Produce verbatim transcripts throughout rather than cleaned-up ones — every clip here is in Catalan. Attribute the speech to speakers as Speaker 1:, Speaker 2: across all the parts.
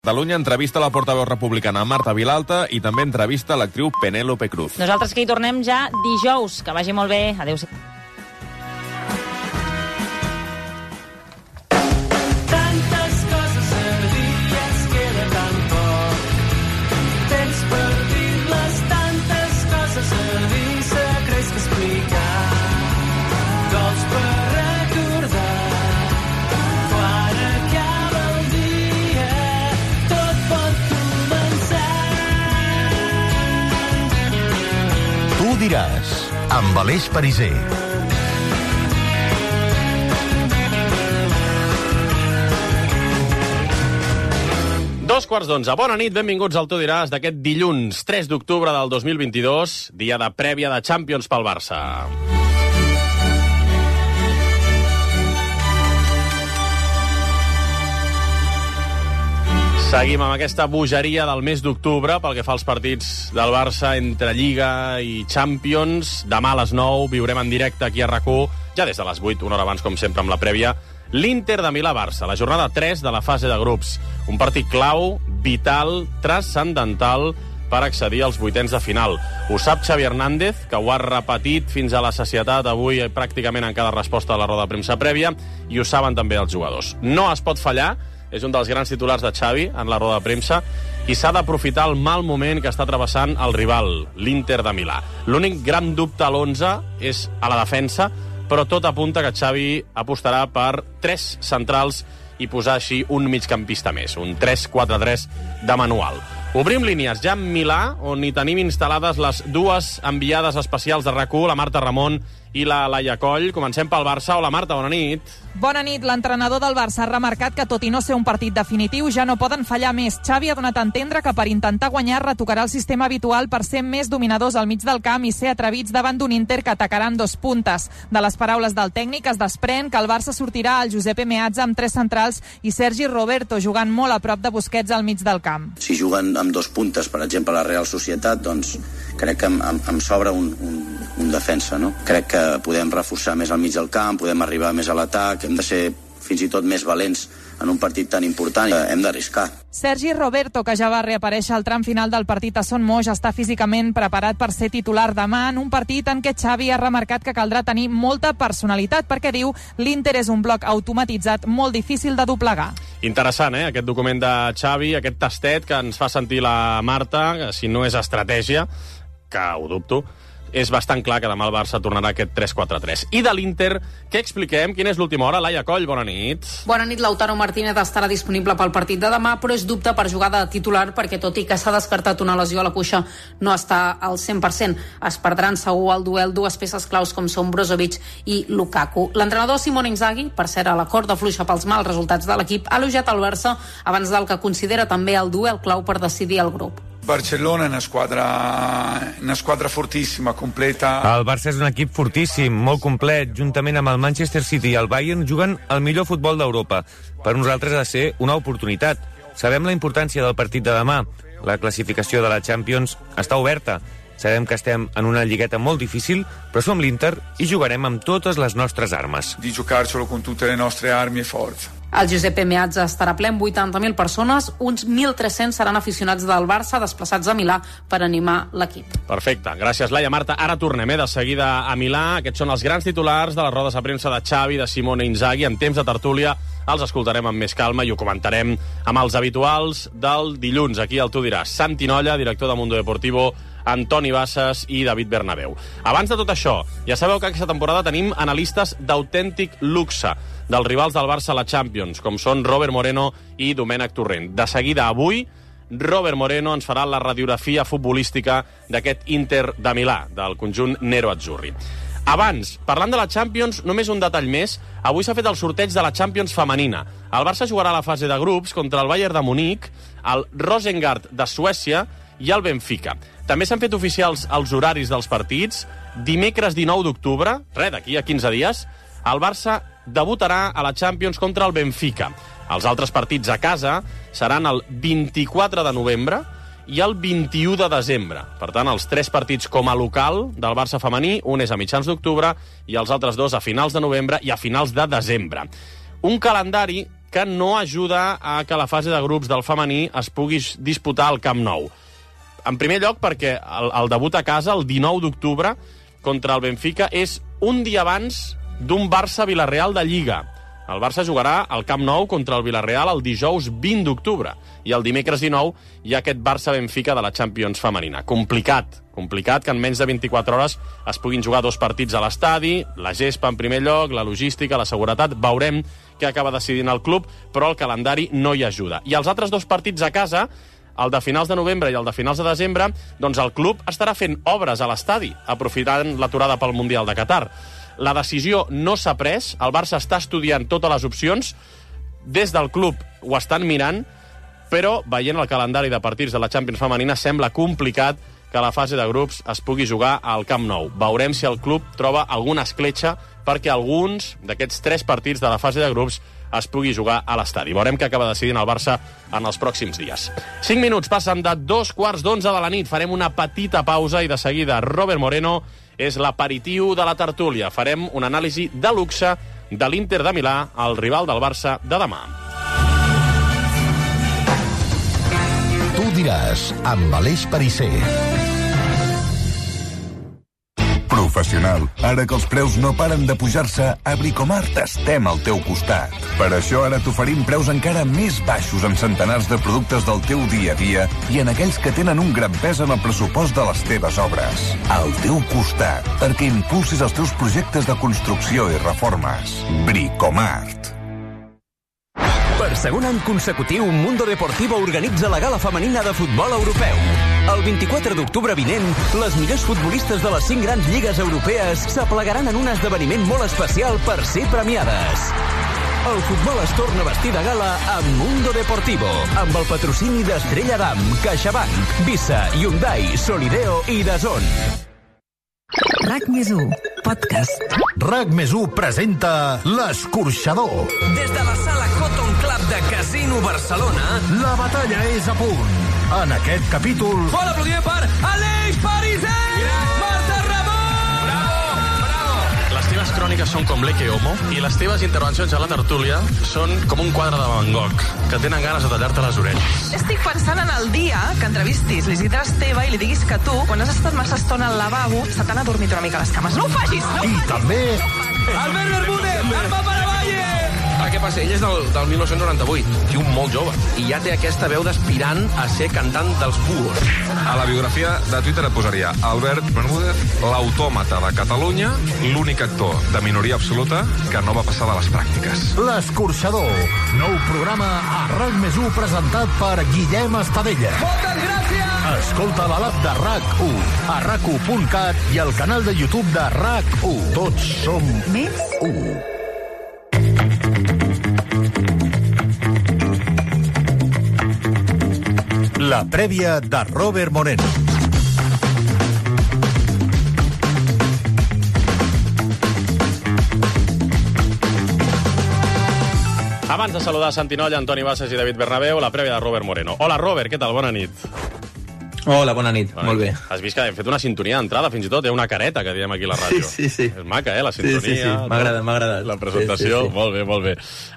Speaker 1: Catalunya entrevista la portaveu republicana Marta Vilalta i també entrevista l'actriu Penélope Cruz.
Speaker 2: Nosaltres que hi tornem ja dijous. Que vagi molt bé. Adéu-siau.
Speaker 3: Diràs, amb Aleix Pariser.
Speaker 4: Dos quarts d'onze. Bona nit, benvinguts al Tu diràs d'aquest dilluns tres d'octubre del dos mil vint-i-dos, dia de prèvia de Champions pel Barça. Seguim amb aquesta bogeria del mes d'octubre pel que fa als partits del Barça entre Lliga i Champions. Demà a les nou viurem en directe aquí a RAC u, ja des de les vuit, una hora abans, com sempre, amb la prèvia, l'Inter de Milà-Barça, la jornada tres de la fase de grups. Un partit clau, vital, transcendental per accedir als vuitens de final. Ho sap Xavi Hernández, que ho ha repetit fins a la sacietat avui pràcticament en cada resposta a la roda de premsa prèvia, i ho saben també els jugadors. No es pot fallar, és un dels grans titulars de Xavi en la roda de premsa, i s'ha d'aprofitar el mal moment que està travessant el rival, l'Inter de Milà. L'únic gran dubte a l'onze és a la defensa, però tot apunta que Xavi apostarà per tres centrals i posar així un migcampista més, un tres quatre tres de manual. Obrim línies ja en Milà, on hi tenim instal·lades les dues enviades especials de RAC u, la Marta Ramon i la Laia Coll. Comencem pel Barça. Hola, Marta, bona nit.
Speaker 5: Bona nit. L'entrenador del Barça ha remarcat que, tot i no ser un partit definitiu, ja no poden fallar més. Xavi ha donat a entendre que per intentar guanyar retocarà el sistema habitual per ser més dominadors al mig del camp i ser atrevits davant d'un Inter que atacaran dos puntes. De les paraules del tècnic es desprèn que el Barça sortirà al Giuseppe Meazza amb tres centrals i Sergi Roberto jugant molt a prop de Busquets al mig del camp.
Speaker 6: Si juguen amb dos puntes, per exemple, la Real Societat, doncs crec que em, em, em sobra un, un, un defensa, no? Crec que podem reforçar més al mig del camp, podem arribar més a l'atac, hem de ser fins i tot més valents en un partit tan important, hem d'arriscar.
Speaker 5: Sergi Roberto, que ja va reaparèixer al tram final del partit a Son Moix, està físicament preparat per ser titular demà en un partit en què Xavi ha remarcat que caldrà tenir molta personalitat, perquè diu l'Inter és un bloc automatitzat molt difícil de doblegar.
Speaker 4: Interessant, eh?, aquest document de Xavi, aquest tastet que ens fa sentir la Marta, si no és estratègia, que ho dubto, és bastant clar que demà el Barça tornarà aquest tres quatre tres. I de l'Inter, què expliquem? Quina és l'última hora? Laia Coll, bona nit.
Speaker 7: Bona nit. Lautaro Martínez estarà disponible pel partit de demà, però és dubte per jugar de titular perquè, tot i que s'ha descartat una lesió a la cuixa, no està al cent per cent. Es perdran segur al duel dues peces claus com són Brozovic i Lukaku. L'entrenador Simone Inzaghi, per cert a la corda fluixa pels mals resultats de l'equip, ha elogiat el Barça abans del que considera també el duel clau per decidir el grup.
Speaker 8: Barcellona è una squadra, una squadra fortissima, completa.
Speaker 9: El Barça és un equip fortíssim, molt complet. Juntament amb el Manchester City i el Bayern juguen el millor futbol d'Europa. Per nosaltres ha de ser una oportunitat. Sabem la importància del partit de demà. La classificació de la Champions està oberta. Sabem que estem en una lligueta molt difícil, però som l'Inter i jugarem amb totes les nostres armes.
Speaker 8: Di giocarcelo con tutte le nostre armi e forza.
Speaker 7: El Giuseppe Meazza estarà ple amb vuitanta mil persones, uns mil tres-cents seran aficionats del Barça desplaçats a Milà per animar l'equip.
Speaker 4: Perfecte, gràcies Laia. Marta, ara tornem eh, de seguida a Milà. Aquests són els grans titulars de les rodes de premsa de Xavi, de Simone Inzaghi. En temps de tertúlia els escoltarem amb més calma i ho comentarem amb els habituals del dilluns. Aquí el Tu diràs. Santi Nolla, director de Mundo Deportivo, Antoni Bassas i David Bernabéu. Abans de tot això, ja sabeu que aquesta temporada tenim analistes d'autèntic luxe dels rivals del Barça a la Champions, com són Robert Moreno i Domènec Torrent. De seguida, avui, Robert Moreno ens farà la radiografia futbolística d'aquest Inter de Milà, del conjunt nero-azzurri. Abans, parlant de la Champions, només un detall més. Avui s'ha fet el sorteig de la Champions femenina. El Barça jugarà a la fase de grups contra el Bayern de Munic, el Rosengard de Suècia i el Benfica. També s'han fet oficials els horaris dels partits. Dimecres dinou d'octubre, res, d'aquí a quinze dies, el Barça debutarà a la Champions contra el Benfica. Els altres partits a casa seran el vint-i-quatre de novembre i el vint-i-u de desembre. Per tant, els tres partits com a local del Barça femení, un és a mitjans d'octubre i els altres dos a finals de novembre i a finals de desembre. Un calendari que no ajuda a que la fase de grups del femení es pugui disputar al Camp Nou. En primer lloc, perquè el, el debut a casa, el dinou d'octubre, contra el Benfica, és un dia abans d'un Barça-Vilareal de Lliga. El Barça jugarà al Camp Nou contra el Vilareal el dijous vint d'octubre i el dimecres dinou hi ha aquest Barça-Benfica de la Champions femenina. Complicat, complicat que en menys de vint-i-quatre hores es puguin jugar dos partits a l'estadi, la gespa en primer lloc, la logística, la seguretat, veurem què acaba decidint el club, però el calendari no hi ajuda. I els altres dos partits a casa, el de finals de novembre i el de finals de desembre, doncs el club estarà fent obres a l'estadi, aprofitant l'aturada pel Mundial de Qatar. La decisió no s'ha pres, el Barça està estudiant totes les opcions, des del club ho estan mirant, però veient el calendari de partits de la Champions femenina sembla complicat que la fase de grups es pugui jugar al Camp Nou. Veurem si el club troba alguna escletxa perquè alguns d'aquests tres partits de la fase de grups es pugui jugar a l'estadi. Veurem què acaba decidint el Barça en els pròxims dies. Cinc minuts passen de dos quarts d'onze de la nit. Farem una petita pausa i de seguida Robert Moreno és l'aperitiu de la tertúlia. Farem una anàlisi de luxe de l'Inter de Milà, el rival del Barça de demà.
Speaker 3: Tu diràs, amb Aleix Perisser. Professional, ara que els preus no paren de pujar-se, a Bricomart estem al teu costat. Per això ara t'oferim preus encara més baixos en centenars de productes del teu dia a dia i en aquells que tenen un gran pes en el pressupost de les teves obres. Al teu costat, perquè impulsis els teus projectes de construcció i reformes. Bricomart.
Speaker 10: Per segon any consecutiu, Mundo Deportivo organitza la gala femenina de futbol europeu. El vint-i-quatre d'octubre vinent, les millors futbolistes de les cinc grans lligues europees s'aplegaran en un esdeveniment molt especial per ser premiades. El futbol es torna a vestir de gala amb Mundo Deportivo, amb el patrocini d'Estrella Damm, CaixaBank, Visa, Hyundai, Solideo i DAZN.
Speaker 11: RAC més u, podcast.
Speaker 3: RAC més u presenta L'Escorxador.
Speaker 10: Des de la sala Cotton Club de Casino Barcelona,
Speaker 3: la batalla és a punt. En aquest capítol...
Speaker 10: Fort aplaudiment per Aleix Perisser! Marta Ramon!
Speaker 4: Bravo, bravo! Les teves cròniques són com l'Eke Homo i les teves intervencions a la tertúlia són com un quadre de Van Gogh, que tenen ganes de tallar-te les orelles.
Speaker 5: Estic pensant en el dia que entrevistis l'Isidre Esteve i li diguis que tu, quan has estat massa estona al lavabo, se t'han adormit una mica les cames. No ho facis! No ho
Speaker 3: I
Speaker 5: facis,
Speaker 3: també...
Speaker 5: No
Speaker 10: Albert Bermúdez, el Papa de Valle!
Speaker 12: Ah, què passa? Ell és del, del mil nou-cents noranta-vuit, tio molt jove, i ja té aquesta veu d'aspirant a ser cantant dels Búhos.
Speaker 13: A la biografia de Twitter et posaria Albert Bermúdez, l'autòmata de Catalunya, l'únic actor de minoria absoluta que no va passar de les pràctiques.
Speaker 3: L'Escorxador, nou programa a RAC més u presentat per Guillem Estadella.
Speaker 10: Moltes gràcies!
Speaker 3: Escolta la l'app de RAC u, a rac u punt cat i al canal de YouTube de RAC u. Tots som
Speaker 11: Més
Speaker 3: u. La prèvia de Robert Moreno.
Speaker 4: Abans de saludar Santi Nolla, Antoni Bassas i David Bernabéu, la prèvia de Robert Moreno. Hola, Robert, què tal? Bona nit.
Speaker 14: Hola, bona nit. Bona Molt
Speaker 4: nit.
Speaker 14: bé.
Speaker 4: Has vist que hem fet una sintonia d'entrada, fins i tot, hi ha una careta que diem aquí a la ràdio.
Speaker 14: Sí, sí, sí.
Speaker 4: És maca, eh, la sintonia.
Speaker 14: Sí, sí, sí. M'ha agradat, m'ha agradat.
Speaker 4: La presentació,
Speaker 14: sí, sí, sí.
Speaker 4: molt bé, molt bé.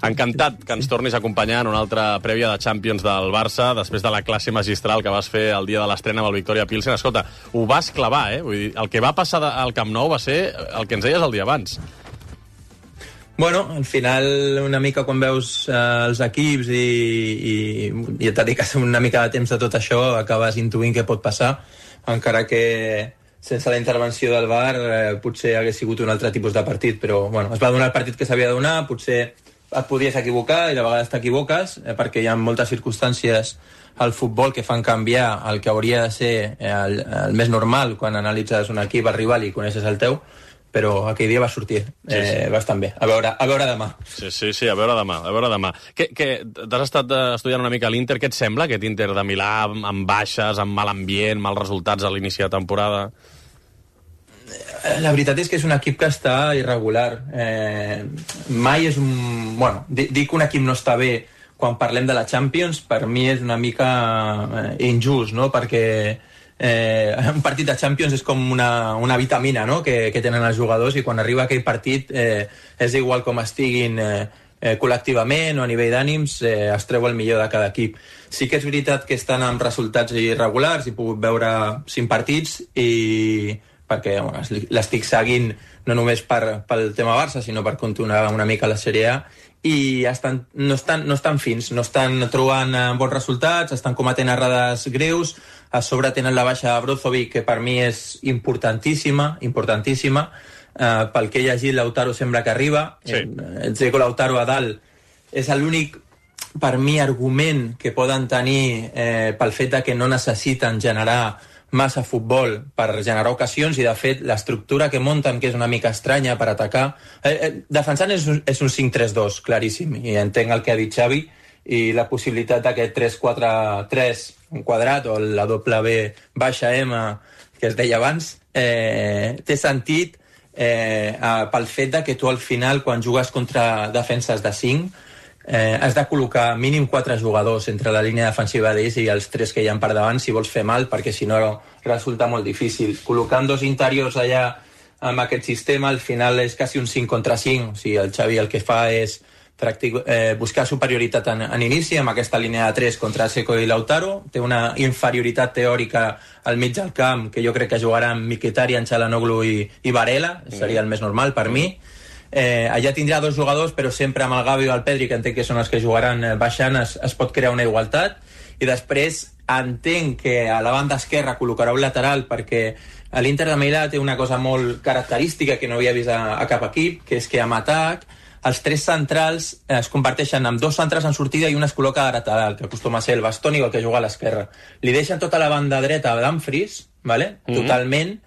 Speaker 4: Encantat que ens tornis a acompanyar en una altra prèvia de Champions del Barça, després de la classe magistral que vas fer el dia de l'estrena amb el Victoria Pilsen. Escolta, ho vas clavar, eh? Vull dir, el que va passar al Camp Nou va ser el que ens deies el dia abans.
Speaker 14: Bueno, al final, una mica quan veus eh, els equips i, i, i et dediques una mica de temps a tot això, acabes intuint què pot passar, encara que sense la intervenció del V A R eh, potser hagués sigut un altre tipus de partit, però bueno, es va donar el partit que s'havia de donar, potser et podies equivocar i de vegades t'equivoques, eh, perquè hi ha moltes circumstàncies al futbol que fan canviar el que hauria de ser eh, el, el més normal quan analitzes un equip, el rival i coneixes el teu, però aquell dia va sortir eh, sí, sí. bastant bé. A veure, a veure demà.
Speaker 4: Sí, sí, sí, a veure demà, a veure demà. Que, que t'has estat estudiant una mica l'Inter, què et sembla, aquest Inter de Milà, amb, amb baixes, amb mal ambient, mals resultats a l'inici de temporada?
Speaker 14: La veritat és que és un equip que està irregular. Eh, mai és un... Bueno, dir que un equip no està bé quan parlem de la Champions, per mi és una mica eh, injust, no?, perquè Eh, un partit de Champions és com una, una vitamina, no?, que, que tenen els jugadors, i quan arriba aquell partit eh, és igual com estiguin eh, eh, col·lectivament o a nivell d'ànims eh, es treu el millor de cada equip. Sí que és veritat que estan amb resultats irregulars, he pogut veure cinc partits i perquè bueno, l'estic seguint no només per, pel tema Barça, sinó per continuar una mica la Sèrie A, i estan, no, estan, no estan fins, no estan trobant bons resultats, estan cometent errades greus, a sobre tenen la baixa de Brozovic, que per mi és importantíssima, importantíssima, eh, pel que he llegit, Lautaro sembla que arriba, sí. El Dzeko Lautaro a dalt és l'únic, per mi, argument que poden tenir eh, pel fet de que no necessiten generar massa futbol per generar ocasions, i de fet l'estructura que munten, que és una mica estranya per atacar, eh, eh, defensant és un, és un cinc tres dos claríssim, i entenc el que ha dit Xavi, i la possibilitat d'aquest tres quatre tres un quadrat o la doble B baixa M que es deia abans, eh, té sentit eh, pel fet de que tu al final, quan jugues contra defenses de cinc, Eh, has de col·locar mínim quatre jugadors entre la línia defensiva d'ells i els tres que hi ha per davant si vols fer mal, perquè si no resulta molt difícil. Col·locant dos interiors allà amb aquest sistema, al final és quasi un cinc contra cinc. O sigui, el Xavi el que fa és practic, eh, buscar superioritat en, en inici amb aquesta línia de tres contra Dzeko i Lautaro. Té una inferioritat teòrica al mig del camp, que jo crec que jugaran Mkhitaryan, Çalhanoğlu i, i Varela, seria el més normal per mi. Eh, allà tindrà dos jugadors, però sempre amb el Gavi o el Pedri, que entenc que són els que jugaran eh, baixant, es, es pot crear una igualtat. I després entenc que a la banda esquerra col·locarà un lateral, perquè l'Inter de Milà té una cosa molt característica que no havia vist a, a cap equip, que és que amb atac els tres centrals eh, es converteixen en dos centrals en sortida i un es col·loca a lateral, que acostuma a ser el Bastoni o el que juga a l'esquerra. Li deixen tota la banda dreta a Dumfries, vale? Mm-hmm. Totalment.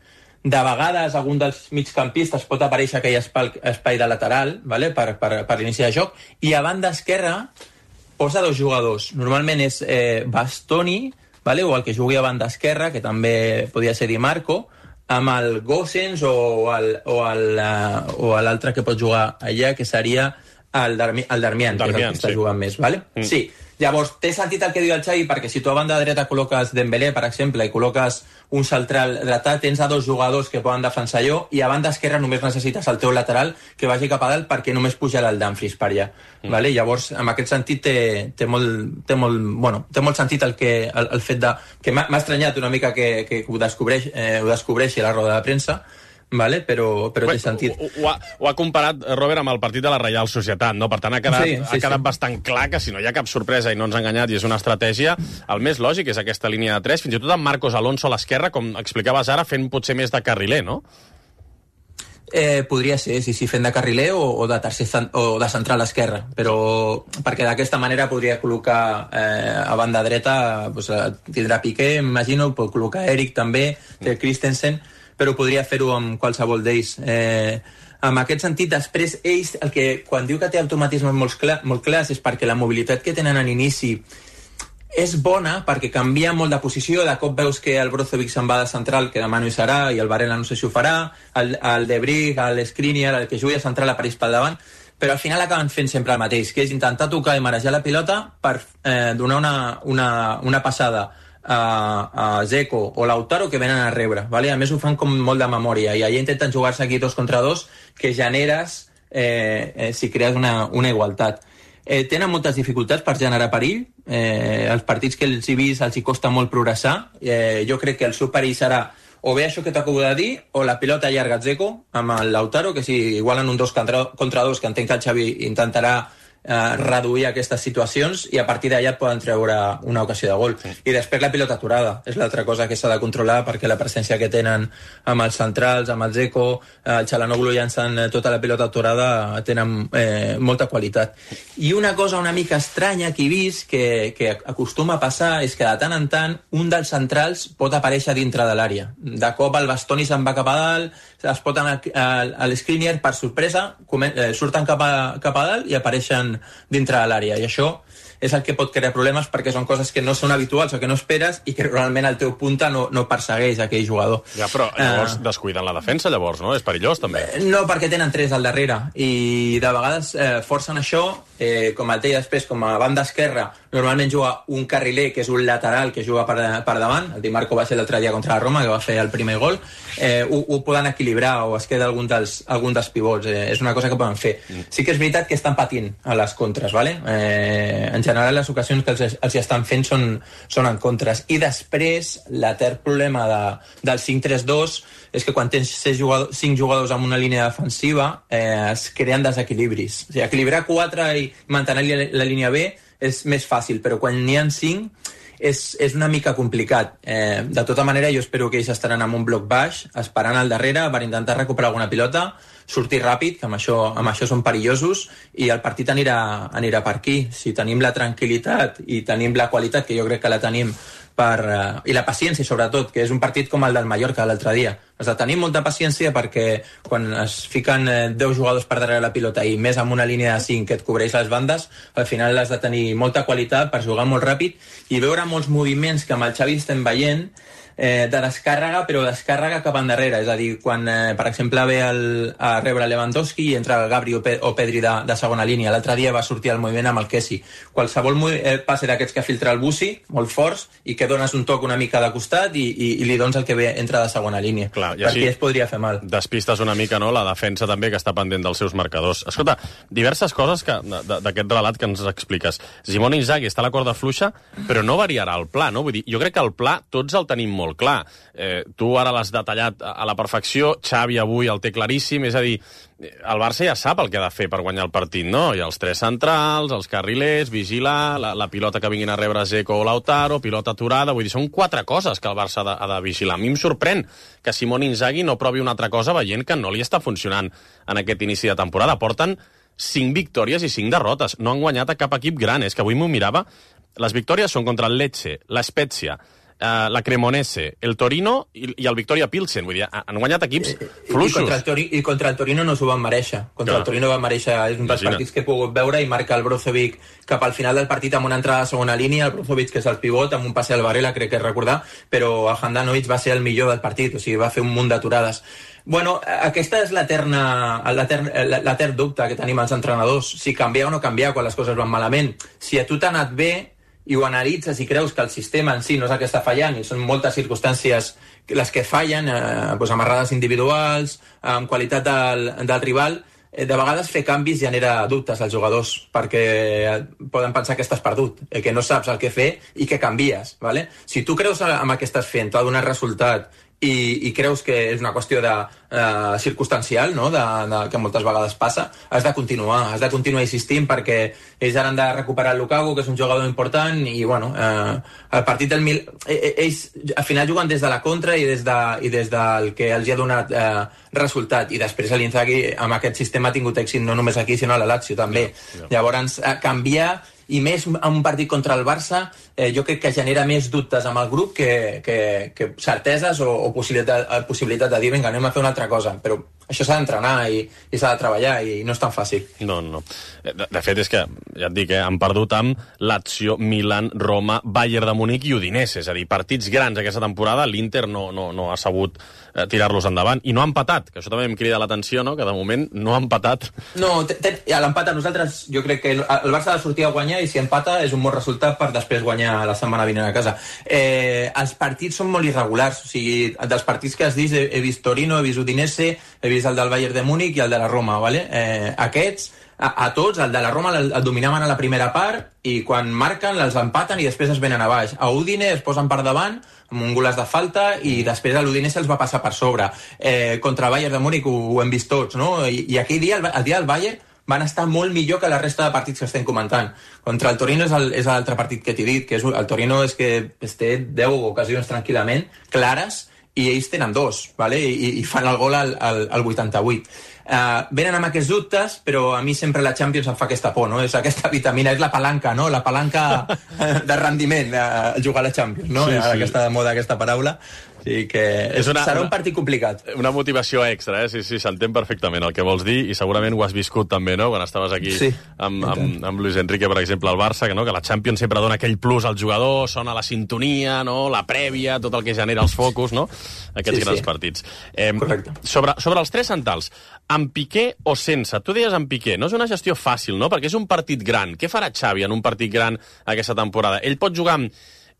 Speaker 14: De vegades algun dels migcampistes pot aparèixer aquell espai, espai de lateral, vale? per, per, per l'inici de joc, i a banda esquerra posa dos jugadors. Normalment és eh, Bastoni, vale? O el que jugui a banda esquerra, que també podria ser Di Marco, amb el Gosens o, el, o, el, uh, o l'altre que pot jugar allà, que seria el, Darmi, el Darmian, que és el que està sí. jugant més. Vale? Mm. Sí. Llavors, té sentit el que diu el Xavi, perquè si tu a banda dreta col·loques Dembélé, per exemple, i col·loques un central dretà, tens a dos jugadors que poden defensar allò, i a banda esquerra només necessites el teu lateral que vagi cap a dalt, perquè només pujarà el Dumfries per allà. Mm. Vale? Llavors, en aquest sentit, té, té, molt, té, molt, bueno, té molt sentit el, que, el, el fet de... que m'ha estranyat una mica que, que ho, descobreix, eh, ho descobreixi a la roda de premsa, vale? però, però té sentit.
Speaker 4: Ho, ho, ha, ho ha comparat, Robert, amb el partit de la Reial Societat, no? Per tant, ha quedat, sí, sí, ha quedat sí. bastant clar que si no hi ha cap sorpresa i no ens ha enganyat i és una estratègia, el més lògic és aquesta línia de tres, fins i tot amb Marcos Alonso a l'esquerra, com explicaves ara, fent potser més de carriler, no?
Speaker 14: Eh, podria ser, sí, sí, fent de carriler o, o de tercer o de central a l'esquerra, però perquè d'aquesta manera podria col·locar eh, a banda dreta, pues, tindrà Piqué, m'imagino, pot col·locar Eric també, té Christensen, però podria fer-ho amb qualsevol d'ells. Eh, en aquest sentit, després, ells, el que, quan diu que té automatismes molt, clar, molt clars, és perquè la mobilitat que tenen en inici és bona, perquè canvia molt de posició, de cop veus que el Brozovic se'n va de central, que demà no hi serà, i el Varela no sé si ho farà, el, el De Bruyne, el Skriniar, el que jugui a central apareix pel davant, però al final acaben fent sempre el mateix, que és intentar tocar i marejar la pilota per eh, donar una, una, una passada a, a Dzeko o Lautaro que venen a rebre, vale? A més ho fan com molt de memòria i allà intenten jugar-se aquí dos contra dos que generes eh, eh, si crees una, una igualtat. Eh, tenen moltes dificultats per generar perill, eh, els partits que els he vist els hi costa molt progressar, eh, jo crec que el seu perill serà o bé això que t'acabo de dir o la pilota llarga Dzeko amb el Lautaro, que si igualen un dos contra, contra dos, que entenc que el Xavi intentarà Eh, reduir aquestes situacions i a partir d'allà et poden treure una ocasió de gol. Sí. I després la pilota aturada és l'altra cosa que s'ha de controlar, perquè la presència que tenen amb els centrals, amb el Dzeko, eh, el Çalhanoğlu llançant eh, tota la pilota aturada, tenen eh, molta qualitat. I una cosa una mica estranya que he vist que, que acostuma a passar és que de tant en tant un dels centrals pot aparèixer dintre de l'àrea. De cop el Bastoni se'n va cap a dalt, es pot anar a l'Skriniar, per sorpresa surten cap a, cap a dalt i apareixen dintre de l'àrea, i això és el que pot crear problemes perquè són coses que no són habituals o que no esperes i que realment el teu punta no, no persegueix aquell jugador.
Speaker 4: Ja, però llavors uh, descuiden la defensa, llavors, no? És perillós, també.
Speaker 14: No, perquè tenen tres al darrere i de vegades eh, forcen això, eh, com et deia després, com a banda esquerra, normalment juga un carriler, que és un lateral que juga per, per davant, el Di Marco va ser l'altre dia contra la Roma, que va fer el primer gol, eh, ho, ho poden equilibrar o es queda algun dels, algun dels pivots, eh, és una cosa que poden fer. Sí que és veritat que estan patint a les contres, ¿vale? Eh, en general les ocasions que els, els estan fent són, són en contres. I després, l'altre problema de, del cinc tres dos és que quan tens jugadors, cinc jugadors amb una línia defensiva eh, es creen desequilibris. O sigui, equilibrar quatre i mantenir la, la línia B és més fàcil, però quan n'hi ha cinc és, és una mica complicat. Eh, de tota manera, jo espero que ells estaran amb un bloc baix, esperant al darrere per intentar recuperar alguna pilota, sortir ràpid, que amb això, amb això són perillosos, i el partit anirà, anirà per aquí. Si tenim la tranquil·litat i tenim la qualitat, que jo crec que la tenim, per, uh, i la paciència, sobretot, que és un partit com el del Mallorca l'altre dia. Has de tenir molta paciència perquè quan es fiquen eh, deu jugadors per darrere la pilota i més amb una línia de cinc que et cobreix les bandes, al final has de tenir molta qualitat per jugar molt ràpid i veure molts moviments que amb el Xavi estem veient eh, de descàrrega, però descàrrega cap endarrere. És a dir, quan, eh, per exemple, ve el, a rebre Lewandowski i entra el Gabri o, Pe o Pedri de, de segona línia. L'altre dia va sortir el moviment amb el Kessi. Qualsevol eh, passe d'aquests que filtra el Bussi, molt forts, i que dones un toc una mica de costat i, i, i li dones el que ve entra de segona línia.
Speaker 4: Clar, i
Speaker 14: perquè es podria fer mal.
Speaker 4: Despistes una mica, no?, la defensa també, que està pendent dels seus marcadors. Escolta, diverses coses que d'aquest relat que ens expliques. Simone Inzaghi està a la corda fluixa, però no variarà el pla, no? Vull dir, jo crec que el pla tots el tenim molt clar. Eh, tu ara l'has detallat a la perfecció, Xavi avui el té claríssim, és a dir, el Barça ja sap el que ha de fer per guanyar el partit, no? Hi ha els tres centrals, els carrilers, vigilar, la, la pilota que vinguin a rebre Zeko o Lautaro, pilota aturada, vull dir, són quatre coses que el Barça ha de, ha de vigilar. A mi em sorprèn que Simone Inzaghi no provi una altra cosa veient que no li està funcionant en aquest inici de temporada. Porten cinc victòries i cinc derrotes. No han guanyat a cap equip gran. És que avui m'ho mirava. Les victòries són contra el Lecce, la Spezia, Uh, la Cremonese, el Torino i, i el Victoria Pilsen. Vull dir, han guanyat equips fluixos.
Speaker 14: I contra el, Tori, i contra el Torino no s'ho van mereixer. Contra Clar. el Torino van mereixer, és un dels partits que he pogut veure, i marca el Brozovic cap al final del partit amb una entrada a segona línia, el Brozovic, que és el pivot, amb un passe al Varela, crec que és recordar, però el Handanovic va ser el millor del partit, o sigui, va fer un munt d'aturades. Bueno, aquesta és l'etern dubte que tenim els entrenadors, si canviar o no canviar quan les coses van malament. Si a tu t'ha anat bé i ho analitzes i creus que el sistema en si no és el que està fallant, i són moltes circumstàncies les que fallen, eh, doncs amarrades individuals, amb qualitat del, del rival, eh, de vegades fer canvis genera dubtes als jugadors, perquè poden pensar que estàs perdut, eh, que no saps el que fer i que canvies, ¿vale? Si tu creus amb el que estàs fent, t'ha donat resultat, i, i creus que és una qüestió de, uh, circumstancial, no? de, de, que moltes vegades passa, has de continuar, has de continuar insistint, perquè ells ara han de recuperar el Lukaku, que és un jugador important, i bueno, uh, el partit del Mil... ells al final juguen des de la contra i des, de, i des del que els ha donat uh, resultat, i després l'Inzaghi amb aquest sistema ha tingut èxit no només aquí sinó a la Lazio també. Yeah, yeah. Llavors, uh, canviar, i més en un partit contra el Barça, eh, jo crec que genera més dubtes amb el grup que, que, que certeses o, o possibilitat, possibilitat de dir, vinga, anem a fer una altra cosa, però això s'ha d'entrenar i, i s'ha de treballar, i no és tan fàcil.
Speaker 4: No, no. De, de fet, és que, ja et dic, eh, han perdut amb Lazio, Milan, Roma, Bayern de Munic i Udinese, és a dir, partits grans aquesta temporada, l'Inter no, no, no ha sabut eh, tirar-los endavant, i no ha empatat, que això també em crida l'atenció, no?, que de moment no ha empatat.
Speaker 14: No, a l'empat a nosaltres, jo crec que el, el Barça ha de sortir a guanyar, i si empata és un bon resultat per després guanyar la setmana vinent a casa. Eh, els partits són molt irregulars, o sigui, dels partits que has dit, he, he vist Torino, he vist Udinese, he vist el del Bayern de Múnich i el de la Roma, ¿vale? Eh, aquests, a, a tots, el de la Roma el, el dominaven a la primera part, i quan marquen els empaten i després es venen a baix. A Udine es posen per davant amb un golaç de falta, i després a l'Udinese els va passar per sobre. Eh, contra el Bayern de Múnich ho, ho hem vist tots, no? I, i aquell dia, el, el dia del Bayern, van estar molt millor que la resta de partits que estem comentant. Contra el Torino és l'altre partit que t'he dit, que és, el Torino és que es té deu ocasions tranquil·lament, clares, i ells tenen dos, ¿vale? I, i fan el gol al, al, al vuitanta-vuit. Uh, venen amb aquests dubtes, però a mi sempre la Champions em fa aquesta por, no? És aquesta vitamina, és la palanca, no? La palanca de rendiment, uh, jugar a la Champions, no? Sí, sí. Aquesta moda, aquesta paraula. sigui que és una, serà un partit complicat.
Speaker 4: Una motivació extra, eh? Sí, sí, s'entén perfectament el que vols dir i segurament ho has viscut també, no?, quan estaves aquí sí, amb, amb, amb Luis Enrique, per exemple, al Barça, que, no? que la Champions sempre dona aquell plus al jugador, sona la sintonia, no?, la prèvia, tot el que genera els focus, no?, aquests sí, grans sí. partits. Eh, Correcte. Sobre, sobre els tres centrals, amb Piqué o sense? Tu deies amb Piqué, no és una gestió fàcil, no?, perquè és un partit gran. Què farà Xavi en un partit gran aquesta temporada? Ell pot jugar amb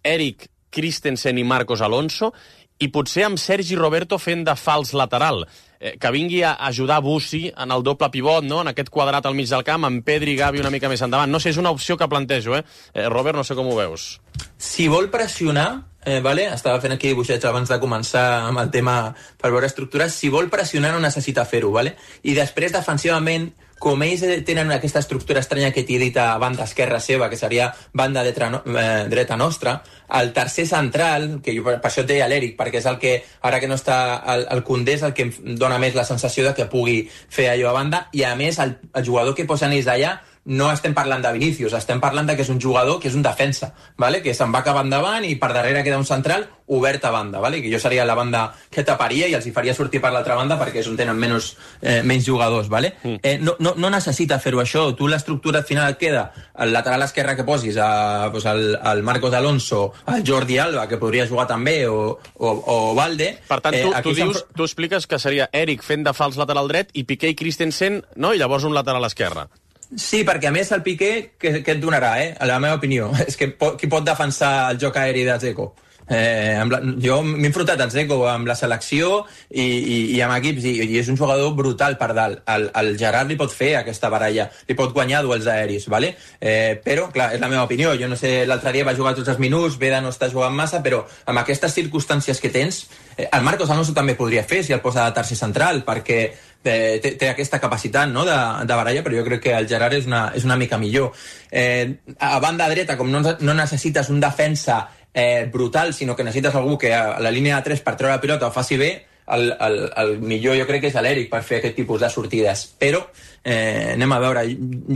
Speaker 4: Eric, Christensen i Marcos Alonso i potser amb Sergi Roberto fent de fals lateral, eh, que vingui a ajudar Bussi en el doble pivot, no?, en aquest quadrat al mig del camp, amb Pedri i Gavi una mica més endavant. No sé, és una opció que plantejo, eh? eh Robert, no sé com ho veus.
Speaker 14: Si vol pressionar, eh, vale? Estava fent aquí dibuixets abans de començar amb el tema per veure estructures, si vol pressionar no necessita fer-ho, vale? I després defensivament, com ells tenen aquesta estructura estranya que t'he dit a banda esquerra seva, que seria banda dreta, no, eh, dreta nostra, el tercer central, que jo per això et deia l'Eric, perquè és el que, ara que no està el, el Koundé, és el que em dona més la sensació de que pugui fer allò a banda, i a més el, el jugador que posen ells allà no estem parlant de Vinícius, estem parlant de que és un jugador que és un defensa, ¿vale? Que se'n va cap endavant i per darrere queda un central obert a banda, ¿vale? Que jo seria la banda que taparia i els hi faria sortir per l'altra banda perquè és on tenen menys, eh, menys jugadors, ¿vale? Mm. Eh, no, no, no necessita fer-ho això, tu l'estructura al final et queda el lateral esquerre que posis, a, pues, el, el Marcos Alonso, el Jordi Alba, que podria jugar també, o, o, o Valde.
Speaker 4: Per tant, tu, eh, tu, dius, tu expliques que seria Eric fent de fals lateral dret i Piqué i Christensen, no? I llavors un lateral esquerre.
Speaker 14: Sí, perquè a més el Piqué, què, què et donarà, eh? A la meva opinió, és que pot, qui pot defensar el joc aeri de Dzeko? Eh, amb la, jo m'he enfrontat a Dzeko amb la selecció i, i, i amb equips i, i és un jugador brutal per dalt. El, el Gerard li pot fer aquesta baralla, li pot guanyar duels aeris, ¿vale? Eh, però, clar, és la meva opinió. Jo no sé, l'altre dia va jugar tots els minuts, Veda no està jugant massa, però amb aquestes circumstàncies que tens, eh, el Marcos Alonso també podria fer si el posa de tercer central, perquè Té, té aquesta capacitat, no?, de, de baralla, però jo crec que el Gerard és una, és una mica millor. Eh, a banda dreta, com no, no necessites un defensa eh, brutal, sinó que necessites algú que a la línia de tres per treure la pilota ho faci bé, el, el, el millor jo crec que és l'Eric per fer aquest tipus de sortides. Però eh, anem a veure,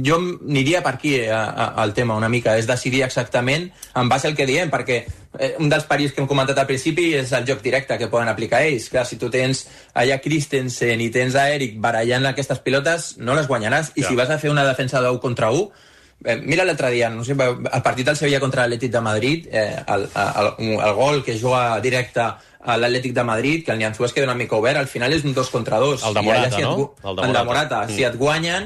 Speaker 14: jo aniria per aquí eh, al tema una mica, és decidir exactament en base al que diem, perquè eh, un dels perills que hem comentat al principi és el joc directe que poden aplicar ells. Clar, si tu tens allà Christensen i tens a Eric barallant aquestes pilotes, no les guanyaràs, i ja. Si vas a fer una defensa d'u contra u, eh, mira l'altre dia, no sé, el partit del Sevilla contra l'Atlètic de Madrid, eh, el, el, el, el gol que juga directe a l'Atlètic de Madrid, que el Nianzú es queda una mica obert, al final és un dos contra dos.
Speaker 4: El de Morata,
Speaker 14: si
Speaker 4: no?
Speaker 14: Et, el de Morata. El de Morata. Mm. Si et guanyen,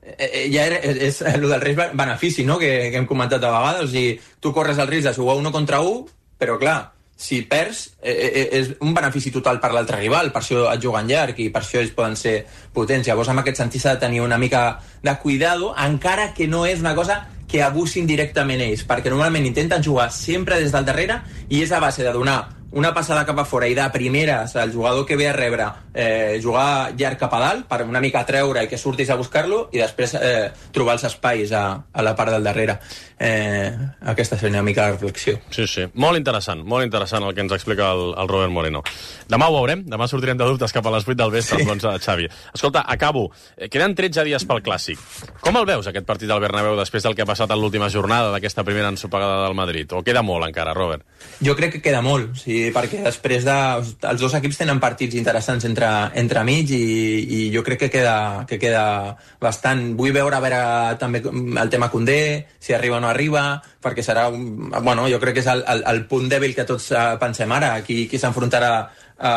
Speaker 14: eh, ja era, és, és el del risc benefici, no?, que, que hem comentat a vegades. O sigui, tu corres el risc de jugar uno contra u, però clar, si perds, eh, eh, és un benefici total per l'altre rival, per això et juguen llarg i per això ells poden ser potents. Llavors, en aquest sentit, s'ha de tenir una mica de cuidado, encara que no és una cosa que abusin directament ells, perquè normalment intenten jugar sempre des del darrere i és a base de donar una passada cap a fora i de primeres el jugador que ve a rebre eh, jugar llarg cap a dalt per una mica treure i que surtis a buscar-lo i després eh, trobar els espais a, a la part del darrere. Eh, aquesta és una mica la reflexió.
Speaker 4: Sí, sí. Molt interessant, molt interessant el que ens explica el, el Robert Moreno. Demà ho veurem, demà sortirem de dubtes cap a les vuit del vespre sí. amb l'onze de Xavi. Escolta, acabo. Queden tretze dies pel Clàssic. Com el veus, aquest partit del Bernabéu, després del que ha passat en l'última jornada d'aquesta primera ensopegada del Madrid? O queda molt encara, Robert?
Speaker 14: Jo crec que queda molt, sí, perquè després de... Els dos equips tenen partits interessants entre, entre mig i, i jo crec que queda, que queda bastant... Vull veure a veure també el tema Koundé, si arriba o no arriba, perquè serà... Un, bueno, jo crec que és el, el, el punt dèbil que tots pensem ara, qui, qui s'enfrontarà a,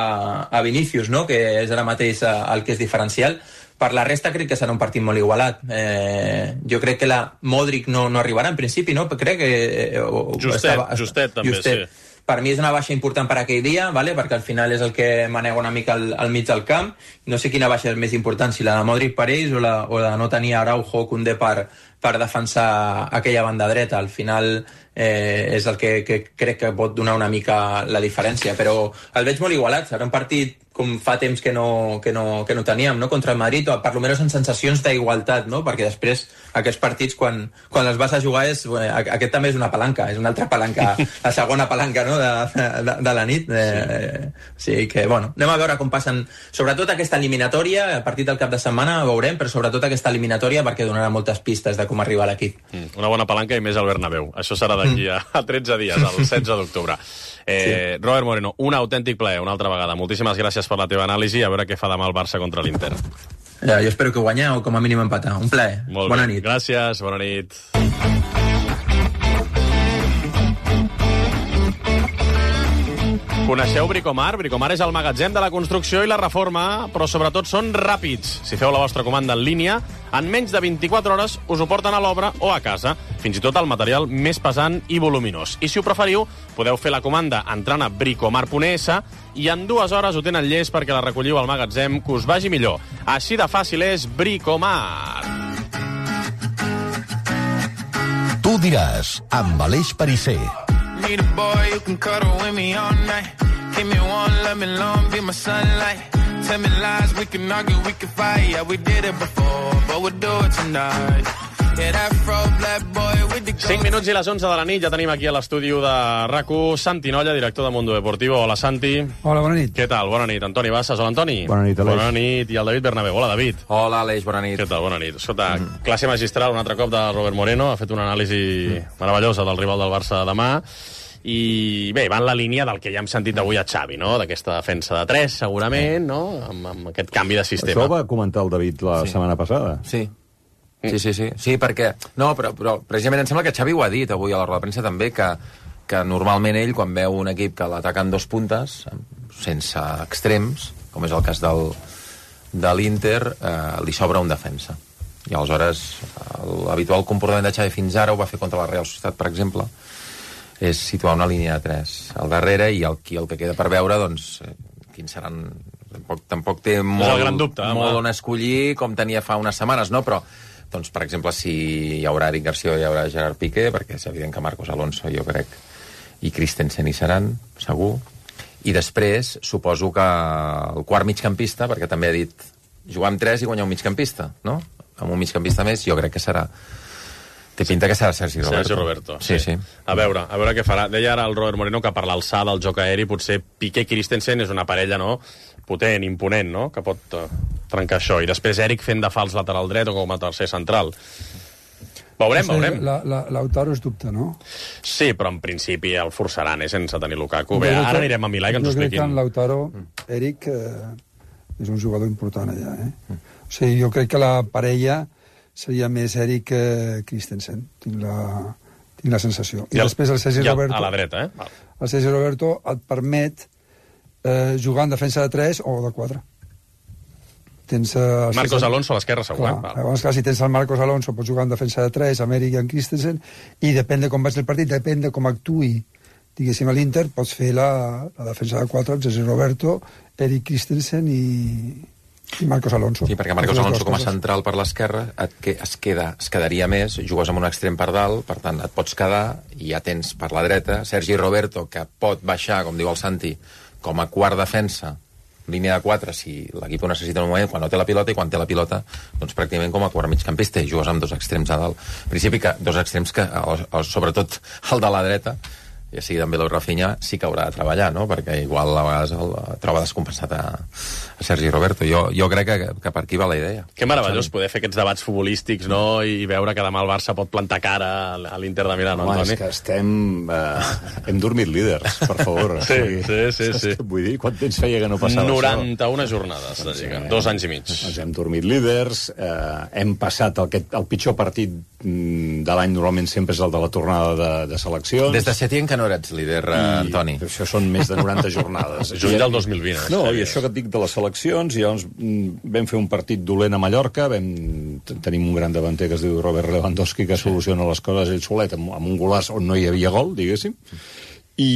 Speaker 14: a Vinícius, no?, que és ara mateix el que és diferencial. Per la resta crec que serà un partit molt igualat. Eh, jo crec que la Modric no, no arribarà en principi, no? Crec que... Eh,
Speaker 4: Justet, estava, Justet també, Justet. Sí.
Speaker 14: Per mi és una baixa important per aquell dia, ¿vale? Perquè al final és el que manega una mica al, al mig del camp. No sé quina baixa és més important, si la de Modric per ells o la, o la de no tenir Araujo o Koundé per, per defensar aquella banda dreta. Al final eh, és el que, que crec que pot donar una mica la diferència. Però el veig molt igualat. Serà un partit com fa temps que no, que no, que no teníem, no? Contra el Madrid, o per almenys en sensacions d'igualtat, no? Perquè després aquests partits, quan, quan els vas a jugar, és, eh, aquest també és una palanca, és una altra palanca, la segona palanca, no? de, de, de la nit. Eh, sí. O sigui que, bueno, anem a veure com passen, sobretot aquesta eliminatòria, a partir del cap de setmana veurem, però sobretot aquesta eliminatòria perquè donarà moltes pistes de com arribar a l'equip.
Speaker 4: Mm, una bona palanca i més al Bernabéu. Això serà d'aquí a, a tretze dies, el setze d'octubre. Eh, sí. Robert Moreno, un autèntic plaer, una altra vegada. Moltíssimes gràcies per la teva anàlisi, a veure què fa demà el Barça contra l'Inter.
Speaker 14: Ja, jo espero que guanyeu o com a mínim empatar. Un plaer.
Speaker 4: Molt
Speaker 14: bona
Speaker 4: bé.
Speaker 14: nit.
Speaker 4: Gràcies, bona nit. Coneixeu Bricomar? Bricomar és el magatzem de la construcció i la reforma, però sobretot són ràpids. Si feu la vostra comanda en línia, en menys de vint-i-quatre hores us ho porten a l'obra o a casa, fins i tot el material més pesant i voluminós. I si ho preferiu, podeu fer la comanda entrant a bricomar punt es i en dues hores ho tenen llest perquè la recolliu al magatzem que us vagi millor. Així de fàcil és Bricomar.
Speaker 15: Tu diràs, amb Aleix Perisser.
Speaker 16: Need a boy who can cuddle with me all night. Give me one, let me long, be my sunlight. Tell me lies, we can argue, we can fight. Yeah, we did it before, but we'll do it tonight. Yeah, that fro black boy with the
Speaker 4: cinc minuts i les onze de la nit, ja tenim aquí a l'estudi de RAC u Santi Nolla, director de Mundo Deportivo. Hola, Santi.
Speaker 17: Hola, bona nit.
Speaker 4: Què tal? Bona nit. Antoni Bassas. Hola, Antoni.
Speaker 17: Bona nit, Aleix.
Speaker 4: Bona nit. I el David Bernabéu. Hola, David.
Speaker 18: Hola, Aleix, bona nit.
Speaker 4: Què tal? Bona nit. Escolta, mm. classe magistral un altre cop de Robert Moreno. Ha fet una anàlisi mm. meravellosa del rival del Barça de demà. I bé, va en la línia del que ja hem sentit avui a Xavi, no? D'aquesta defensa de tres, segurament, no? Amb, amb aquest canvi de sistema.
Speaker 17: Això va comentar el David la sí. setmana passada.
Speaker 18: Sí. Sí, sí, sí. Sí, perquè... No, però, però precisament em sembla que Xavi ho ha dit avui a la roda de premsa també, que, que normalment ell, quan veu un equip que l'ataca en dos puntes, sense extrems, com és el cas del, de l'Inter, eh, li sobra un defensa. I aleshores, l'habitual comportament de Xavi fins ara, ho va fer contra la Real Societat, per exemple, és situar una línia de tres al darrere i el, el que queda per veure, doncs, quins seran... Tampoc, tampoc té molt,
Speaker 4: gran dubte,
Speaker 18: molt on escollir, com tenia fa unes setmanes, no? Però, doncs, per exemple, si hi haurà Eric Garcia, hi haurà Gerard Piqué, perquè és evident que Marcos Alonso, jo crec, i Christensen hi seran, segur. I després, suposo que el quart migcampista, perquè també ha dit jugar amb tres i guanyar un migcampista, no? Amb un migcampista més, jo crec que serà... Té pinta que serà Sergi Roberto.
Speaker 4: Sergi Roberto,
Speaker 18: sí. sí, sí.
Speaker 4: A veure, a veure què farà. Deia ara el Robert Moreno que per l'alçada del joc aeri potser Piqué i Christensen és una parella, no?, potent, imponent, no?, que pot uh, trencar això. I després Eric fent de fals lateral dret o com a tercer central. Veurem, veurem.
Speaker 17: La, la, Lautaro és dubte, no?
Speaker 4: Sí, però en principi el forçaran, eh, sense tenir Lukaku. Bé, ara anirem a Milà i que ens ho expliquin.
Speaker 17: Jo crec que en Lautaro, Eric, eh, és un jugador important allà, eh? O sigui, jo crec que la parella seria més Eric que Christensen, tinc la, tinc la sensació. I, I el, després el Sergi Roberto...
Speaker 4: A la dreta, eh? Val.
Speaker 17: El Sergi Roberto et permet eh, jugar en defensa de tres o de quatre. Tens, eh,
Speaker 4: Marcos
Speaker 17: César...
Speaker 4: Alonso a l'esquerra, segur.
Speaker 17: Clar, llavors, clar, si tens el Marcos Alonso, pots jugar en defensa de tres, amb Eric i en Christensen, i depèn de com vagi el partit, depèn de com actuï, diguéssim, a l'Inter, pots fer la, la defensa de quatre, el Sergi Roberto, Eric Christensen i... i Marcos Alonso.
Speaker 18: Sí, perquè Marcos Alonso com a central per l'esquerra et que es, queda, es quedaria més, jugues amb un extrem per dalt, per tant et pots quedar i ja tens per la dreta Sergi Roberto, que pot baixar, com diu el Santi, com a quart defensa, línia de quatre, si l'equip ho necessita en un moment, quan no té la pilota, i quan té la pilota, doncs pràcticament com a quart migcampista, i jugues amb dos extrems a dalt. En principi, que dos extrems que, sobretot el de la dreta, ja sigui també el Rafinha, sí que haurà de treballar, no? Perquè igual a vegades el troba descompensat a, a Sergi Roberto. Jo, jo crec que, que per aquí va la idea.
Speaker 4: Que meravellós poder fer aquests debats futbolístics, no?, i veure que demà el Barça pot plantar cara a l'Inter de Milà, no,
Speaker 19: Home,
Speaker 4: Antoni?
Speaker 19: és que estem... Eh, hem dormit líders, per favor.
Speaker 4: Sí, sí, sí, sí.
Speaker 19: Vull dir, quant temps feia que no passava
Speaker 4: noranta-una això? jornades de Lliga, sí, dos anys i mig.
Speaker 19: Ens hem dormit líders, eh, hem passat el, que, el pitjor partit de l'any normalment sempre és el de la tornada de, de seleccions.
Speaker 18: Des de Setién que no eres líder, I, Antoni.
Speaker 19: Això són més de noranta jornades.
Speaker 4: Juny del dos mil vint.
Speaker 19: No, i això que et dic de les seleccions, i llavors vam fer un partit dolent a Mallorca, vam, tenim un gran davanter que es diu Robert Lewandowski, que soluciona les coses ell solet, amb, amb un golaç on no hi havia gol, diguéssim, i...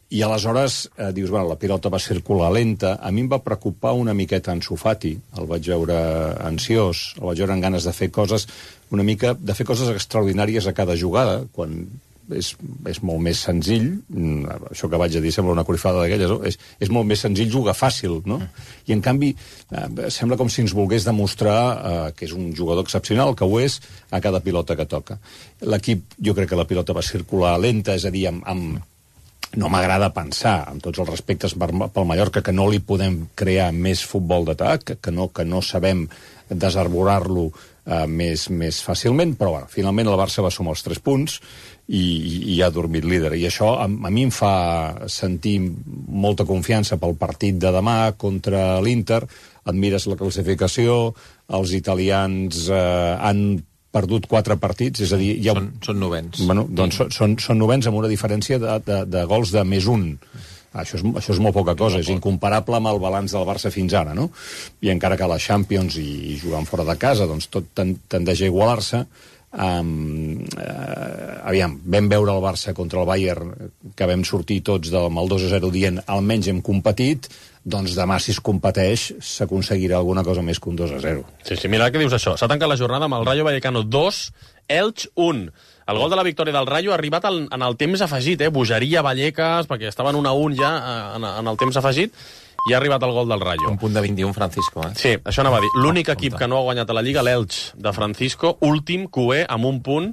Speaker 19: I aleshores eh, dius, bueno, la pilota va circular lenta. A mi em va preocupar una miqueta Ansu Fati. El vaig veure ansiós, el vaig veure amb ganes de fer coses, una mica, de fer coses extraordinàries a cada jugada, quan és, és molt més senzill, això que vaig a dir sembla una corifada d'aquelles, no? és, és molt més senzill jugar fàcil, no? I en canvi eh, sembla com si ens volgués demostrar eh, que és un jugador excepcional, que ho és, a cada pilota que toca. L'equip, jo crec que la pilota va circular lenta, és a dir, amb, amb no m'agrada pensar, amb tots els respectes per, pel Mallorca, que no li podem crear més futbol d'atac, que no, que no sabem desarborar-lo eh, més, més fàcilment, però bueno, finalment el Barça va sumar els tres punts i, i, i ha dormit líder. I això a, a mi em fa sentir molta confiança pel partit de demà contra l'Inter. Et mires la classificació, els italians eh, han perdut quatre partits, és a dir... Ja...
Speaker 18: Són, són novens.
Speaker 19: Bueno, doncs són, són, són novens amb una diferència de, de, de gols de més un. Això és, això és molt poca cosa, és incomparable amb el balanç del Barça fins ara, no? I encara que la Champions i, i jugant fora de casa, doncs tot tendeix a igualar-se. Um, uh, aviam, vam veure el Barça contra el Bayern, que vam sortir tots del el dos a zero dient almenys hem competit, doncs demà, si es competeix, s'aconseguirà alguna cosa més que un dos a zero.
Speaker 4: Sí, sí, mira que dius això. S'ha tancat la jornada amb el Rayo Vallecano dos, Elx un. El gol de la victòria del Rayo ha arribat al, en el temps afegit, eh? Bogeria, Vallecas, perquè estaven un a un ja en, en el temps afegit, i ha arribat el gol del Rayo.
Speaker 18: Un punt de vint i un, Francisco, eh?
Speaker 4: Sí, això anava a dir. L'únic equip que no ha guanyat a la Lliga, l'Elx de Francisco, últim, Cué, amb un punt.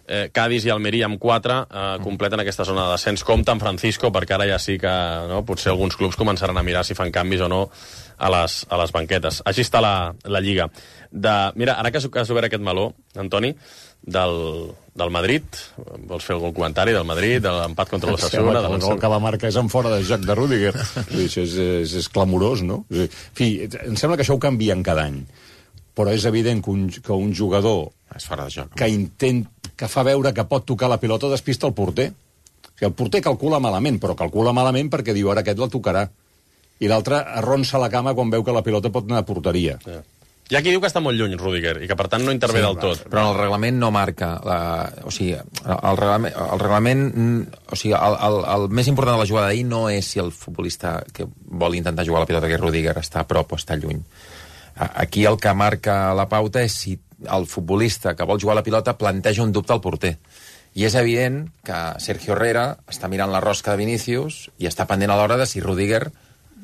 Speaker 4: Eh, Cádiz i Almeria amb quatre eh, completen aquesta zona de descens. Compte amb Francisco, perquè ara ja sí que no, potser alguns clubs començaran a mirar si fan canvis o no a les, a les banquetes. Així està la, la Lliga. De, mira, ara que has obert aquest meló, Antoni, del, del Madrid, vols fer algun comentari del Madrid, de l'empat contra l'Osasuna?
Speaker 19: El gol que va marcar és en fora de joc de Rüdiger. Això és, és, és clamorós, no? En fi, em sembla que això ho canvien cada any, però és evident que un, que un jugador
Speaker 18: és fora de joc,
Speaker 19: que intent, que fa veure que pot tocar la pilota despista el porter. O sigui, el porter calcula malament, però calcula malament perquè diu ara aquest la tocarà. I l'altre arronsa la cama quan veu que la pilota pot anar a porteria.
Speaker 4: Ja. Hi ha qui diu que està molt lluny, Rüdiger, i que per tant no intervé sí, del tot.
Speaker 18: Però el reglament no marca... La, o sigui, el reglament... El, reglament, o sigui, el, el, el més important de la jugada d'ahir no és si el futbolista que vol intentar jugar a la pilota, que és Rüdiger, està a prop o està lluny. Aquí el que marca la pauta és si el futbolista que vol jugar a la pilota planteja un dubte al porter. I és evident que Sergio Herrera està mirant la rosca de Vinícius i està pendent a l'hora de si Rüdiger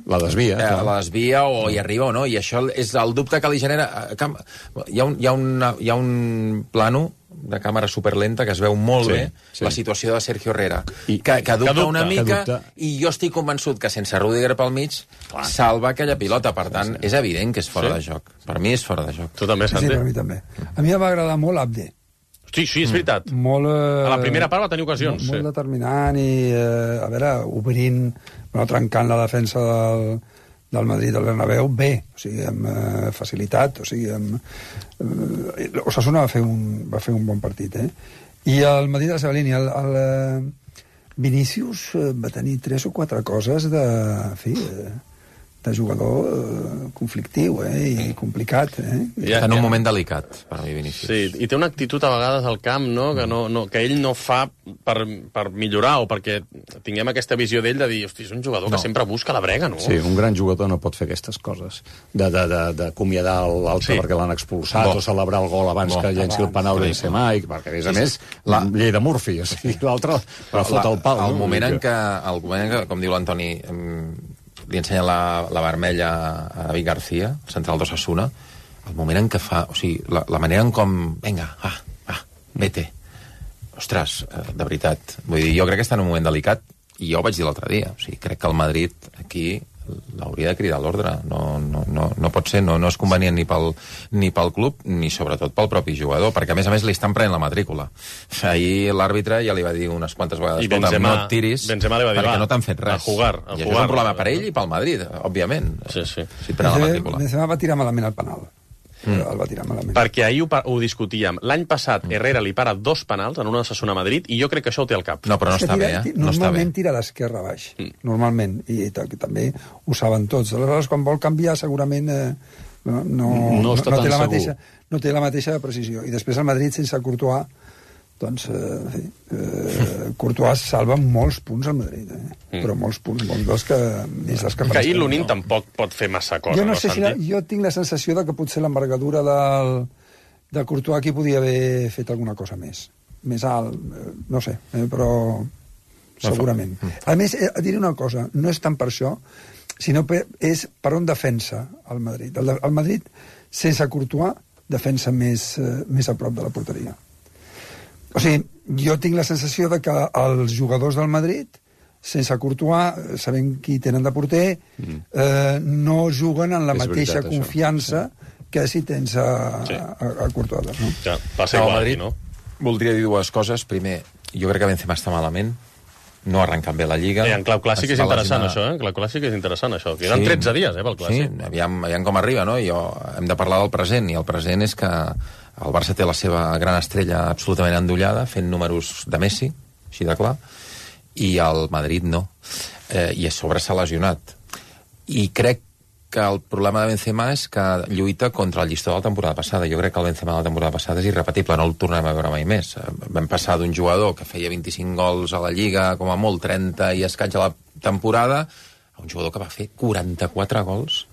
Speaker 19: la desvia,
Speaker 18: eh, la desvia o hi arriba o no, i això és el dubte que li genera. Hi ha un, hi ha una, hi ha un plano de càmera superlenta que es veu molt sí, bé sí. La situació de Sergio Herrera, I, que, que, dubta que dubta una mica, i jo estic convençut que sense Rüdiger pel mig Clar. salva aquella pilota, per tant, sí. és evident que és fora sí. de joc. Per mi és fora de joc.
Speaker 4: Tu també, Santi?
Speaker 17: Sí, per mi també. A mi em va agradar molt Abde.
Speaker 4: Sí, sí, és veritat.
Speaker 17: Mm. Molt, eh,
Speaker 4: a la primera part va tenir ocasions.
Speaker 17: Molt,
Speaker 4: sí.
Speaker 17: molt determinant i, eh, a veure, obrint, bueno, trencant la defensa del, del Madrid del Bernabéu bé, o sigui, amb eh, facilitat, o sigui, amb... Eh, Osasuna va fer, un, va fer un bon partit, eh? I el Madrid de la seva línia, el, el eh, Vinícius eh, va tenir tres o quatre coses de... En fi, eh, de jugador eh, conflictiu eh, i complicat. Eh?
Speaker 18: Ja, en un ja. moment delicat, per a mi, Vinícius.
Speaker 4: Sí, i té una actitud a vegades al camp, no? Que, no, no, que ell no fa per, per millorar o perquè tinguem aquesta visió d'ell de dir, hosti, és un jugador no. que sempre busca la brega, no?
Speaker 19: Sí, un gran jugador no pot fer aquestes coses. De, de, de, de acomiadar l'altre sí. perquè l'han expulsat Bo. o celebrar el gol abans Bo. que llenci el penal Benzema, i perquè, a més a més, la llei de Murphy, o sigui, l'altre la fot el pal.
Speaker 18: El
Speaker 19: no?
Speaker 18: moment en què, el moment en què, com diu l'Antoni, li ensenya la, la vermella a David García, el central d'Osasuna, el moment en què fa... O sigui, la, la manera en com... Vinga, va, va, vete. Ostres, de veritat. Vull dir, jo crec que està en un moment delicat, i jo ho vaig dir l'altre dia. O sigui, crec que el Madrid aquí l'hauria de cridar a l'ordre. No, no, no, no pot ser, no, no és convenient ni pel, ni pel club, ni sobretot pel propi jugador, perquè a més a més li estan prenent la matrícula. Ahir l'àrbitre ja li va dir unes quantes vegades, escolta, no et tiris,
Speaker 4: Benzema li va dir,
Speaker 18: perquè
Speaker 4: va,
Speaker 18: no t'han fet res.
Speaker 4: A jugar, a
Speaker 18: I
Speaker 4: jugar,
Speaker 18: això és un problema per ell i pel Madrid, òbviament.
Speaker 4: Sí, sí.
Speaker 18: Si et prenen la matrícula.
Speaker 17: Benzema va tirar malament el penal. Mm. El va tirar malament.
Speaker 4: Perquè ahir ho, ho discutíem. L'any passat Herrera li para dos penals en una Osasuna Madrid i jo crec que això ho té al cap.
Speaker 18: No, però no està
Speaker 17: tira,
Speaker 18: bé, eh?
Speaker 17: No normalment
Speaker 18: està
Speaker 17: tira d'esquerra a baix. Mm. Normalment. I, i també ho saben tots. Aleshores, quan vol canviar, segurament eh, no, no, no, no, no, té la mateixa, no té la mateixa precisió. I després el Madrid, sense Courtois, doncs, eh, eh, Courtois salva molts punts al Madrid, eh? mm. però molts punts, molts dels que... Dins dels que
Speaker 4: que ahir l'Unin no. tampoc pot fer massa cosa,
Speaker 17: jo no,
Speaker 4: no
Speaker 17: sé si la, jo tinc la sensació de que potser l'envergadura del, de Courtois aquí podia haver fet alguna cosa més. més alt, no sé, eh, però segurament. A més, eh, diré una cosa, no és tant per això, sinó que és per on defensa el Madrid. El, el Madrid, sense Courtois, defensa més, eh, més a prop de la porteria. O sigui, jo tinc la sensació de que els jugadors del Madrid, sense Courtois, sabent qui tenen de porter, mm. eh, no juguen en la és mateixa veritat, confiança sí. que si tens a, sí. a, a Courtois. No?
Speaker 4: Ja, passa igual,
Speaker 18: Madrid,
Speaker 4: no?
Speaker 18: Voldria dir dues coses. Primer, jo crec que Benzema està malament, no ha arrencat bé la Lliga.
Speaker 4: I en clau clàssic és interessant, això, eh? En clau clàssic és interessant, això. Que eren sí, tretze dies, eh, pel clàssic.
Speaker 18: Sí, aviam, aviam com arriba, no? Jo, hem de parlar del present, i el present és que el Barça té la seva gran estrella absolutament endollada, fent números de Messi, així de clar, i el Madrid no. Eh, I a sobre s'ha lesionat. I crec que el problema de Benzema és que lluita contra el llistó de la temporada passada. Jo crec que el Benzema de la temporada passada és irrepetible, no el tornem a veure mai més. Vam passar d'un jugador que feia vint-i-cinc gols a la Lliga, com a molt, trenta i escaig a la temporada, a un jugador que va fer quaranta-quatre gols,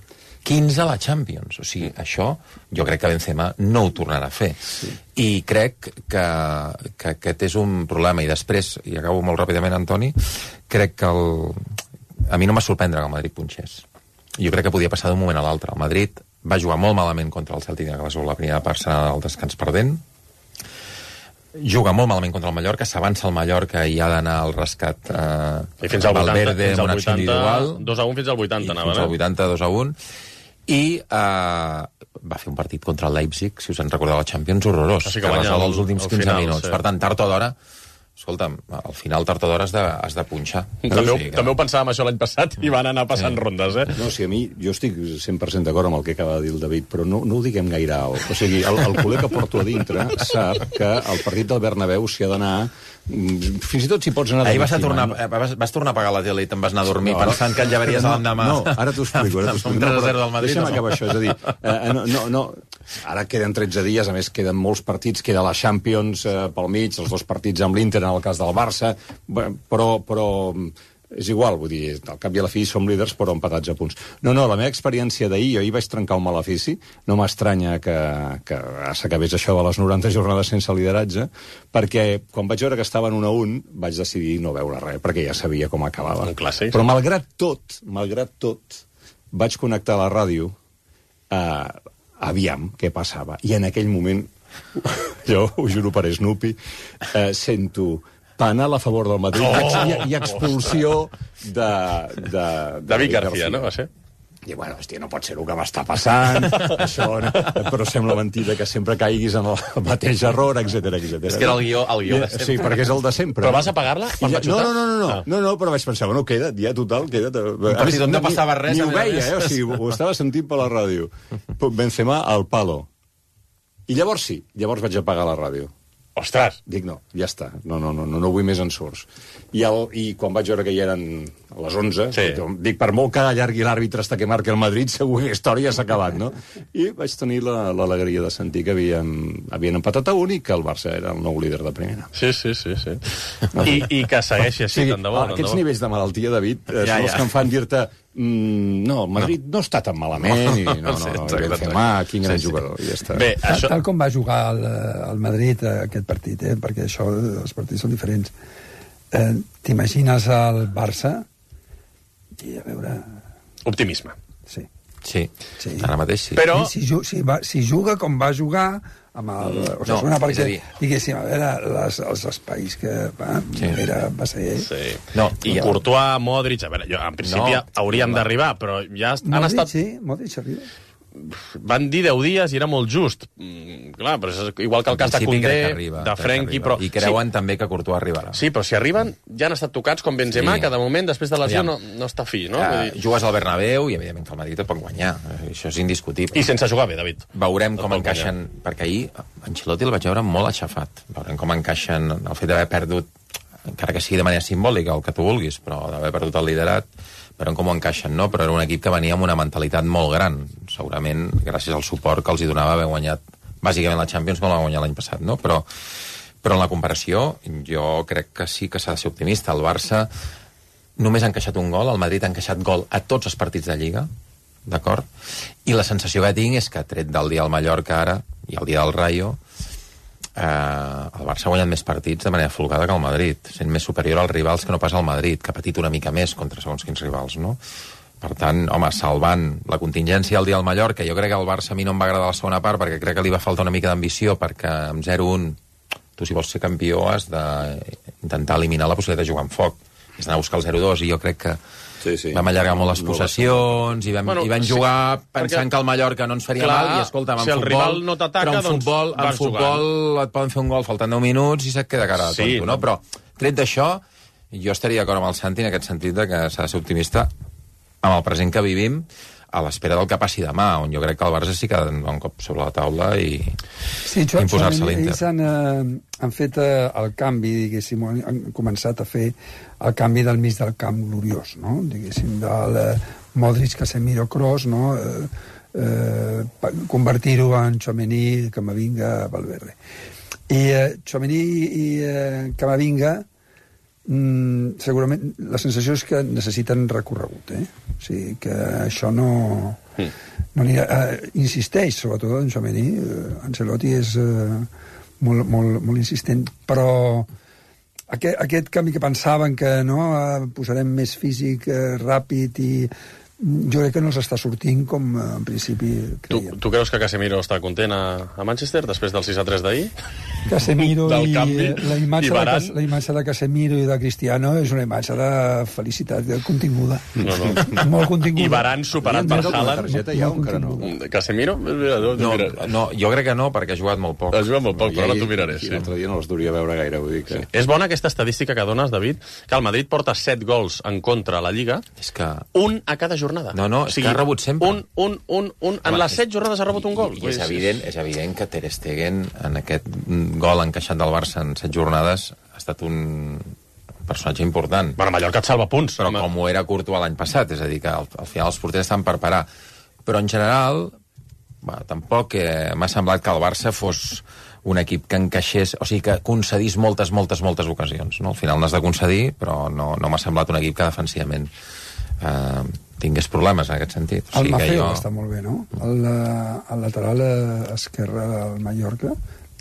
Speaker 18: quinze a la Champions. O sigui, això jo crec que Benzema no ho tornarà a fer. Sí. I crec que, que aquest és un problema. I després, i acabo molt ràpidament, Antoni, crec que el... a mi no m'ha sorprendre que el Madrid punxés. Jo crec que podia passar d'un moment a l'altre. El Madrid va jugar molt malament contra el Celtic de Glasgow la primera part al descans perdent. Juga molt malament contra el Mallorca, s'avança el Mallorca i ha d'anar al rescat eh,
Speaker 4: I fins al
Speaker 18: Valverde
Speaker 4: vuitanta, fins
Speaker 18: amb una acció individual.
Speaker 4: dos a un fins al vuitanta, anava,
Speaker 18: fins al vuitanta, dos a un. I eh, va fer un partit contra el Leipzig, si us en recordeu, la Champions, horrorós.
Speaker 4: Així
Speaker 18: que
Speaker 4: que
Speaker 18: resol els últims quinze
Speaker 4: final,
Speaker 18: minuts.
Speaker 4: Sí.
Speaker 18: Per tant, tard o d'hora, escolta'm, al final, tard o d'hora has, de, has de punxar.
Speaker 4: També,
Speaker 18: no?
Speaker 4: ho, sí, també ho pensàvem això l'any passat i van anar passant sí. rondes, eh?
Speaker 19: No, sí, a mi, jo estic cent per cent d'acord amb el que acaba de dir el David, però no, no ho diguem gaire alt. O sigui, el, el culer que porto a dintre sap que el partit del Bernabéu s'hi ha d'anar... Fins i tot si pots anar...
Speaker 18: Ahir vas, a tornar, vas, vas tornar a pagar la tele i te'n vas anar a dormir no, pensant que el llevaries no, l'endemà.
Speaker 19: No, ara t'ho explico. Ara t'ho explico.
Speaker 18: No, però, del Madrid,
Speaker 19: deixa'm
Speaker 18: no.
Speaker 19: acabar això. És a dir, eh, no, no, no, ara queden tretze dies, a més queden molts partits, queda la Champions eh, pel mig, els dos partits amb l'Inter en el cas del Barça, però... però és igual, vull dir, al cap i a la fi som líders però empatats a punts. No, no, la meva experiència d'ahir, jo ahir vaig trencar un malefici, no m'estranya que, que s'acabés això de les noranta jornades sense lideratge, perquè quan vaig veure que estaven un a un, vaig decidir no veure res, perquè ja sabia com acabava.
Speaker 4: Un clàssic.
Speaker 19: Però malgrat tot, malgrat tot, vaig connectar a la ràdio eh, aviam què passava. I en aquell moment, jo ho juro per Snoopy, eh, sento... penal a favor del Madrid oh! i, i expulsió de... De, de
Speaker 4: David García, no? Va ser?
Speaker 19: I bueno, hòstia, no pot ser el que m'està passant, això, no? Però sembla mentida que sempre caiguis en el mateix error, etcètera, etcètera.
Speaker 18: És que era el guió, el guió de sempre.
Speaker 19: Sí, perquè és el de sempre.
Speaker 4: Però vas apagar-la quan va xutar?
Speaker 19: No, no, no, no, ah. no, no, però vaig pensar, bueno, queda, ja total, queda...
Speaker 18: Un partit on no passava res.
Speaker 19: Ni ho veia, eh? O sigui, ho estava sentint per la ràdio. Benzema al palo. I llavors sí, llavors vaig apagar la ràdio.
Speaker 4: Ostres!
Speaker 19: Dic, no, ja està, no, no, no, no, no vull més ensurts. I, el, I quan vaig veure que ja eren a les onze, sí. dic, per molt que allargui l'àrbitre hasta que marqui el Madrid, segur que la història s'ha acabat, no? I vaig tenir l'alegria de sentir que havien, havien empatat a un i que el Barça era el nou líder de primera.
Speaker 4: Sí, sí, sí. sí. I, I que segueixi així,
Speaker 19: sí,
Speaker 4: tant de bo.
Speaker 19: Aquests nivells de malaltia, David, ja, són els ja. que em fan dir-te mm, no, el Madrid no. no està tan malament, i no, no, no, no Benzema, quin gran sí, jugador, i ja està.
Speaker 17: Bé, tal, això... tal com va jugar el, el Madrid aquest partit, eh? Perquè això, els partits són diferents. Eh, T'imagines el Barça i a veure...
Speaker 4: Optimisme.
Speaker 17: Sí.
Speaker 18: Sí, sí. Ara mateix sí.
Speaker 17: Però... Si, si, si, va, si juga com va jugar amb el... O sigui, no, perquè, dir... diguéssim, a veure, les, els espais que va, sí. era, va ser...
Speaker 4: Sí. No, i Courtois, Modric... A veure, jo, en principi no, hauríem no, d'arribar, però ja han
Speaker 17: Modric,
Speaker 4: estat...
Speaker 17: sí, Modric arriba.
Speaker 4: Van dir deu dies i era molt just. Mm, clar, però és igual que el cas de Koundé,
Speaker 18: arriba,
Speaker 4: de Frenkie, però...
Speaker 18: I creuen
Speaker 4: sí.
Speaker 18: també que Courtois arribarà.
Speaker 4: Sí, però si arriben, ja han estat tocats com Benzema, sí. que de moment, després de lesió, no, no està fi, no?
Speaker 18: Ja,
Speaker 4: Vull dir...
Speaker 18: Jugues al Bernabéu i, evidentment, que el Madrid et pot guanyar. Això és indiscutible.
Speaker 4: I sense jugar bé, David.
Speaker 18: Veurem com encaixen... Guanyar. Perquè ahir Ancelotti el vaig veure molt aixafat. Veurem com encaixen el fet d'haver perdut, encara que sigui de manera simbòlica, el que tu vulguis, però d'haver perdut el liderat, veurem com ho encaixen, no? Però era un equip que venia amb una mentalitat molt gran, segurament gràcies al suport que els hi donava haver guanyat bàsicament la Champions, com la va guanyar l'any passat, no? Però, però en la comparació jo crec que sí que s'ha de ser optimista. El Barça només ha encaixat un gol, el Madrid ha encaixat gol a tots els partits de Lliga, d'acord? I la sensació que tinc és que, tret del dia del Mallorca ara i el dia del Rayo, el Barça ha guanyat més partits de manera folgada que el Madrid, sent més superior als rivals que no pas al Madrid, que ha patit una mica més contra segons quins rivals, no? Per tant, home, salvant la contingència al dia del Mallorca, jo crec que el Barça a mi no em va agradar la segona part perquè crec que li va faltar una mica d'ambició, perquè amb zero un tu, si vols ser campió, has d'intentar eliminar la possibilitat de jugar amb foc. És d'anar a buscar el zero dos, i jo crec que sí, sí. vam allargar molt les possessions, i vam, bueno, i vam jugar sí, pensant perquè... que el Mallorca no ens faria clar, mal, i escolta, en
Speaker 4: si
Speaker 18: futbol...
Speaker 4: el rival no t'ataca,
Speaker 18: però en
Speaker 4: doncs
Speaker 18: futbol, en futbol jugant. Et poden fer un gol faltant deu minuts i se't queda cara de sí, tonto, no? Però, tret d'això, jo estaria d'acord amb el Santi en aquest sentit de que s'ha de ser optimista amb el present que vivim, a l'espera del que passi demà, on jo crec que el Barça sí que ha de un cop sobre la taula i,
Speaker 17: sí,
Speaker 18: i imposar-se a l'Inter.
Speaker 17: Ells han, eh, han fet eh, el canvi, diguéssim, han començat a fer el canvi del mig del camp gloriós, no? Diguéssim, del eh, Modric, Casemiro, Kroos, no? Eh, eh, convertir-ho en Tchouaméni, Camavinga, Valverde. I eh, Tchouaméni i eh, Camavinga Mm, segurament la sensació és que necessiten recorregut, eh? O sigui, que això no... Mm. no anirà, eh, insisteix, sobretot en Tchouaméni. eh, Ancelotti és eh, molt, molt, molt insistent, però aquest, aquest canvi que pensaven que no, eh, posarem més físic, eh, ràpid, i jo crec que no s'està sortint com eh, en principi creiem.
Speaker 4: Tu, tu creus que Casemiro està content a, a Manchester després del sis a tres d'ahir?
Speaker 17: Casemiro i
Speaker 4: canvi,
Speaker 17: la imatge,
Speaker 4: i
Speaker 17: de, la imatge de Casemiro i de Cristiano és una imatge de felicitat continguda.
Speaker 4: No, no.
Speaker 17: Molt continguda.
Speaker 4: I Varane superat per Haaland.
Speaker 19: Ja, no.
Speaker 4: Casemiro? No,
Speaker 18: no, no, jo crec que no, perquè ha jugat molt poc.
Speaker 4: Ha jugat molt poc, no, però ara t'ho miraré. Sí.
Speaker 19: L'altre dia no els duria veure gaire, vull dir que...
Speaker 4: Sí. És bona aquesta estadística que dones, David, que el Madrid porta set gols en contra a la Lliga,
Speaker 18: és que...
Speaker 4: un a cada jornada.
Speaker 18: No, no, és o sigui, que ha rebut sempre.
Speaker 4: Un, un, un, un. En Home, les set jornades ha rebut un gol.
Speaker 18: I, i és, evident, és evident que Ter Stegen, en aquest gol encaixat del Barça en set jornades, ha estat un personatge important.
Speaker 4: Bueno, Mallorca et salva punts.
Speaker 18: Però home. Com ho era Courtois l'any passat, és a dir, que al, al final els porters estan per parar. Però en general, bueno, tampoc eh, m'ha semblat que el Barça fos un equip que encaixés, o sigui, que concedís moltes, moltes, moltes ocasions. No? Al final n'has de concedir, però no, no m'ha semblat un equip que defensivament eh, tingués problemes en aquest sentit. O sigui,
Speaker 17: el Mafeo
Speaker 18: jo...
Speaker 17: està molt bé, no? El, el lateral esquerre del Mallorca,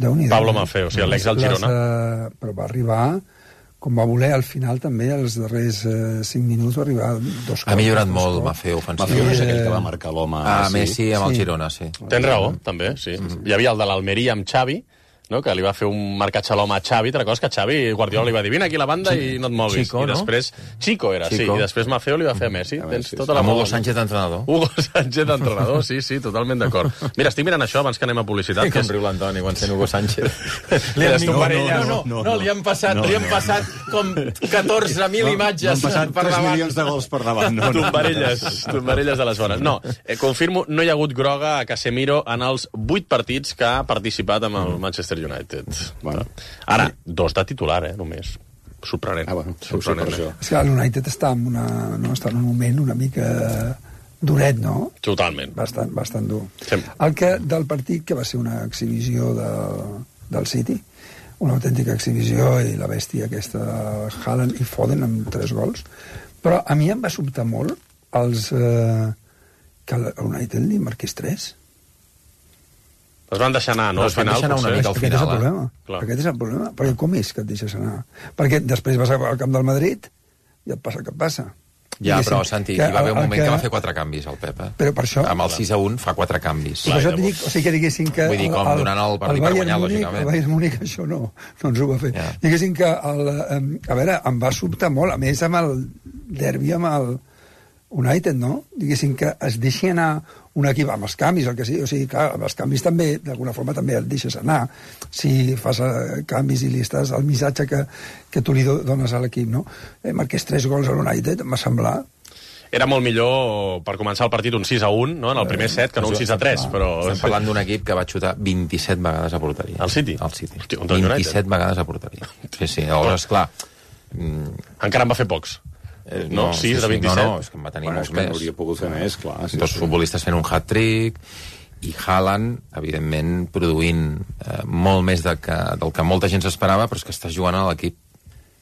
Speaker 17: déu-n'hi-do.
Speaker 4: Pablo Mafeo, o sigui, l'ex del Girona.
Speaker 17: Les, uh, però va arribar, com va voler, al final també, als darrers uh, cinc minuts, va arribar dos cops.
Speaker 18: Ha millorat molt Mafeo ofensiu.
Speaker 19: Mafeo és aquell que va marcar l'home
Speaker 18: a ah, Messi amb el Girona, sí.
Speaker 4: Tens raó, també, sí. Mm-hmm. Hi havia el de l'Almeria amb Xavi, no? Que li va fer un marcatge a l'home a Xavi, te recordes que Xavi Guardiola li va dir vine aquí a la banda sí. i no et moguis.
Speaker 18: Chico,
Speaker 4: I després,
Speaker 18: no?
Speaker 4: Chico era,
Speaker 18: Chico.
Speaker 4: sí, i després Mafeo li va fer a Messi.
Speaker 18: A
Speaker 4: Tens
Speaker 18: sí,
Speaker 4: tota la
Speaker 18: amb Hugo Sánchez d'entrenador.
Speaker 4: Hugo Sánchez d'entrenador, sí, sí, totalment d'acord. Mira, estic mirant això abans que anem a publicitat.
Speaker 18: Com riu l'Antoni quan sent Hugo Sánchez.
Speaker 4: Li han,
Speaker 18: no,
Speaker 4: no,
Speaker 18: no,
Speaker 4: no, no, no, li han passat, no, no. li han passat com catorze mil imatges per davant.
Speaker 19: tres milions de gols per davant. No, no,
Speaker 4: tombarelles, tombarelles de les bones. No, eh, confirmo, no hi ha hagut groga a Casemiro en els vuit partits que ha participat amb el Manchester United.
Speaker 19: Bueno.
Speaker 4: Ara, dos de titular, eh, només. Sorprenent.
Speaker 19: Ah, bueno,
Speaker 4: sorprenent.
Speaker 19: sí,
Speaker 17: és que l'United està en, una, no, està en un moment una mica duret, no?
Speaker 4: Totalment.
Speaker 17: Bastant, bastant dur.
Speaker 4: Sí.
Speaker 17: El que, del partit, que va ser una exhibició de, del City, una autèntica exhibició, i la bèstia aquesta, Haaland i Foden, amb tres gols, però a mi em va sobtar molt els, eh, que l'United li marqués tres.
Speaker 4: Es van deixar anar, no?
Speaker 18: Al final, anar una mica al
Speaker 17: final,
Speaker 18: final,
Speaker 17: aquest és el problema.
Speaker 18: Eh?
Speaker 17: Aquest és el problema. Perquè com és que et deixes anar? Perquè després vas al camp del Madrid i et passa el que et passa.
Speaker 18: Ja, però, Santi, hi va haver un moment que... que va fer quatre canvis, el Pep. Eh?
Speaker 17: Però per això...
Speaker 18: Amb el sis a un fa quatre canvis.
Speaker 17: Per això et dic, o sigui, que diguessin que...
Speaker 18: Vull dir, com el, donant el partit per guanyar,
Speaker 17: Múnich,
Speaker 18: lògicament.
Speaker 17: El Bayern Múnich això no, no ens ho va fer. Yeah. Diguessin que... El, a veure, em va sobtar molt, a més amb el derbi amb el United, no? Diguessin que es deixi anar un equip amb els canvis, el que sigui, o sigui, clar, amb els canvis també, d'alguna forma també el deixes anar, si fas uh, canvis i li estàs el missatge que, que tu li do, dones a l'equip, no? Eh, marqués tres gols a l'United, em va semblar...
Speaker 4: Era molt millor per començar el partit un sis a un, no? En el primer set, que no un sis a tres, però...
Speaker 18: Estem parlant d'un equip que va xutar vint-i-set vegades a porteria.
Speaker 4: El City?
Speaker 18: El City.
Speaker 4: Hosti,
Speaker 18: vint-i-set vegades a porteria. Sí, sí, llavors, esclar...
Speaker 4: Encara en va fer pocs.
Speaker 18: Eh,
Speaker 4: no,
Speaker 18: no,
Speaker 4: sis
Speaker 18: sí,
Speaker 4: de vint-i-set.
Speaker 18: No, no, és que en va tenir
Speaker 19: bueno,
Speaker 18: molts més.
Speaker 19: Hauria pogut fer més, clar. Sí,
Speaker 18: Dos
Speaker 19: sí.
Speaker 18: futbolistes fent un hat-trick i Haaland, evidentment, produint eh, molt més de que, del que molta gent s'esperava, però és que està jugant a l'equip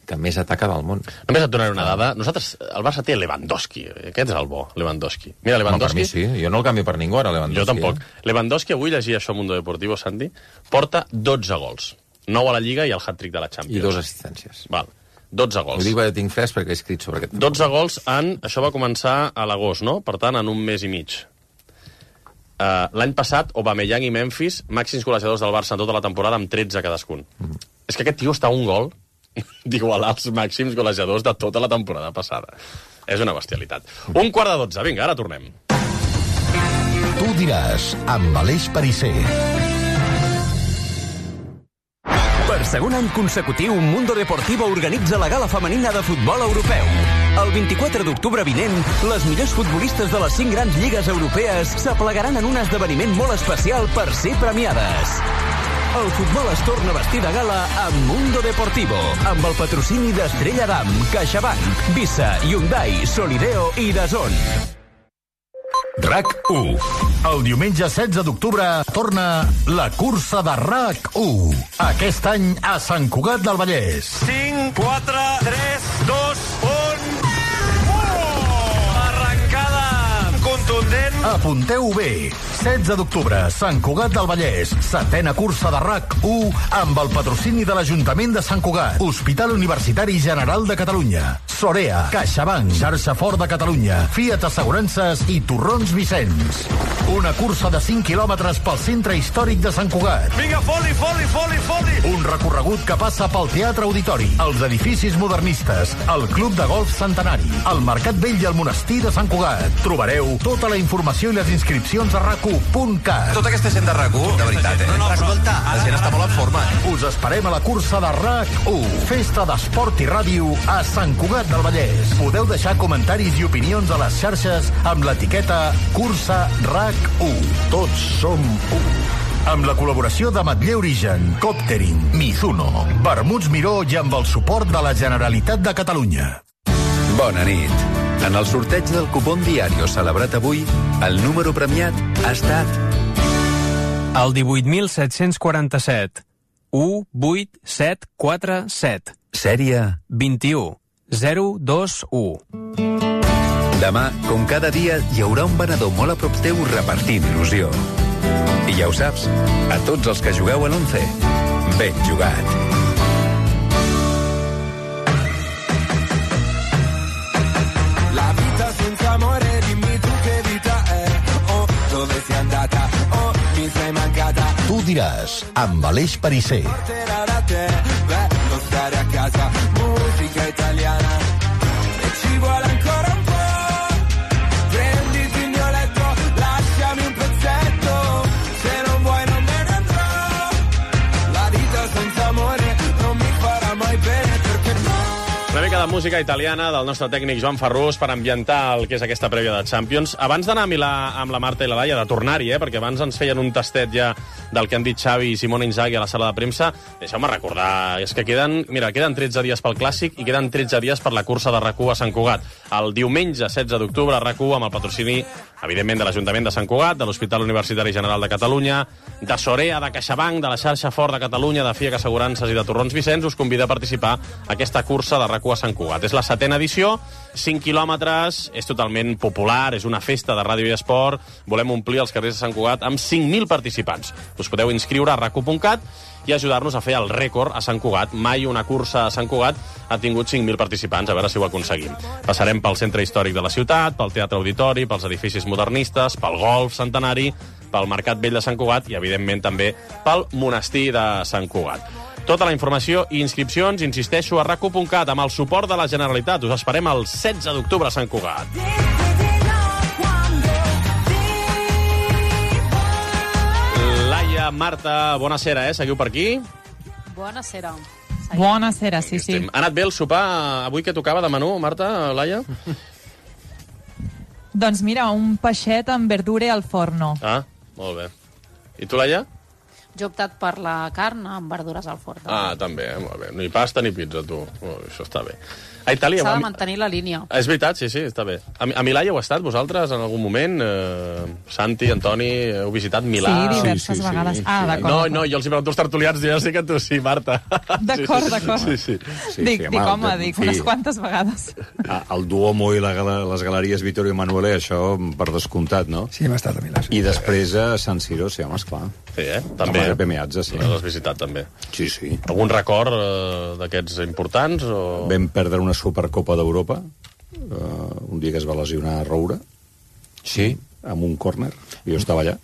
Speaker 18: que més ataca del món.
Speaker 4: Només et donaré una dada. Nosaltres, el Barça té Lewandowski. Aquest és el bo, Lewandowski. Mira, Lewandowski...
Speaker 18: No, per mi sí. Jo no el canvio per ningú, ara, Lewandowski.
Speaker 4: Jo tampoc.
Speaker 18: Eh?
Speaker 4: Lewandowski, avui llegia això a Mundo Deportivo, Santi, porta dotze gols. nou a la Lliga i el hat-trick de la Champions.
Speaker 18: I dos assistències.
Speaker 4: Val. dotze gols.
Speaker 18: Ho dic perquè tinc fresc perquè he escrit sobre aquest.
Speaker 4: dotze gols en... Això va començar a l'agost, no? Per tant, en un mes i mig. Uh, L'any passat, Aubameyang i Memphis, màxims golejadors del Barça en tota la temporada, amb tretze cadascun. Mm. És que aquest tio està a un gol d'igualar els màxims golejadors de tota la temporada passada. És una bestialitat. Un quart de dotze. Vinga, ara tornem.
Speaker 15: Tu diràs, amb Aleix Perisser.
Speaker 10: Per segon any consecutiu, Mundo Deportivo organitza la gala femenina de futbol europeu. El vint-i-quatre d'octubre vinent, les millors futbolistes de les cinc grans lligues europees s'aplegaran en un esdeveniment molt especial per ser premiades. El futbol es torna a vestir de gala amb Mundo Deportivo, amb el patrocini d'Estrella Damm, CaixaBank, Visa, Hyundai, Solideo i DAZN.
Speaker 15: RAC u. El diumenge setze d'octubre torna la cursa de RAC u. Aquest any a Sant Cugat del Vallès.
Speaker 20: cinc, quatre, tres, dos, un... Oh! Arrencada contundent.
Speaker 15: Apunteu bé. setze d'octubre, Sant Cugat del Vallès. Setena cursa de RAC u amb el patrocini de l'Ajuntament de Sant Cugat, Hospital Universitari General de Catalunya, Sorea, CaixaBank, Xarxa Fort de Catalunya, Fiat Assegurances i Torrons Vicenç. Una cursa de cinc quilòmetres pel centre històric de Sant Cugat.
Speaker 20: Vinga, foli, foli, foli, foli!
Speaker 15: Un recorregut que passa pel Teatre Auditori, els edificis modernistes, el Club de Golf Centenari, el Mercat Vell i el Monestir de Sant Cugat. Trobareu tota la informació i les inscripcions a rac u punt cat.
Speaker 21: Tota aquesta gent de RAC u, de veritat, eh? No, no, escolta, la gent està molt en forma.
Speaker 15: Us esperem a la cursa de RAC u, festa d'esport i ràdio a Sant Cugat del Vallès. Podeu deixar comentaris i opinions a les xarxes amb l'etiqueta Cursa RAC u. Tots som u. Amb la col·laboració de Matller Origen, Coptering, Mizuno, Vermuts Miró i amb el suport de la Generalitat de Catalunya.
Speaker 22: Bona nit. En el sorteig del cupón Diario celebrat avui, el número premiat ha estat...
Speaker 23: El divuit mil set-cents quaranta-set. u vuit set quatre set.
Speaker 22: Sèrie...
Speaker 23: vint-i-u zero dos u.
Speaker 22: Demà, com cada dia, hi haurà un venedor molt a prop teu repartint il·lusió. I ja ho saps, a tots els que jugueu a l'once, ben jugat.
Speaker 16: La vita senza amore, dimmi tu che vita è. Oh, dove sei andata? Oh, mi sei mancata.
Speaker 15: Tu diràs, amb Aleix Perisser.
Speaker 16: Porterà da te, bello stare a casa. Musica italiana. E ci vuole ancora un po'. Prenditi il mio letto, lasciami un pezzetto. Se non vuoi non me ne andrò. La vita senza amore non mi farà mai bene perché no.
Speaker 4: Una mica de música italiana del nostre tècnic Joan Ferrús per ambientar el que és aquesta prèvia de Champions. Abans d'anar a Milà amb la Marta i la Laia, de tornar-hi, eh, perquè abans ens feien un tastet ja del que han dit Xavi i Simone Inzaghi a la sala de premsa, deixeu-me recordar, és que queden, mira, queden tretze dies pel Clàssic i queden tretze dies per la cursa de RAC u a Sant Cugat. El diumenge setze d'octubre, RAC u amb el patrocini, evidentment, de l'Ajuntament de Sant Cugat, de l'Hospital Universitari General de Catalunya, de Sorea, de CaixaBank, de la xarxa Fort de Catalunya, de Fiat Assegurances i de Torrons Vicenç, us convida a participar a aquesta cursa de RAC u a Sant Cugat. És la setena edició, cinc quilòmetres, és totalment popular, és una festa de ràdio i esport, volem omplir els carrers de Sant Cugat amb cinc mil participants. Us podeu inscriure a rac u punt cat i ajudar-nos a fer el rècord a Sant Cugat. Mai una cursa a Sant Cugat ha tingut cinc mil participants, a veure si ho aconseguim. Passarem pel centre històric de la ciutat, pel Teatre Auditori, pels edificis modernistes, pel Golf Centenari, pel Mercat Vell de Sant Cugat i, evidentment, també pel Monestir de Sant Cugat. Tota la informació i inscripcions, insisteixo, a rac u punt cat, amb el suport de la Generalitat. Us esperem el setze d'octubre a Sant Cugat. Laia, Marta, bona sera, eh? Seguiu per aquí?
Speaker 7: Bona sera.
Speaker 5: Bona sera, sí, sí.
Speaker 4: Ha anat bé el sopar avui que tocava de menú, Marta, Laia?
Speaker 5: Doncs mira, un peixet amb verdure al forno.
Speaker 4: Ah, molt bé. I tu, Laia?
Speaker 7: Jo he optat per la carn amb verdures al forn.
Speaker 4: Ah, també, eh? Molt bé. Ni pasta ni pizza, tu. Oh, això està bé. A Itàlia...
Speaker 7: S'ha de mantenir la línia.
Speaker 4: És veritat, sí, sí, està bé. A, a Milà hi heu estat, vosaltres, en algun moment? Eh, Santi, Antoni, heu visitat Milà?
Speaker 5: Sí, diverses sí, sí, vegades. Sí, ah,
Speaker 4: sí.
Speaker 5: d'acord.
Speaker 4: No, no, jo els hi pregunto als tertulians, ja sé que tu sí, Marta.
Speaker 5: D'acord,
Speaker 4: sí, sí,
Speaker 5: d'acord.
Speaker 4: Sí, sí.
Speaker 5: sí, dic, sí, dic, home, de, dic, unes quantes vegades.
Speaker 19: El Duomo i la, les galeries Vittorio Emanuele, això per descomptat, no?
Speaker 17: Sí, hem estat a Milà. Sí.
Speaker 19: I després a San Siro, sí, home, esclar.
Speaker 4: Sí, eh? També.
Speaker 19: Giuseppe Meazza, sí.
Speaker 4: L'has visitat, també.
Speaker 19: Sí, sí.
Speaker 4: Algun record eh, d'aquests importants? O...
Speaker 19: Vam perdre una Supercopa d'Europa, uh, un dia que es va lesionar Roura.
Speaker 18: Sí?
Speaker 19: Amb un córner, jo estava allà.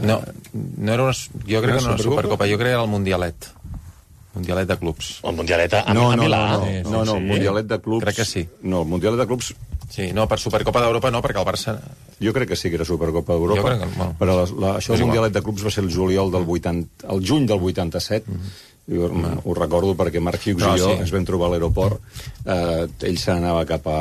Speaker 18: No, no era una, jo crec que no era una Supercopa, jo crec que era el Mundialet. Mundialet de clubs.
Speaker 4: El Mundialet a,
Speaker 19: no,
Speaker 4: a
Speaker 19: no,
Speaker 4: Milà?
Speaker 19: No, no,
Speaker 4: sí,
Speaker 19: no, no,
Speaker 4: sí.
Speaker 19: el Mundialet de clubs...
Speaker 18: Crec que sí.
Speaker 19: No, el Mundialet de clubs...
Speaker 18: Sí, no, per Supercopa d'Europa no, perquè el Barça...
Speaker 19: Jo crec que sí que era Supercopa d'Europa,
Speaker 18: jo crec que, bueno,
Speaker 19: però la, la, això del Mundialet de clubs va ser el juliol del vuitanta... el juny del vuitanta-set, mm-hmm. jo mm. ho recordo perquè Marc Hughes no, i jo sí. ens vam trobar a l'aeroport, eh, ell se n'anava cap a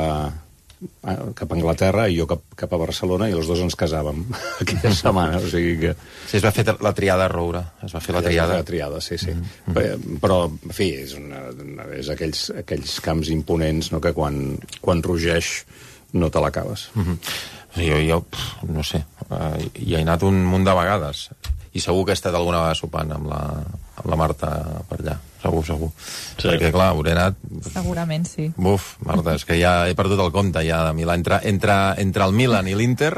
Speaker 19: cap a Anglaterra i jo cap, cap a Barcelona i els dos ens casàvem aquella setmana, o sigui que...
Speaker 18: Sí, es va fer la triada a Roura, es va fer la triada.
Speaker 19: La triada, sí, sí. Mm-hmm. Però, en fi, és, una, és aquells, aquells camps imponents, no?, que quan, quan rugeix no te l'acabes.
Speaker 18: Mm-hmm. Jo, jo, no sé, uh, hi he anat un munt de vegades i segur que he estat alguna vegada sopant amb la, amb la Marta per allà, segur, segur. Sí. Perquè, clar, hauré anat...
Speaker 5: Segurament, sí.
Speaker 18: Buf, Marta, és que ja he perdut el compte, ja, de Milà. Entre, entre, entre el Milan i l'Inter,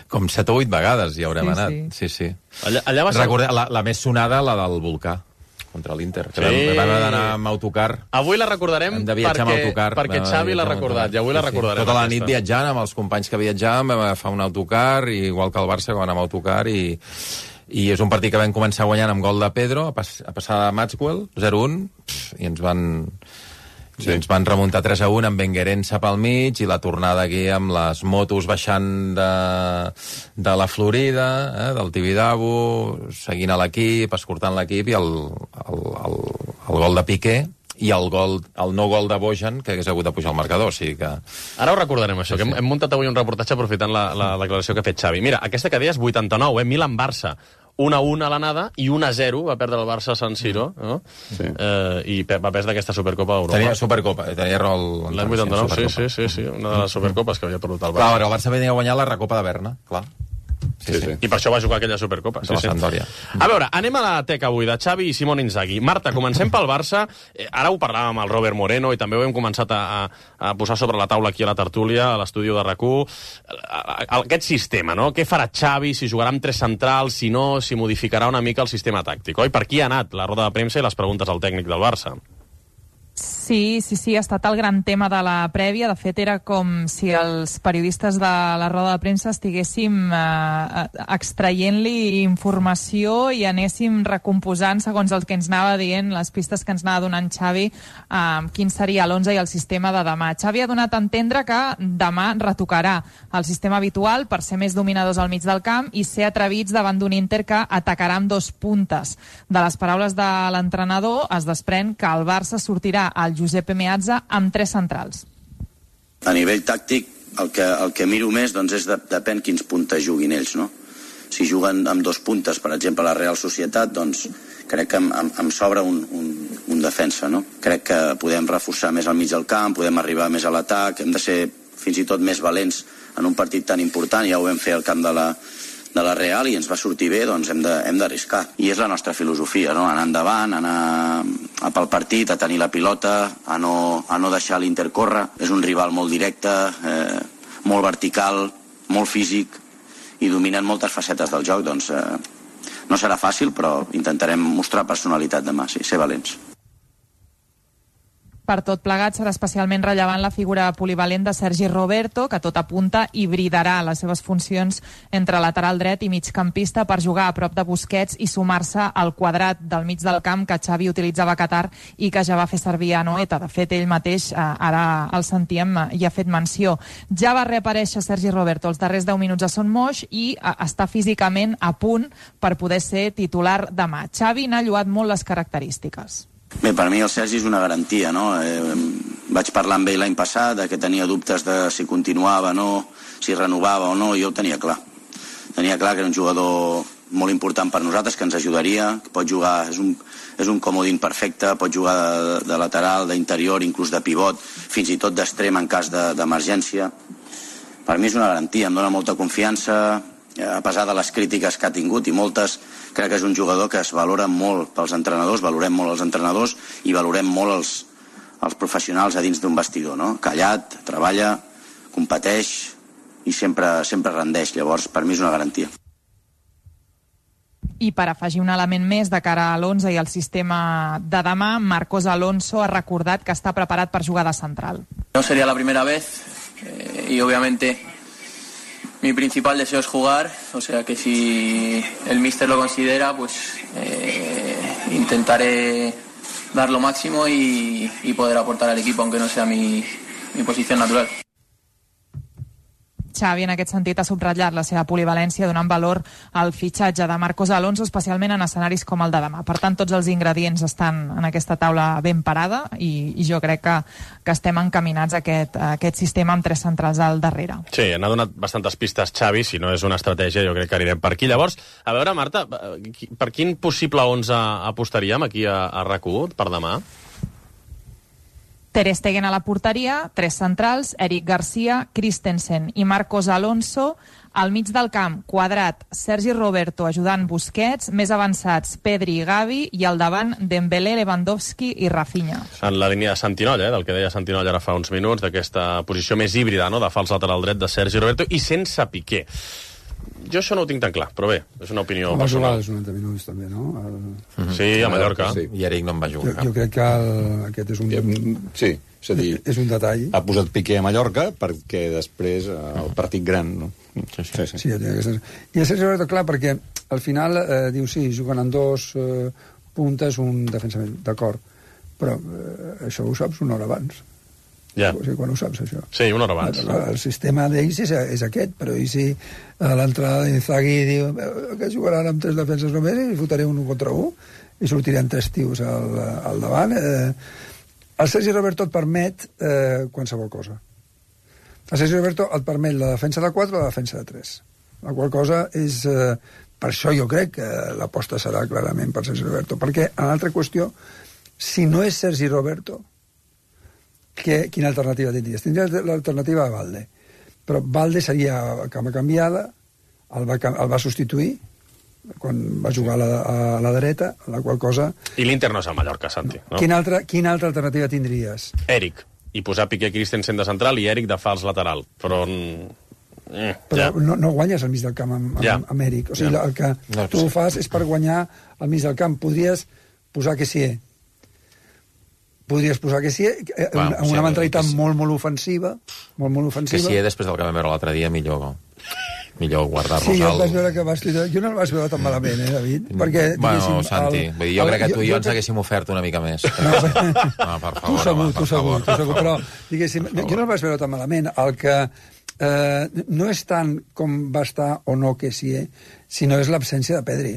Speaker 18: com set o vuit vegades hi haurem sí, anat. Sí, sí. sí.
Speaker 4: Allà, allà va ser...
Speaker 18: Recordeu, la, la més sonada, la del Volcà, contra l'Inter, que sí. vam, vam anar amb autocar.
Speaker 4: Avui la recordarem perquè, autocar, perquè Xavi l'ha recordat, i avui sí, la recordarem.
Speaker 18: Sí. Tota la
Speaker 4: aquesta.
Speaker 18: nit viatjant amb els companys que viatjàvem, vam agafar un autocar, igual que el Barça, que vam anar amb autocar, i, i és un partit que vam començar guanyant amb gol de Pedro, a, pas, a passar de Maxwell, zero un, i ens van... Sí. Ens van remuntar tres a un amb Benguerença pel mig i la tornada aquí amb les motos baixant de, de la Florida, eh, del Tibidabo, seguint a l'equip, escortant l'equip, i el, el, el, el gol de Piqué i el, gol, el no gol de Bojan, que hagués hagut de pujar al marcador. O sigui que...
Speaker 4: Ara ho recordarem, això, sí, que hem, hem muntat avui un reportatge aprofitant la, la declaració que ha fet Xavi. Mira, aquesta que deies vuitanta-nou, eh, Milan-Barça. un a un a l'anada i un a zero va perdre el Barça a San Siro, no? Sí. Eh, i va perdre aquesta Supercopa d'Europa.
Speaker 18: Tenia Supercopa, tenia raó
Speaker 4: l'any vuitanta-nou, sí, sí, sí, sí, una de les Supercopes que havia perdut el Barça.
Speaker 18: Clar, però el Barça venia a guanyar la Recopa de Berna, clar.
Speaker 4: Sí, sí, sí. I per això va jugar aquella Supercopa.
Speaker 18: Sí, sí.
Speaker 4: A veure, anem a la teca avui de Xavi i Simone Inzaghi. Marta, comencem pel Barça. Eh, ara ho parlàvem amb el Robert Moreno i també ho hem començat a, a, a posar sobre la taula aquí a la tertúlia, a l'estudi de RAC u. Aquest sistema, no? Què farà Xavi, si jugarà amb tres centrals, si no, si modificarà una mica el sistema tàctic, oi? Per qui ha anat la roda de premsa i les preguntes al tècnic del Barça?
Speaker 5: Sí, sí, sí, ha estat el gran tema de la prèvia. De fet, era com si els periodistes de la roda de premsa estiguéssim eh, extraient-li informació i anéssim recomposant, segons el que ens anava dient, les pistes que ens anava donant Xavi, eh, quin seria l'onze i el sistema de demà. Xavi ha donat a entendre que demà retocarà el sistema habitual per ser més dominadors al mig del camp i ser atrevits davant d'un Inter que atacarà amb dos puntes. De les paraules de l'entrenador es desprèn que el Barça sortirà al Giuseppe Meazza amb tres centrals.
Speaker 1: A nivell tàctic, el que, el que miro més doncs, és de, depèn quins puntes juguin ells, no? Si juguen amb dos puntes, per exemple, la Real Societat, doncs crec que em, em, em sobra un, un, un defensa, no? Crec que podem reforçar més al mig del camp, podem arribar més a l'atac, hem de ser fins i tot més valents en un partit tan important, ja ho vam fer al camp de la, de la Real i ens va sortir bé, doncs hem d'arriscar. I és la nostra filosofia, no? Anar endavant, anar a pel partit, a tenir la pilota, a no, a no deixar l'Inter córrer. És un rival molt directe, eh, molt vertical, molt físic i dominant moltes facetes del joc. Doncs eh, no serà fàcil, però intentarem mostrar personalitat demà, sí, ser valents.
Speaker 5: Per tot plegat serà especialment rellevant la figura polivalent de Sergi Roberto, que tot apunta hibridarà les seves funcions entre lateral dret i migcampista per jugar a prop de Busquets i sumar-se al quadrat del mig del camp que Xavi utilitzava a Qatar i que ja va fer servir a Noeta. De fet, ell mateix, eh, ara el sentíem, hi ha fet menció. Ja va reaparèixer Sergi Roberto els darrers deu minuts a Son Moix i eh, està físicament a punt per poder ser titular demà. Xavi n'ha lloat molt les característiques.
Speaker 1: Bé, per mi el Sergi és una garantia, no? Eh, vaig parlar amb ell l'any passat que tenia dubtes de si continuava o no, si renovava o no, i jo ho tenia clar. Tenia clar que era un jugador molt important per nosaltres, que ens ajudaria, que pot jugar, és un, és un comodín perfecte, pot jugar de, de lateral, d'interior, inclús de pivot, fins i tot d'extrem en cas d'emergència. Per mi és una garantia, em dona molta confiança, a pesar de les crítiques que ha tingut, i moltes, crec que és un jugador que es valora molt pels entrenadors, valorem molt els entrenadors i valorem molt els, els professionals a dins d'un vestidor, no? Callat, treballa, competeix i sempre, sempre rendeix. Llavors, per mi és una garantia.
Speaker 5: I per afegir un element més de cara a l'onze i al sistema de demà, Marcos Alonso ha recordat que està preparat per jugar de central.
Speaker 2: No sería la primera vez eh, y obviamente mi principal deseo es jugar, o sea que si el míster lo considera, pues eh, intentaré dar lo máximo y, y poder aportar al equipo, aunque no sea mi, mi posición natural.
Speaker 5: Xavi, en aquest sentit, ha subratllat la seva polivalència donant valor al fitxatge de Marcos Alonso, especialment en escenaris com el de demà. Per tant, tots els ingredients estan en aquesta taula ben parada i, i jo crec que, que estem encaminats a aquest, a aquest sistema amb tres centrals al darrere.
Speaker 4: Sí, n'ha donat bastantes pistes Xavi, si no és una estratègia jo crec que anirem per aquí. Llavors, a veure, Marta, per quin possible onze apostaríem aquí a, a RAC u per demà?
Speaker 5: Ter Stegen a la porteria, tres centrals, Eric Garcia, Christensen i Marcos Alonso. Al mig del camp, quadrat, Sergi Roberto ajudant Busquets, més avançats, Pedri i Gavi, i al davant, Dembélé, Lewandowski i Rafinha.
Speaker 4: En la línia de Santinoll, eh, del que deia Santinoll ara fa uns minuts, d'aquesta posició més híbrida, no?, de fals lateral dret de Sergi Roberto, i sense Piqué. Jo això no ho tinc tan clar, però bé, és una opinió
Speaker 17: va
Speaker 4: personal.
Speaker 17: Va jugar els noranta minuts, també, no? El...
Speaker 4: Mm-hmm. Sí, a Mallorca.
Speaker 18: Sí. I Eric no en va jugar.
Speaker 17: Jo, jo crec que el, aquest és un...
Speaker 19: Sí, és a dir...
Speaker 17: És un detall.
Speaker 19: Ha posat Piqué a Mallorca perquè després el partit gran, no?
Speaker 17: Sí, sí. sí, sí. sí I a Sergi Roberto, clar, perquè al final eh, diu, sí, juguen en dos eh, puntes, un defensament, d'acord, però eh, això ho saps una hora abans.
Speaker 4: Ja.
Speaker 17: O sigui, quan ho saps, això?
Speaker 4: Sí, una hora abans.
Speaker 17: El, el sistema d'ells és, és aquest, però i si a l'entrada d'Inzaghi diu que jugaran amb tres defenses només i fotaré un contra un i sortiran tres tios al, al davant. Eh, el Sergi Roberto et permet eh, qualsevol cosa. El Sergi Roberto et permet la defensa de quatre o la defensa de tres. La qual cosa és... Eh, per això jo crec que l'aposta serà clarament per Sergi Roberto. Perquè, en l'altra qüestió, si no és Sergi Roberto, que, quina alternativa tindries? Tindries l'alternativa a Valde. Però Valde seria cama canviada, el va, el va substituir quan va jugar a la, a la dreta, la qual cosa...
Speaker 4: I l'Inter no és a Mallorca, Santi. No?
Speaker 17: Quina, altra, quina altra alternativa tindries?
Speaker 4: Eric. I posar Piqué Christensen de central i Eric de fals lateral. Però... Eh,
Speaker 17: però
Speaker 4: ja.
Speaker 17: no, no guanyes al mig del camp amb, amb,
Speaker 4: ja.
Speaker 17: amb Eric. O sigui, ja. el que
Speaker 18: no,
Speaker 17: tu
Speaker 18: sí.
Speaker 17: fas és per guanyar al mig del camp. Podries posar que sí, podries posar que sí, eh,
Speaker 18: Bueno,
Speaker 17: amb una
Speaker 18: sí,
Speaker 17: mentalitat
Speaker 18: sí.
Speaker 17: molt, molt ofensiva, molt, molt ofensiva.
Speaker 18: Que sí, després del que vam veure l'altre dia, millor, millor guardar-nos
Speaker 17: sí, jo
Speaker 18: al...
Speaker 17: el vaig veure que vas tirar... Jo no el vaig veure tan malament, eh, David? Perquè,
Speaker 18: bueno, Santi,
Speaker 17: el,
Speaker 18: vull dir, jo
Speaker 17: el,
Speaker 18: crec que tu i jo, jo ens
Speaker 17: que...
Speaker 18: haguéssim ofert una mica més.
Speaker 17: No,
Speaker 18: no per favor,
Speaker 17: tu segur,
Speaker 18: home,
Speaker 17: tu
Speaker 18: per
Speaker 17: segur,
Speaker 18: favor,
Speaker 17: tu segur, però, diguéssim,
Speaker 18: per
Speaker 17: jo no el vaig veure tan malament. El que eh, no és tant com va estar o no que sí, eh, sinó és l'absència de Pedri.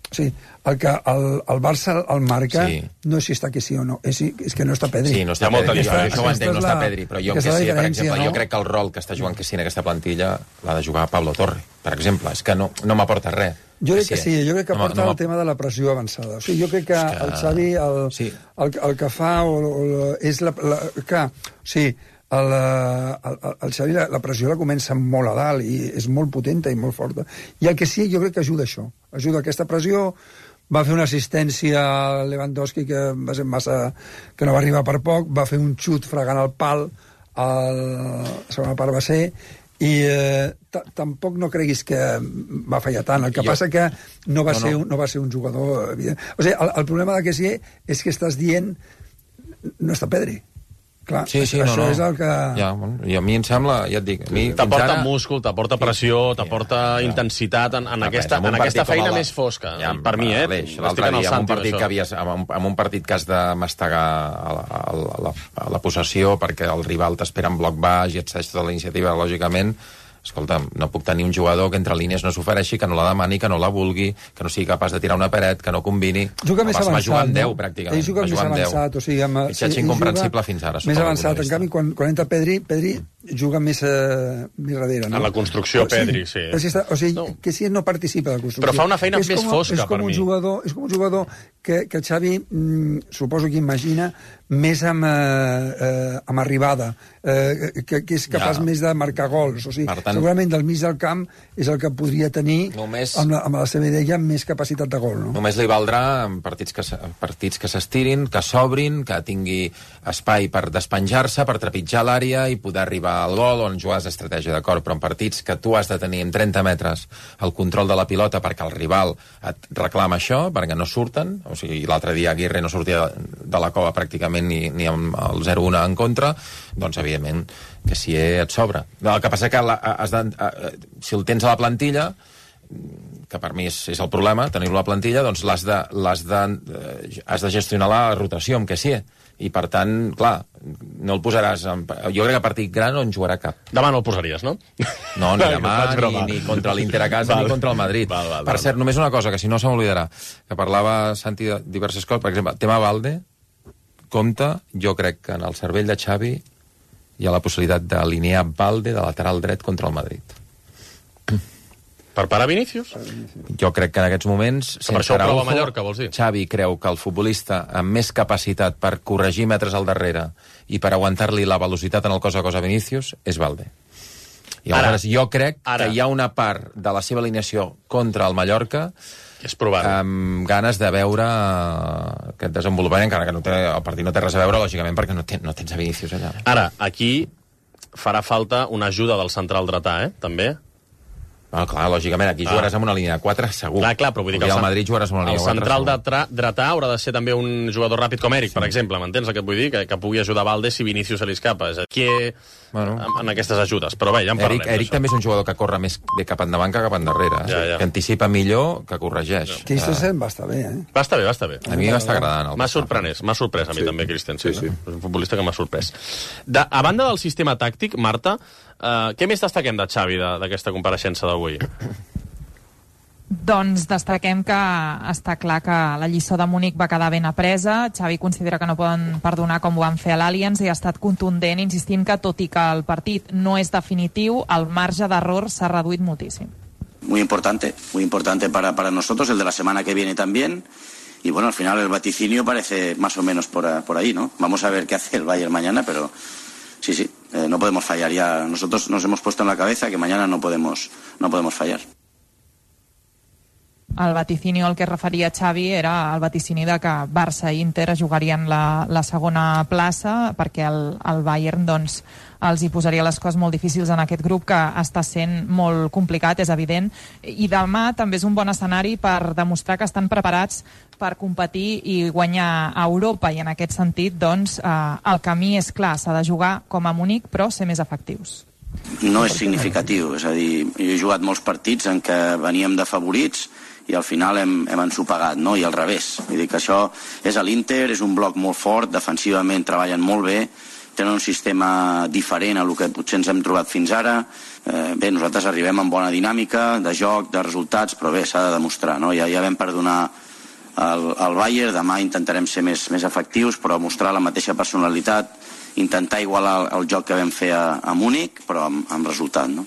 Speaker 17: O sigui, el que el, el Barça el marca sí. no és si està que sí o no, és, és que no està Pedri.
Speaker 18: Sí, no està Pedri, jo, això ho entenc, no està Pedri, però jo que sí, per exemple,
Speaker 17: no?
Speaker 18: jo crec que el rol que està jugant que sí en aquesta plantilla l'ha de jugar Pablo Torre, per exemple, és que no, no m'aporta res.
Speaker 17: Jo crec que sí, jo crec que
Speaker 18: no,
Speaker 17: aporta
Speaker 18: no,
Speaker 17: el tema de la pressió avançada. O sigui, jo crec que, que... el Xavi el,
Speaker 18: sí.
Speaker 17: el, el que fa o, o, és la... la que, o sigui, el, el, el Xavi la, la pressió la comença molt a dalt i és molt potenta i molt forta. I el que sí, jo crec que ajuda això. Ajuda aquesta pressió. Va fer una assistència a Lewandowski que va ser massa... que no va arribar per poc, va fer un xut fregant el pal, el, la segona part va ser, i eh, tampoc no creguis que va fallar tant. El que jo... passa que no va, no, ser un, no va ser un jugador evident. O sigui, el, el problema de que sí és que estàs dient no està Pedri. Clar,
Speaker 18: sí, sí,
Speaker 17: això
Speaker 18: no, no.
Speaker 17: és el que...
Speaker 18: Ja, I a mi em sembla, ja et dic...
Speaker 4: T'aporta ara... múscul, t'aporta pressió, t'aporta sí, intensitat en, en, aquesta, en aquesta feina més fosca. Ja, per mi, eh?
Speaker 18: L'altre dia, en un, partit que havies, en, un, en un partit que has de mastegar a la, a la, a la, a la possessió perquè el rival t'espera en bloc baix i et cedeix tota la iniciativa, lògicament... Escolta, no puc tenir un jugador que entre línies no s'ofereixi, que no la demani, que no la vulgui, que no sigui capaç de tirar una paret, que no combini...
Speaker 17: Juga més avançat,
Speaker 18: jugar amb
Speaker 17: no?
Speaker 18: deu, pràcticament.
Speaker 17: Ell juga més avançat, o sigui... Amb,
Speaker 18: Fitxatge incomprensible fins ara.
Speaker 17: Més avançat, en canvi, quan, quan entra Pedri, Pedri juga més, uh, més darrere, no?
Speaker 4: En la construcció, Pedri, sí.
Speaker 17: sí. O sigui, no. que si no participa de la construcció.
Speaker 4: Però fa una feina
Speaker 17: és
Speaker 4: més
Speaker 17: com,
Speaker 4: fosca,
Speaker 17: és com
Speaker 4: per
Speaker 17: un
Speaker 4: mi.
Speaker 17: Jugador, és com un jugador que, que el Xavi mm, suposo que imagina més amb, eh, eh, amb arribada, eh, que, que és capaç ja. més de marcar gols. O sigui, tant, segurament del mig del camp és el que podria tenir, només, amb, la, amb la seva idea, més capacitat de gol. No?
Speaker 18: Només li valdrà en partits que, partits que s'estirin, que s'obrin, que tingui espai per despenjar-se, per trepitjar l'àrea i poder arribar al gol, on jugar d'estratègia, d'acord, però en partits que tu has de tenir en trenta metres el control de la pilota perquè el rival et reclama això, perquè no surten, o sigui, l'altre dia Aguirre no sortia de la cova pràcticament ni, ni amb el zero un en contra, doncs evidentment que si et sobra. El que passa que la, has de, si el tens a la plantilla, que per mi és, és el problema, tenir-lo a la plantilla, doncs l'has de, l'has de, has de gestionar la rotació amb que sí, i per tant, clar, no el posaràs en... jo crec que a partit gran no en jugarà cap.
Speaker 4: Demà no el posaries, no?
Speaker 18: No, ni demà, ni, ni contra l'Inter a casa, val. Ni contra el Madrid.
Speaker 4: Val, val,
Speaker 18: per
Speaker 4: val,
Speaker 18: cert,
Speaker 4: val.
Speaker 18: només una cosa, que si no se m'oblidarà, que parlava Santi de diverses coses, per exemple, tema Valde, compte, jo crec que en el cervell de Xavi hi ha la possibilitat d'alinear Valde de lateral dret contra el Madrid.
Speaker 4: Per parar Vinícius?
Speaker 18: Jo crec que en aquests moments...
Speaker 4: Que per això ho prova a Mallorca, vols dir?
Speaker 18: Xavi creu que el futbolista amb més capacitat per corregir metres al darrere i per aguantar-li la velocitat en el cos a cos a Vinícius és Valde. I aleshores ara, jo crec ara. que hi ha una part de la seva alineació contra el Mallorca
Speaker 4: és provar-ho.
Speaker 18: Amb ganes de veure aquest desenvolupament, encara que no té, el partit no té res a veure, lògicament, perquè no, ten, no tens a Vinícius allà.
Speaker 4: Ara, aquí farà falta una ajuda del central dretà, eh? També.
Speaker 18: No, clar, lògicament, aquí jugaràs ah. amb una línia de quatre, segur.
Speaker 4: Clar, clar, però vull dir que
Speaker 18: el, el Madrid jugaràs amb una línia de quatre,
Speaker 4: el central dretà haurà de ser també un jugador ràpid com Eric, sí. per exemple, m'entens el que et vull dir? Que, que pugui ajudar Valde si Vinícius se li escapa. És aquí bueno. en, en aquestes ajudes. Però bé, ja en parlem.
Speaker 18: Eric, Eric també és un jugador que corre més de cap endavant que cap endarrere. Ja, ja. Que anticipa millor, que corregeix.
Speaker 17: Ja. Christensen va estar bé, eh?
Speaker 4: Va estar bé, va estar bé.
Speaker 18: A mi m'està agradant.
Speaker 4: M'ha sorprès, m'ha sorprès a mi sí. també, Christensen.
Speaker 19: Sí, sí.
Speaker 4: És un futbolista que m'ha sorprès. De, a banda del sistema tàctic, Marta, uh, què més destaquem de Xavi d'aquesta compareixença d'avui?
Speaker 5: Doncs destaquem que està clar que la lliçó de Múnich va quedar ben apresa. Xavi considera que no poden perdonar com ho van fer a l'Allianz i ha estat contundent insistint que, tot i que el partit no és definitiu, el marge d'error s'ha reduït moltíssim.
Speaker 1: Muy importante, muy importante para, para nosotros, el de la semana que viene también. Y bueno, al final el vaticinio parece más o menos por, por ahí, ¿no? Vamos a ver qué hace el Bayern mañana, pero sí, sí, eh, no podemos fallar ya. Nosotros nos hemos puesto en la cabeza que mañana no podemos, no podemos fallar.
Speaker 5: El vaticinio al que es referia Xavi era el vaticini de que Barça i Inter jugarien la, la segona plaça perquè el, el Bayern doncs, els hi posaria les coses molt difícils en aquest grup que està sent molt complicat, és evident, i demà també és un bon escenari per demostrar que estan preparats per competir i guanyar a Europa, i en aquest sentit doncs, eh, el camí és clar, s'ha de jugar com a Múnich però ser més efectius.
Speaker 1: No és significatiu, és a dir, jo he jugat molts partits en què veníem de favorits i al final hem, hem ensopegat, no? I al revés. Vull dir que això és a l'Inter, és un bloc molt fort, defensivament treballen molt bé, tenen un sistema diferent a el que potser ens hem trobat fins ara. Eh, bé, nosaltres arribem amb bona dinàmica, de joc, de resultats, però bé, s'ha de demostrar, no? Ja, ja vam perdonar el, el Bayern, demà intentarem ser més, més efectius, però mostrar la mateixa personalitat, intentar igualar el, el joc que vam fer a, a Múnich, però amb, amb resultat, no?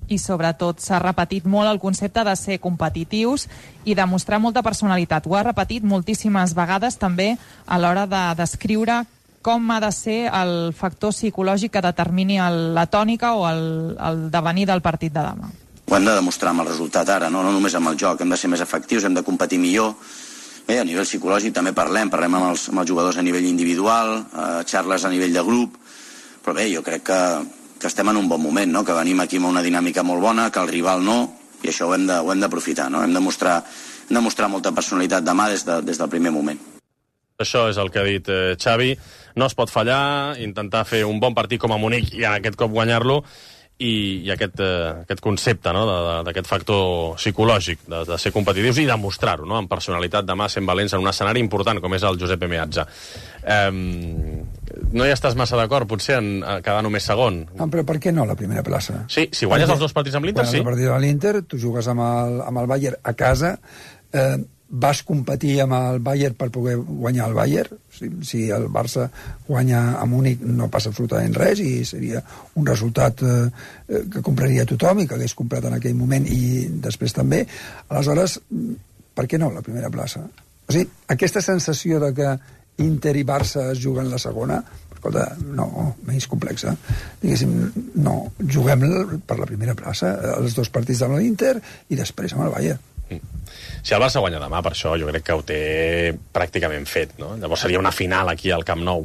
Speaker 5: I sobretot s'ha repetit molt el concepte de ser competitius i de mostrar molta personalitat. Ho ha repetit moltíssimes vegades també a l'hora de descriure com ha de ser el factor psicològic que determini el, la tònica o el, el devenir del partit de demà.
Speaker 1: Ho hem de demostrar amb el resultat ara, no, no només amb el joc. Hem de ser més efectius, hem de competir millor. Bé, a nivell psicològic també parlem, parlem amb els, amb els jugadors a nivell individual, eh, xarles a nivell de grup, però bé, jo crec que que estem en un bon moment, no? Que venim aquí amb una dinàmica molt bona, que el rival no, i això ho hem de, ho hem d'aprofitar, no? Hem de mostrar, hem de mostrar molta personalitat demà des, de, des del primer moment.
Speaker 4: Això és el que ha dit eh, Xavi. No es pot fallar, intentar fer un bon partit com a Múnich i aquest cop guanyar-lo, i, i aquest, eh, aquest concepte, no? d'aquest factor psicològic de, de ser competitius i demostrar-ho, no? Amb personalitat demà sent valents en un escenari important com és el Giuseppe Meazza. Eh, no hi estàs massa d'acord potser en quedar només segon?
Speaker 17: No, però per què no la primera plaça?
Speaker 4: Sí, si guanyes perquè, els dos partits amb l'Inter, sí.
Speaker 17: Guanyes el partit amb l'Inter, tu jugues amb el, amb el Bayern a casa, eh, vas competir amb el Bayern per poder guanyar el Bayern. Si, si el Barça guanya a Múnich no passa absolutament res i seria un resultat eh, que compraria tothom i que hagués comprat en aquell moment i després també. Aleshores, per què no la primera plaça? O sigui, aquesta sensació de que Inter i Barça es juguen la segona, escolta, no, menys complexa. Diguéssim, no, juguem per la primera plaça, els dos partits amb l'Inter i després amb el Bayern.
Speaker 4: Si el Barça guanya demà, per això jo crec que ho té pràcticament fet, no? Llavors seria una final aquí al Camp Nou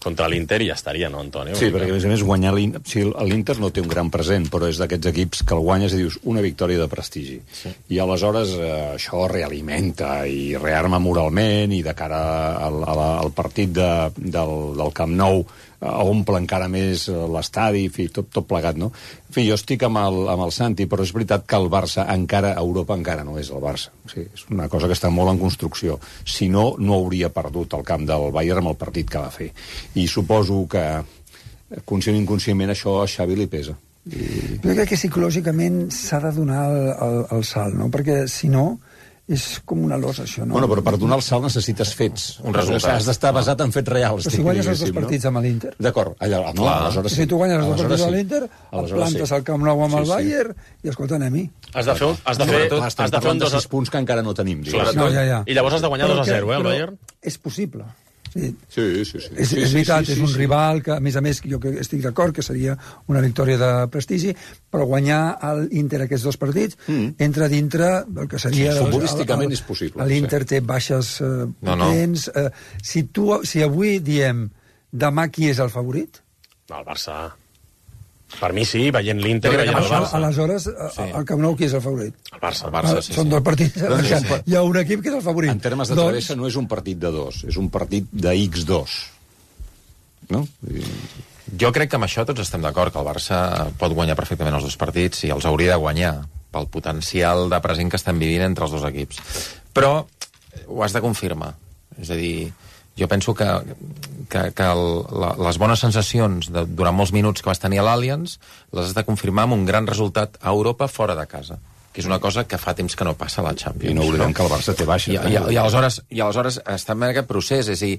Speaker 4: contra l'Inter i ja estaria, no, Antonio?
Speaker 19: Sí, perquè a més a més guanyar l'Inter... O sigui, l'Inter no té un gran present, però és d'aquests equips que el guanyes i dius una victòria de prestigi. Sí. I aleshores eh, això realimenta i rearma moralment i de cara al, al partit de, del, del Camp Nou omple encara més l'estadi, en fi, tot, tot plegat, no? En fi, jo estic amb el, amb el Santi, però és veritat que el Barça encara, a Europa encara no és el Barça. O sigui, és una cosa que està molt en construcció. Si no, no hauria perdut el camp del Bayern amb el partit que va fer. I suposo que, conscient i inconscientment, això a Xavi li pesa. I...
Speaker 17: Jo crec que psicològicament s'ha de donar el, el, el salt, no? Perquè, si no, és com una losa, això, no?
Speaker 19: Bueno, però per donar el salt necessites fets. Un resultat. Has d'estar basat en fets reals.
Speaker 17: Però si guanyes els dos partits amb l'Inter...
Speaker 19: D'acord, allà, no, aleshores sí.
Speaker 17: Si tu guanyes els dos partits amb l'Inter, et plantes al Camp Nou amb el Bayern i, escolta, anem-hi.
Speaker 4: Has de fer, has de fer, has de fer un dos...
Speaker 19: sis punts que encara no tenim.
Speaker 17: No, ja, ja.
Speaker 4: I llavors has de guanyar dos a zero, eh, el Bayern?
Speaker 17: És possible. Sí,
Speaker 19: sí, sí. sí.
Speaker 17: És, és veritat, és un rival que, a més a més, jo estic d'acord que seria una victòria de prestigi, però guanyar l'Inter aquests dos partits mm. entra dintre del que seria...
Speaker 19: Sí, futbolísticament és possible.
Speaker 17: L'Inter sí. té baixes eh,
Speaker 19: no,
Speaker 17: potents. No. Eh, si, tu, si avui diem demà qui és el favorit?
Speaker 4: No, el Barça... Per mi sí, veient l'Inter i veient el Barça.
Speaker 17: Aleshores, sí. al Camp Nou, qui és el favorit?
Speaker 4: El Barça. El Barça sí,
Speaker 17: Són
Speaker 4: sí.
Speaker 17: dos partits. Sí, sí. Hi ha un equip que és el favorit.
Speaker 19: En termes de travessa doncs... no és un partit de dos, és un partit de ics dos. No? I...
Speaker 18: Jo crec que amb això tots estem d'acord, que el Barça pot guanyar perfectament els dos partits i els hauria de guanyar pel potencial de present que estem vivint entre els dos equips. Però ho has de confirmar. És a dir, jo penso que, que, que el, la, les bones sensacions de, durant molts minuts que vas tenir a l'Allianz les has de confirmar amb un gran resultat a Europa fora de casa, que és una cosa que fa temps que no passa a la Champions.
Speaker 19: I no oblidem que el Barça té baixa.
Speaker 18: I, i, i, aleshores, i aleshores estem en aquest procés. És a dir,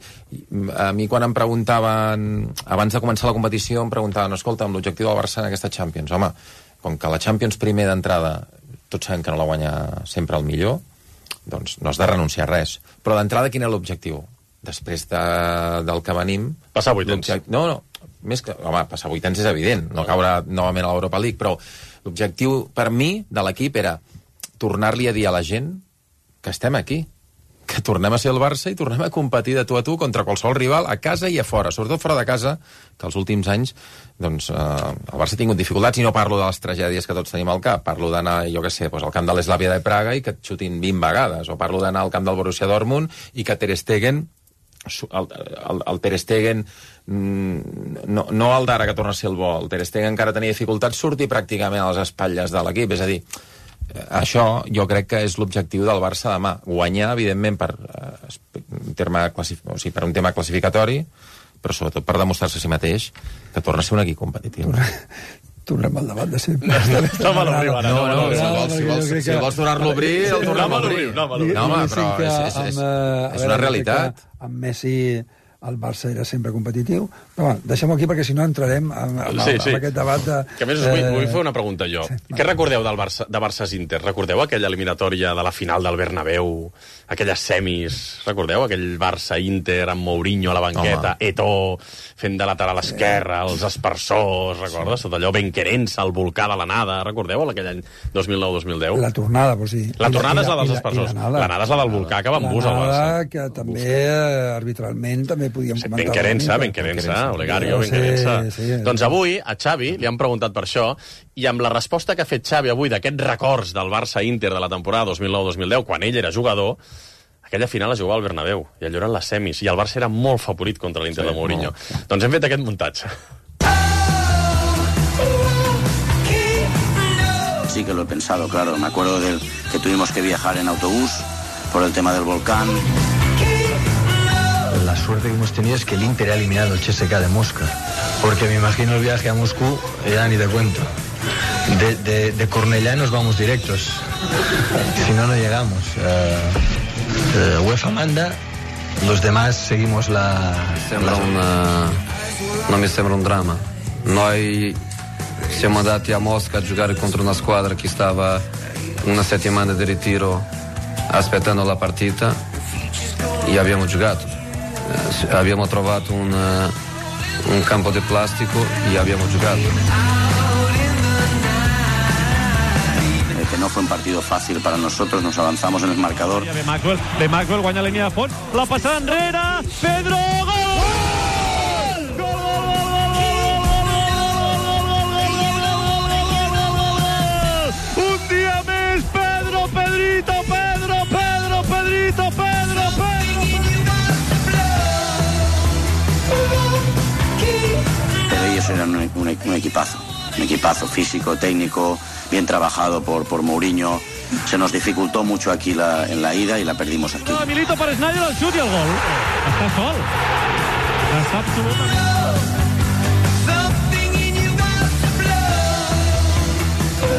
Speaker 18: a mi quan em preguntaven, abans de començar la competició, em preguntaven, escolta, amb l'objectiu del Barça en aquesta Champions, home, com que la Champions primer d'entrada tots sabem que no la guanya sempre el millor, doncs no has de renunciar a res. Però d'entrada quin és l'objectiu? Després de, del que venim...
Speaker 4: Passar vuitens.
Speaker 18: No, no, més que... Home, passar vuitens és evident, no caure novament a l'Europa League, però l'objectiu per mi de l'equip era tornar-li a dir a la gent que estem aquí, que tornem a ser el Barça i tornem a competir de tu a tu contra qualsevol rival a casa i a fora, sobretot fora de casa, que els últims anys doncs, eh, el Barça ha tingut dificultats, i no parlo de les tragèdies que tots tenim al cap, parlo d'anar, jo què sé, doncs, al camp de l'Eslavia de Praga i que et xutin vint vegades, o parlo d'anar al camp del Borussia Dortmund i que Ter Stegen el, el, el Ter Stegen no, no el d'ara que torna a ser el bo, el Ter Stegen encara tenia dificultats, surti pràcticament a les espatlles de l'equip, és a dir, això jo crec que és l'objectiu del Barça demà, guanyar evidentment per, un terme classif... o sigui, per un tema classificatori, però sobretot per demostrar-se a si mateix que torna a ser un equip competitiu.
Speaker 17: Tornem al debat de sempre.
Speaker 4: No me l'obrim ara.
Speaker 18: No, no, si vols, si vols, si vols tornar-lo a obrir, el tornem a obrir. No, home, però és, és, és, és una realitat.
Speaker 17: Amb Messi el Barça era sempre competitiu, però bueno, deixem-ho aquí perquè si no entrarem en, en,
Speaker 4: sí, sí.
Speaker 17: en aquest debat de...
Speaker 4: Que a més us vull, vull fer una pregunta jo. Sí, Què recordeu del Barça, de Barça-Inter? Recordeu aquella eliminatòria de la final del Bernabéu, aquelles semis? Recordeu aquell Barça-Inter amb Mourinho a la banqueta, Home. Eto'o fent de lateral esquerra, els aspersors, recordes? Tot allò, Benquerença, el volcà de l'anada, recordeu aquell any dos mil nou dos mil deu?
Speaker 17: La tornada, vols dir.
Speaker 4: La tornada és la dels aspersors. L'anada és la del volcà que va amb bus al Barça.
Speaker 17: L'anada que també, arbitralment, també podíem
Speaker 4: sí,
Speaker 17: comentar.
Speaker 4: Benquerença, Benquerença, Olegario, Benquerença. Sí, sí, doncs avui, a Xavi, li han preguntat per això, i amb la resposta que ha fet Xavi avui d'aquests records del Barça-Inter de la temporada dos mil nou dos mil deu, quan ell era jugador, aquella final es jugava al Bernabéu, i allò eren les semis, i el Barça era molt favorit contra l'Inter sí, de Mourinho. No. Doncs hem fet aquest muntatge.
Speaker 1: Sí que lo he pensado, claro. Me acuerdo del que tuvimos que viajar en autobús por el tema del volcán.
Speaker 6: La suerte que hemos tenido es que el Inter ha eliminado el C S K A de Mosca, porque me imagino el viaje a Moscú, ya ni te cuento. De, de, de Cornellá nos vamos directos, si no, no llegamos. Uh, uh, UEFA manda, los demás seguimos la...
Speaker 8: Sembra
Speaker 6: la...
Speaker 8: una... Non mi sembra un dramma. Noi siamo andati a Mosca a giocare contro una squadra che stava una settimana di ritiro aspettando la partita e abbiamo giocato. Eh, abbiamo trovato un, uh, un campo di plastico e abbiamo giocato.
Speaker 1: Que no fue un partido fácil para nosotros, nos avanzamos en el marcador.
Speaker 9: De Maxwell, de Maxwell guanya la línia de fons, la passada enrere, Pedro, gol! Un dia més, Pedro, Pedrito, Pedro, Pedro, Pedrito, Pedro, Pedro.
Speaker 1: Pero ellos eran un, un, un equipazo, un equipazo físico, técnico, bien trabajado por, por Mourinho. Se nos dificultó mucho aquí la, en la ida y la perdimos aquí.
Speaker 9: No, Milito per Snyder, el xut i el gol. Està sol. Està absolutament...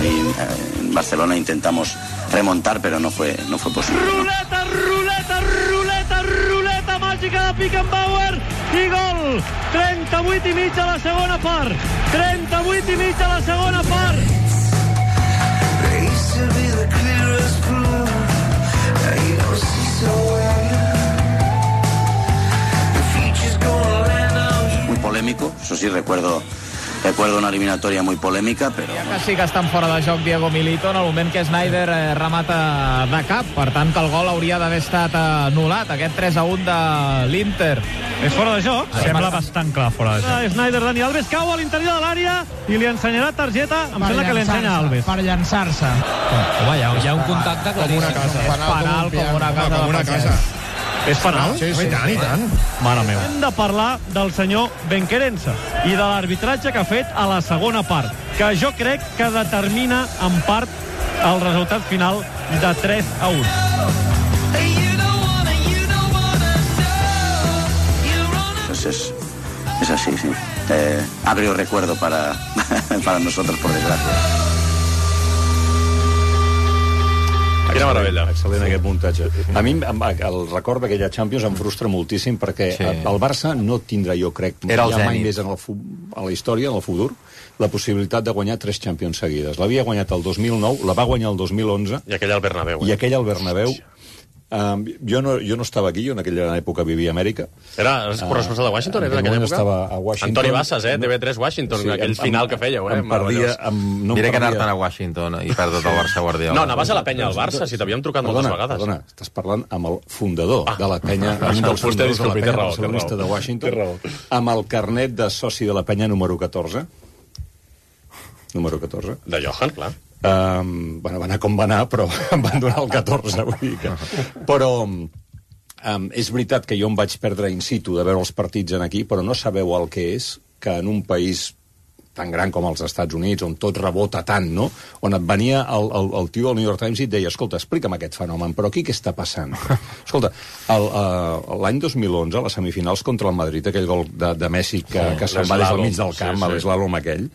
Speaker 1: Y, eh, en Barcelona intentamos remontar, pero no fue, no fue posible.
Speaker 9: Ruleta, ruleta, ruleta, ruleta màgica de Beckenbauer i gol. trenta-vuit i mig a la segona part. trenta-vuit i mig a la segona part.
Speaker 1: Muy polémico, eso sí, recuerdo recuerdo una eliminatoria muy polémica, pero...
Speaker 12: Ja que sí que estan fora de joc Diego Milito en el moment que Snyder eh, remata de cap, per tant que el gol hauria d'haver estat anul·lat, aquest tres a un de l'Inter.
Speaker 9: És fora de joc? Sembla bastant clar fora de joc. Snyder, Dani Alves cau a l'interior de l'àrea i li ensenyarà targeta, em sembla que li ensenya Alves.
Speaker 12: Per llançar-se.
Speaker 23: Home, hi ha, hi ha un contacte claríssim.
Speaker 12: Penal com una casa. Com una casa.
Speaker 9: És penal?
Speaker 12: Sí, sí, i tant, i tant.
Speaker 9: Mare meva. Hem de parlar del senyor Benquerença i de l'arbitratge que ha fet a la segona part, que jo crec que determina en part el resultat final de tres a un.
Speaker 1: Pues es, es así, sí. Eh, agrio recuerdo para, para nosotros, por desgracia.
Speaker 4: Quina meravella.
Speaker 19: Excel·lent aquest muntatge. A mi el record d'aquella Champions em frustra moltíssim perquè sí. el Barça no tindrà, jo crec, ja mai més en el, a la història, en el futur, la possibilitat de guanyar tres Champions seguides. L'havia guanyat el dos mil nou, la va guanyar el dos mil onze...
Speaker 4: I aquella al Bernabéu.
Speaker 19: I aquella al Bernabéu. Um, jo, no, jo no estava aquí, jo en aquella època vivia a Amèrica.
Speaker 4: Era corresponsal de Washington,
Speaker 19: uh,
Speaker 4: era en aquella època?
Speaker 19: Estava a Washington.
Speaker 4: Antoni Bassas, eh? T V tres Washington, sí, aquell em, final que fèieu, eh?
Speaker 19: Em perdia, em, no
Speaker 18: Diré
Speaker 19: em
Speaker 18: que anar-te'n a Washington i perdre tot el Barça Guardiola.
Speaker 4: No, anaves a la penya al Barça, si t'havíem trucat
Speaker 19: perdona,
Speaker 4: moltes vegades.
Speaker 19: Perdona, estàs parlant amb el fundador ah. de la penya,
Speaker 4: ah,
Speaker 19: un dels fundadors de la penya
Speaker 4: raó,
Speaker 19: barcelonista de Washington, amb el carnet de soci de la penya número catorze. Número catorze.
Speaker 4: De Johan, clar.
Speaker 19: Um, bueno, va anar com va anar, però em van donar el catorze, vull dir que... Però um, és veritat que jo em vaig perdre in situ de veure els partits en aquí, però no sabeu el que és que en un país tan gran com els Estats Units, on tot rebota tant, no? On et venia el, el, el tio del New York Times i et deia, escolta, explica'm aquest fenomen, però aquí què està passant? Escolta, l'any dos mil onze, a les semifinals contra el Madrid, aquell gol de, de Messi que, que se'n va des del mig del camp, sí, sí. a l'eslàlom aquell,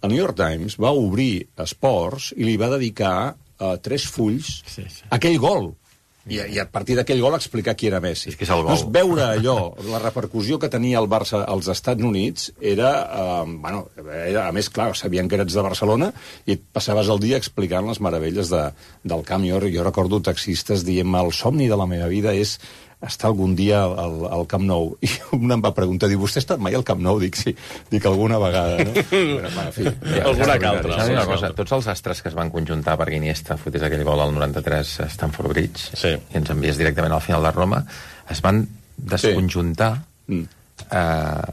Speaker 19: el New York Times va obrir Esports i li va dedicar uh, tres fulls sí, sí. a aquell gol. I, I a partir d'aquell gol explicar qui era Messi.
Speaker 18: És que és el gol.
Speaker 19: Doncs veure allò, la repercussió que tenia el Barça als Estats Units era, uh, bueno, era, a més, clar, sabien que eres de Barcelona i et passaves el dia explicant les meravelles de, del camp. Jo, jo recordo taxistes dient el somni de la meva vida és estar algun dia al, al Camp Nou. I un em va preguntar, diu, vostè ha estat mai al Camp Nou? Dic, sí, dic alguna vegada, no? Però, en fi, ja,
Speaker 4: alguna que altra.
Speaker 18: Saps una cosa? Tots els astres que es van conjuntar perquè Iniesta fotés aquell gol al noranta-tres a Stamford Bridge
Speaker 4: sí.
Speaker 18: i ens envies directament al final de Roma, es van desconjuntar sí. eh,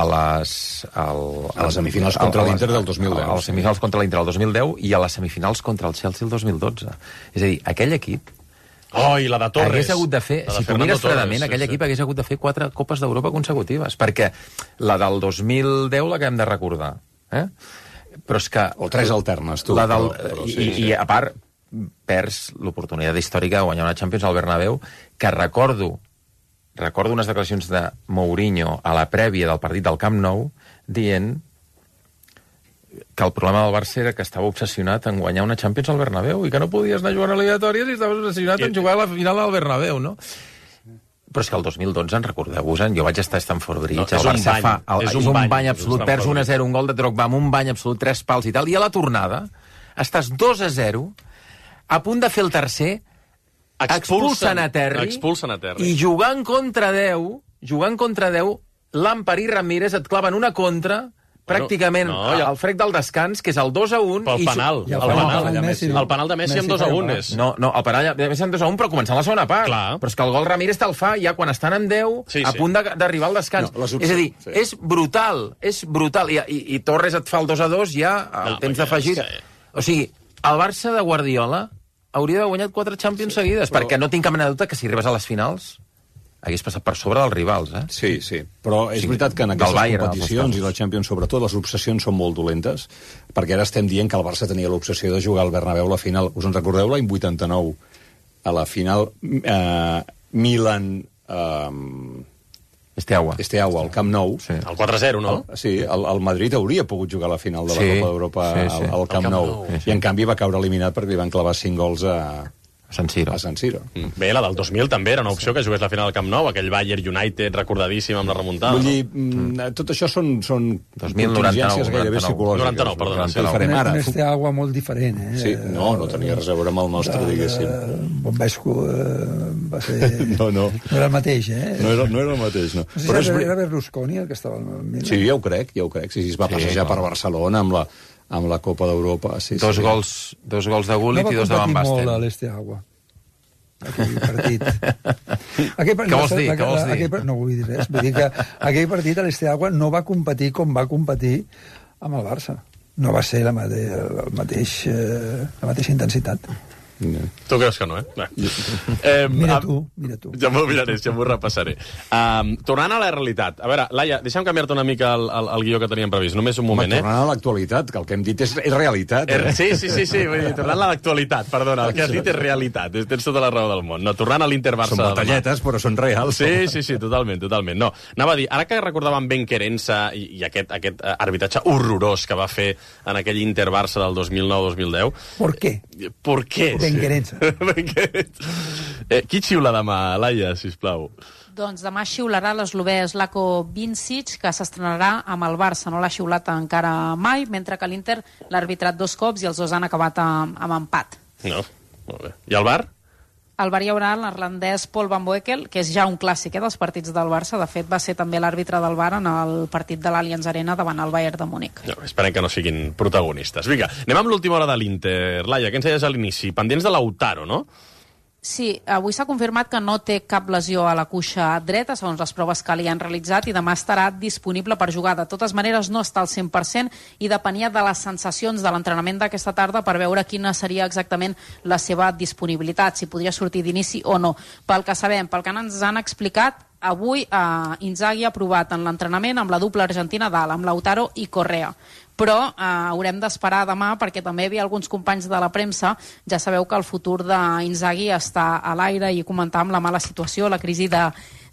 Speaker 18: a les... Al,
Speaker 19: a les semifinals al, contra l'Inter del dos mil deu.
Speaker 18: A les semifinals contra l'Inter del dos mil deu i a les semifinals contra el Chelsea el dos mil dotze. És a dir, aquell equip
Speaker 4: Oh, i la de Torres.
Speaker 18: Hagués hagut de fer, de si tu mires fredament, sí, aquell sí. equip hagués hagut de fer quatre Copes d'Europa consecutives, perquè la del dos mil deu la que hem de recordar. Eh? Però és que...
Speaker 19: O tres alternes, tu.
Speaker 18: La del,
Speaker 19: però, però,
Speaker 18: i,
Speaker 19: sí, sí.
Speaker 18: I, a part, perds l'oportunitat històrica de guanyar una Champions al Bernabéu, que recordo, recordo unes declaracions de Mourinho a la prèvia del partit del Camp Nou, dient que el problema del Barça era que estava obsessionat en guanyar una Champions al Bernabéu i que no podies anar jugant a eliminatòries i estaves obsessionat en jugar a la final al Bernabéu, no? Però és que el dos mil dotze, en recordeu-vos, jo vaig estar a Stamford Bridge, no, el Barça fa... El, és un, és un bany, bany absolut, perds un a zero, un gol de Drogba amb un bany absolut, tres pals i tal, i a la tornada estàs dos a zero, a punt de fer el tercer,
Speaker 3: expulsen a Terry,
Speaker 4: expulsen a Terry.
Speaker 3: i jugant contra deu, jugant contra deu, Lampard i Ramírez et claven una contra, pràcticament
Speaker 4: no, ja...
Speaker 3: al frec del descans, que és el dos a un...
Speaker 4: Pel penal.
Speaker 3: I...
Speaker 4: El, el, penal, el, Messi, el penal de Messi amb dos a un és...
Speaker 3: No, no, el penal de Messi amb dos a un, però començant la segona part.
Speaker 4: Clar.
Speaker 3: Però és que el gol Ramírez te'l fa ja quan estan en deu,
Speaker 4: sí,
Speaker 3: a
Speaker 4: sí.
Speaker 3: punt d'arribar al descans. No, és a dir, sí. és brutal, és brutal. I, i, i Torres et fa el dos a dos ja al no, temps d'afegir. Sí. O sigui, el Barça de Guardiola hauria d'haver guanyat quatre Champions sí, seguides, però... perquè no tinc cap mena de dubte que si arribes a les finals hagués passat per sobre dels rivals, eh?
Speaker 19: Sí, sí, però és sí, veritat que en aquestes Bayern, competicions, i la Champions sobretot, les obsessions són molt dolentes, perquè ara estem dient que el Barça tenia l'obsessió de jugar al Bernabéu la final. Us en recordeu l'any vuitanta-nou, a la final eh, Milan... Eh,
Speaker 3: Esteaua.
Speaker 19: Esteaua, al Camp Nou.
Speaker 4: Sí. El quatre a zero, no?
Speaker 19: El, sí, el, el Madrid hauria pogut jugar a la final de la
Speaker 3: sí,
Speaker 19: Copa d'Europa
Speaker 3: sí, sí.
Speaker 19: al, al Camp, Camp Nou, sí, sí. I en canvi va caure eliminat perquè li van clavar cinc gols a...
Speaker 3: San Siro.
Speaker 19: A San Siro.
Speaker 4: Mm. Bé, la del dos mil també era una opció, que jugués la final al Camp Nou, aquell Bayern United recordadíssim amb la remuntada.
Speaker 19: Vull dir, mm, tot això són, són contingències gairebé psicològiques.
Speaker 4: noranta-nou, perdona.
Speaker 17: Sí, un Esteaua molt diferent, eh?
Speaker 19: Sí, no, no tenia res a veure amb el nostre, diguéssim.
Speaker 17: Bombesco va ser...
Speaker 19: No, no.
Speaker 17: No era el mateix, eh?
Speaker 19: No era, no era el mateix, no.
Speaker 17: No sé si Però era, és... era Berlusconi el que estava al Milan.
Speaker 19: Sí, ja ho crec, ja ho crec. Sí, sí, es va sí, passejar no. per Barcelona amb la amb la Copa d'Europa. Sí,
Speaker 3: dos,
Speaker 19: sí.
Speaker 3: Gols, dos gols de Gullit no i dos de Van Basten.
Speaker 17: No va competir molt a l'Esteaua, aquell partit. Aquell
Speaker 3: partit què vols dir? La, què vols dir?
Speaker 17: Aquell, no vull dir res. Vull dir que aquell partit a l'Esteaua no va competir com va competir amb el Barça. No va ser la, mate, el mateix, eh, la mateixa intensitat.
Speaker 4: No. Tu creus que no, eh? No. eh
Speaker 17: mira tu, mira tu.
Speaker 4: Ja m'ho miraré, ja m'ho repassaré. Um, tornant a la realitat. A veure, Laia, deixa'm canviar-te una mica el, el, el guió que teníem previst. Només un moment,
Speaker 19: Home, eh? Tornant a l'actualitat, que el que hem dit és, és realitat. Eh?
Speaker 4: Sí, sí, sí, sí. Vull dir, tornant a l'actualitat, perdona. El que has dit és realitat. Tens tota la raó del món. No, tornant a l'Inter-Barça...
Speaker 19: Són batalletes, però són reals.
Speaker 4: Sí, sí, sí, totalment, totalment. No, anava a dir, ara que recordàvem Ben Querença i, i aquest, aquest arbitratge horrorós que va fer en aquell Inter-Barça del dos mil nou dos mil deu...
Speaker 17: ¿Por qué?
Speaker 4: ¿Por qué?
Speaker 17: Ben Querença.
Speaker 4: Eh, qui xiula demà, Laia, sisplau?
Speaker 7: Doncs demà xiularà l'eslovè Slavko Vincic, que s'estrenarà amb el Barça. No l'ha xiulat encara mai, mentre que l'Inter l'ha arbitrat dos cops i els dos han acabat amb, amb empat.
Speaker 4: No, molt bé. I el Bar?
Speaker 7: Al Bar hi haurà l'irlandès Paul Van Boekel, que és ja un clàssic eh, dels partits del Barça. De fet, va ser també l'àrbitre del Bar en el partit de l'Allianz Arena davant el Bayern de Múnich.
Speaker 4: No, esperem que no siguin protagonistes. Vinga, anem amb l'última hora de l'Inter. Laia, què ens deies a l'inici? Pendents de Lautaro, no?
Speaker 7: Sí, avui s'ha confirmat que no té cap lesió a la cuixa dreta, segons les proves que li han realitzat, i demà estarà disponible per jugar. De totes maneres, no està al cent per cent i depenia de les sensacions de l'entrenament d'aquesta tarda per veure quina seria exactament la seva disponibilitat, si podria sortir d'inici o no. Pel que sabem, pel que ens han explicat, avui eh, Inzaghi ha provat en l'entrenament amb la dupla argentina dalt, amb Lautaro i Correa. Però eh, haurem d'esperar demà perquè també hi havia alguns companys de la premsa. Ja sabeu que el futur d'Inzaghi està a l'aire i comentàvem la mala situació, la crisi de,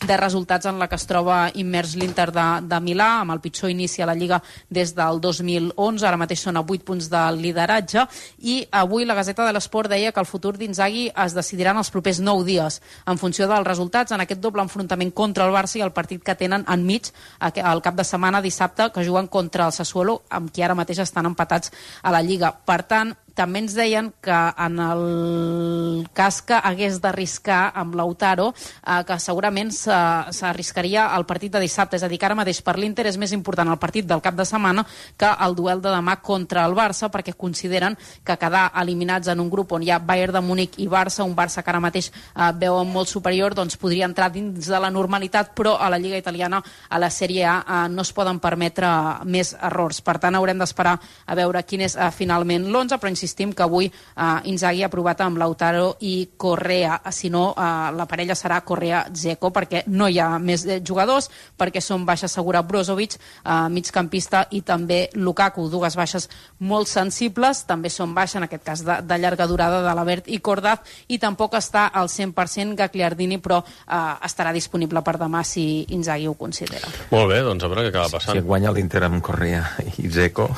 Speaker 7: de resultats en la que es troba immers l'Inter de, de Milà, amb el pitjor inici a la Lliga des del dos mil onze, ara mateix són a vuit punts de lideratge, i avui la Gazeta de l'Esport deia que el futur d'Inzaghi es decidirà en els propers nou dies, en funció dels resultats en aquest doble enfrontament contra el Barça i el partit que tenen enmig el cap de setmana dissabte, que juguen contra el Sassuolo, amb qui ara mateix estan empatats a la Lliga. Per tant, també ens deien que en el cas que hagués d'arriscar amb Lautaro, eh, que segurament s'arriscaria al partit de dissabte, és a dir, que ara mateix per l'Inter és més important el partit del cap de setmana que el duel de demà contra el Barça, perquè consideren que quedar eliminats en un grup on hi ha Bayern de Múnich i Barça, un Barça que ara mateix eh, veuen molt superior, doncs podria entrar dins de la normalitat, però a la Lliga Italiana, a la Sèrie A, eh, no es poden permetre més errors. Per tant, haurem d'esperar a veure quin és eh, finalment l'onze, però insistim que avui eh, Inzaghi ha provat amb Lautaro i Correa. Si no, eh, la parella serà Correa-Dzeko, perquè no hi ha més jugadors, perquè són baixa segura Brozovic, eh, migcampista, i també Lukaku, dues baixes molt sensibles. També són baixa, en aquest cas de, de llarga durada, de l'Avert i Cordaz, i tampoc està al cent per cent Gagliardini, però eh, estarà disponible per demà si Inzaghi ho considera.
Speaker 4: Molt bé, doncs a veure què acaba passant.
Speaker 3: Si guanya l'Inter amb Correa i Dzeko...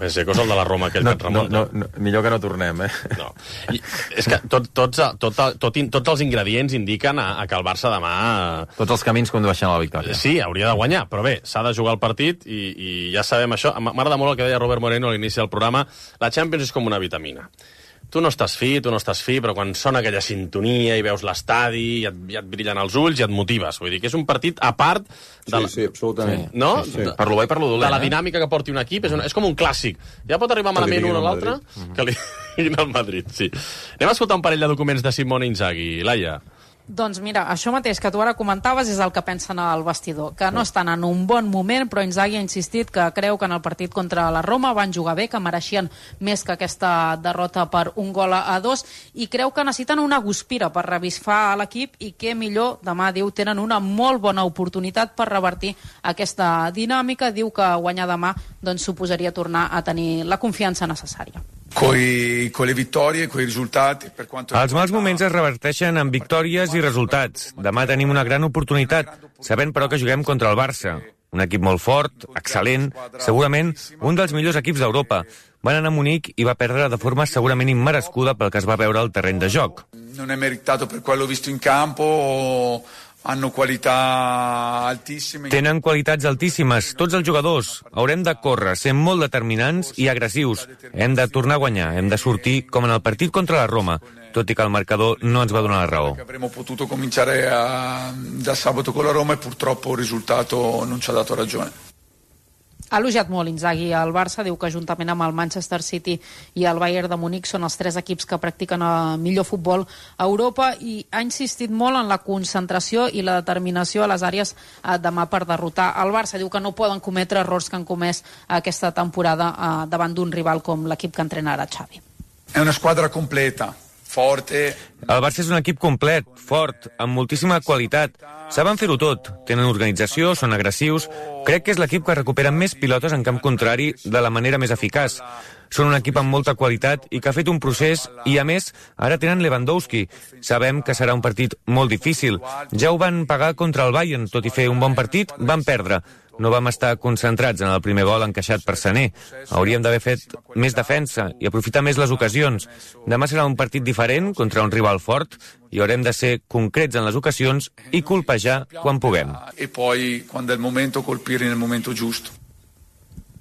Speaker 4: Dzeko és el de la Roma, aquell
Speaker 3: no,
Speaker 4: que et remunta.
Speaker 3: No, no, no, millor que no tornem, eh?
Speaker 4: No. I és que tot, tots, tot, tot, tots els ingredients indiquen a, a que el Barça demà...
Speaker 3: Tots els camins condueixen a la victòria.
Speaker 4: Sí, hauria de guanyar, però bé, s'ha de jugar el partit i, i ja sabem això. M'agrada molt el que deia Robert Moreno a l'inici del programa. La Champions és com una vitamina. tu no estàs fi, tu no estàs fi, però quan sona aquella sintonia i veus l'estadi, ja, ja et brillen els ulls i et motives. Vull dir que és un partit a part de la...
Speaker 19: Sí, sí, absolutament.
Speaker 4: No?
Speaker 19: Sí, sí.
Speaker 4: Per lo bo i per lo dolent. De la dinàmica que porti un equip, és, un, és com un clàssic. Ja pot arribar malament un o l'altre, que li diguin al Madrid, sí. Anem a escoltar un parell de documents de Simone Inzaghi. Laia.
Speaker 7: Doncs mira, això mateix que tu ara comentaves és el que pensen al vestidor, que no estan en un bon moment, però Inzaghi ha insistit que creu que en el partit contra la Roma van jugar bé, que mereixien més que aquesta derrota per un gol a dos, i creu que necessiten una guspira per revifar l'equip i que millor, demà, diu, tenen una molt bona oportunitat per revertir aquesta dinàmica. Diu que guanyar demà doncs, suposaria tornar a tenir la confiança necessària.
Speaker 11: Coi, con le vittorie, coi risultati. Per quanto...
Speaker 13: Els mals moments es reverteixen en victòries i resultats. Demà tenim una gran oportunitat, sabent però que juguem contra el Barça. Un equip molt fort, excel·lent, segurament un dels millors equips d'Europa. Van anar a Munic i va perdre de forma segurament immerescuda pel que es va veure al terreny de joc.
Speaker 11: Non è meritato per quello visto in campo... O... hanno qualità altissime.
Speaker 13: Tenen qualitats altíssimes, tots els jugadors. Haurem de córrer, ser molt determinants i agressius. Hem de tornar a guanyar, hem de sortir com en el partit contra la Roma, tot i que el marcador no ens va donar la raó.
Speaker 11: Avremmo potuto cominciare a, da sabato con la Roma e purtroppo il risultato non ci ha dato ragione.
Speaker 7: Ha elogiat molt Inzaghi al Barça, diu que juntament amb el Manchester City i el Bayern de Munic són els tres equips que practiquen el millor futbol a Europa, i ha insistit molt en la concentració i la determinació a les àrees demà per derrotar el Barça. Diu que no poden cometre errors que han comès aquesta temporada davant d'un rival com l'equip que entrena ara Xavi.
Speaker 11: È una squadra completa, forte.
Speaker 13: El Barça és un equip complet, fort, amb moltíssima qualitat. Saben fer-ho tot, tenen organització, són agressius. Crec que és l'equip que recupera més pilotes en camp contrari de la manera més eficaç. Són un equip amb molta qualitat i que ha fet un procés, i a més, ara tenen Lewandowski. Sabem que serà un partit molt difícil. Ja ho van pagar contra el Bayern, tot i fer un bon partit, van perdre. No vam estar concentrats en el primer gol encaixat per Sané. Hauríem d'haver fet més defensa i aprofitar més les ocasions. Demà serà un partit diferent contra un rival fort i haurem de ser concrets en les ocasions i colpejar quan puguem.
Speaker 11: E poi, quando è il momento, colpire nel momento giusto.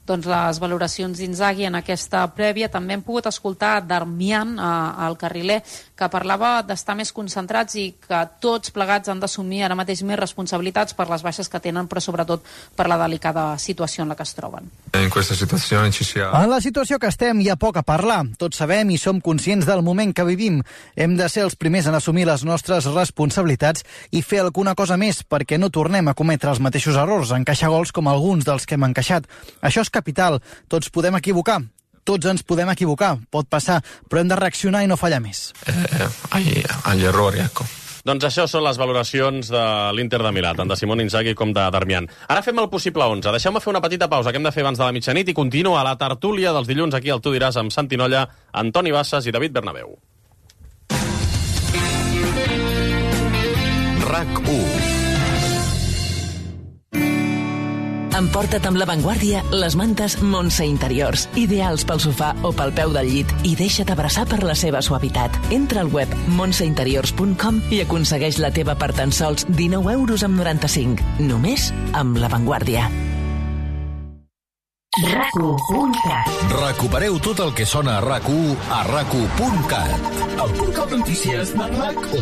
Speaker 7: Doncs les valoracions d'Inzaghi en aquesta prèvia. També hem pogut escoltar Darmian, eh, el carriler, que parlava d'estar més concentrats i que tots plegats han d'assumir ara mateix més responsabilitats per les baixes que tenen, però sobretot per la delicada situació en la que es troben.
Speaker 14: En aquesta situació ci sia... En la situació que estem hi ha poc a parlar. Tots sabem i som conscients del moment que vivim. Hem de ser els primers en assumir les nostres responsabilitats i fer alguna cosa més perquè no tornem a cometre els mateixos errors, encaixar gols com alguns dels que hem encaixat. Això és capital. Tots podem equivocar. Tots ens podem equivocar. Pot passar, però hem de reaccionar i no fallar més. Eh, agli, agli errori, ecco.
Speaker 4: Doncs això són les valoracions de l'Inter de Milà, tant de Simone Inzaghi com de Darmian. Ara fem el possible onze. Deixeu-me fer una petita pausa que hem de fer abans de la mitjanit i continua la tertúlia dels dilluns aquí al Tu diràs amb Santi Nolla, Antoni Bassas i David Bernabéu.
Speaker 22: RAC u.
Speaker 24: Emporta't amb La Vanguardia les mantes Montse Interiors, ideals pel sofà o pel peu del llit, i deixa't abraçar per la seva suavitat. Entra al web montse interiors punt com i aconsegueix la teva per tan sols dinou euros amb noranta-cinc. Només amb La Vanguardia.
Speaker 22: RAC u punt cat. Recupereu tot el que sona a RAC u a RAC u punt cat. El punt cat notícies de RAC u.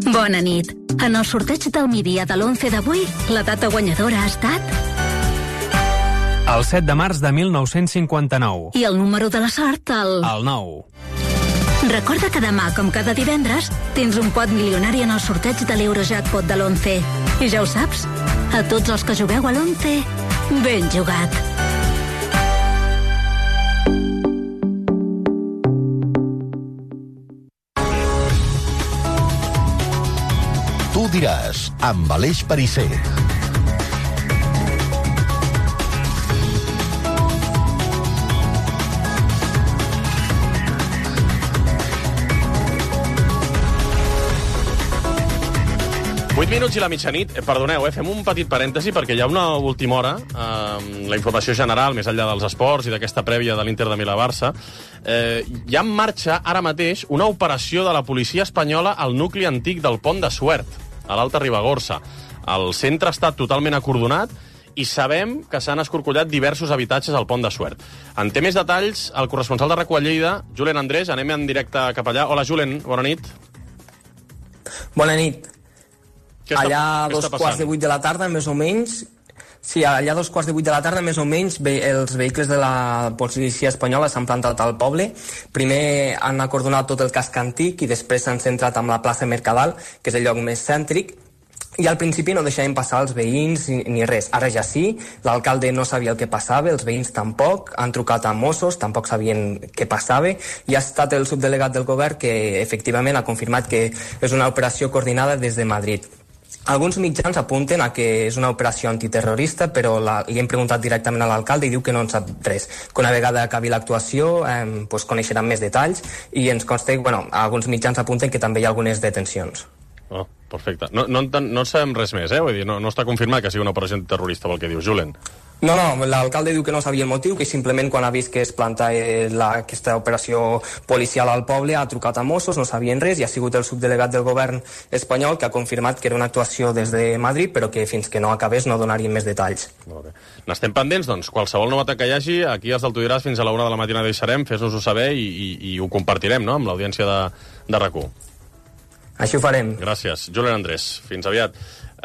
Speaker 25: Bona nit. En el sorteig del migdia de l'onze d'avui, la data guanyadora ha estat...
Speaker 23: El set de març de mil nou-cents cinquanta-nou.
Speaker 25: I el número de la sort, el...
Speaker 23: El nou.
Speaker 25: Recorda que demà, com cada divendres, tens un pot milionari en el sorteig de l'Eurojackpot de l'onze. I ja ho saps, a tots els que jugueu a l'onze, ben jugat.
Speaker 22: Tu diràs, amb Aleix Perisser.
Speaker 4: vuit minuts i la mitjanit. Eh, perdoneu, eh, fem un petit parèntesi perquè hi ha una última hora, eh, la informació general, més enllà dels esports i d'aquesta prèvia de l'Inter de Milà-Barça. Eh, hi ha en marxa ara mateix una operació de la policia espanyola al nucli antic del Pont de Suert, a l'Alta Ribagorça. El centre està totalment acordonat i sabem que s'han escorcollat diversos habitatges al Pont de Suert. En té més detalls el corresponsal de RAC1 a Lleida, Julen Andrés. Anem en directe cap allà. Hola, Julen, bona nit.
Speaker 10: Bona nit.
Speaker 4: Què està,
Speaker 10: allà
Speaker 4: què
Speaker 10: dos
Speaker 4: està
Speaker 10: quarts de vuit de la tarda, més o menys... Sí, allà dos quarts de vuit de la tarda, més o menys, ve, els vehicles de la policia espanyola s'han plantat al poble. Primer han acordonat tot el casc antic i després s'han centrat amb la plaça Mercadal, que és el lloc més cèntric, i al principi no deixaven passar els veïns ni, ni res. Ara ja sí, l'alcalde no sabia el que passava, els veïns tampoc, han trucat a Mossos, tampoc sabien què passava, i ha estat el subdelegat del govern que efectivament ha confirmat que és una operació coordinada des de Madrid. Alguns mitjans apunten a que és una operació antiterrorista, però la, li hem preguntat directament a l'alcalde i diu que no en sap res. Que una vegada acabi l'actuació eh, pues coneixeran més detalls i ens consta que bueno, alguns mitjans apunten que també hi ha algunes detencions.
Speaker 4: Oh, perfecte. No, no, no sabem res més, eh? Vull dir, no, no està confirmat que sigui una operació antiterrorista pel que dius, Julen.
Speaker 10: No, no, l'alcalde diu que no sabia el motiu, que simplement quan ha vist que es planta eh, la, aquesta operació policial al poble ha trucat a Mossos, no sabien res, i ha sigut el subdelegat del govern espanyol que ha confirmat que era una actuació des de Madrid, però que fins que no acabés no donarien més detalls.
Speaker 4: Molt bé. N'estem pendents, doncs, qualsevol novetat que hi hagi, aquí els del Tu diràs fins a la una de la matina deixarem, fes-nos-ho saber i, i, i ho compartirem, no?, amb l'audiència de, de RAC1.
Speaker 10: Així ho farem.
Speaker 4: Gràcies. Julen Andrés, fins aviat.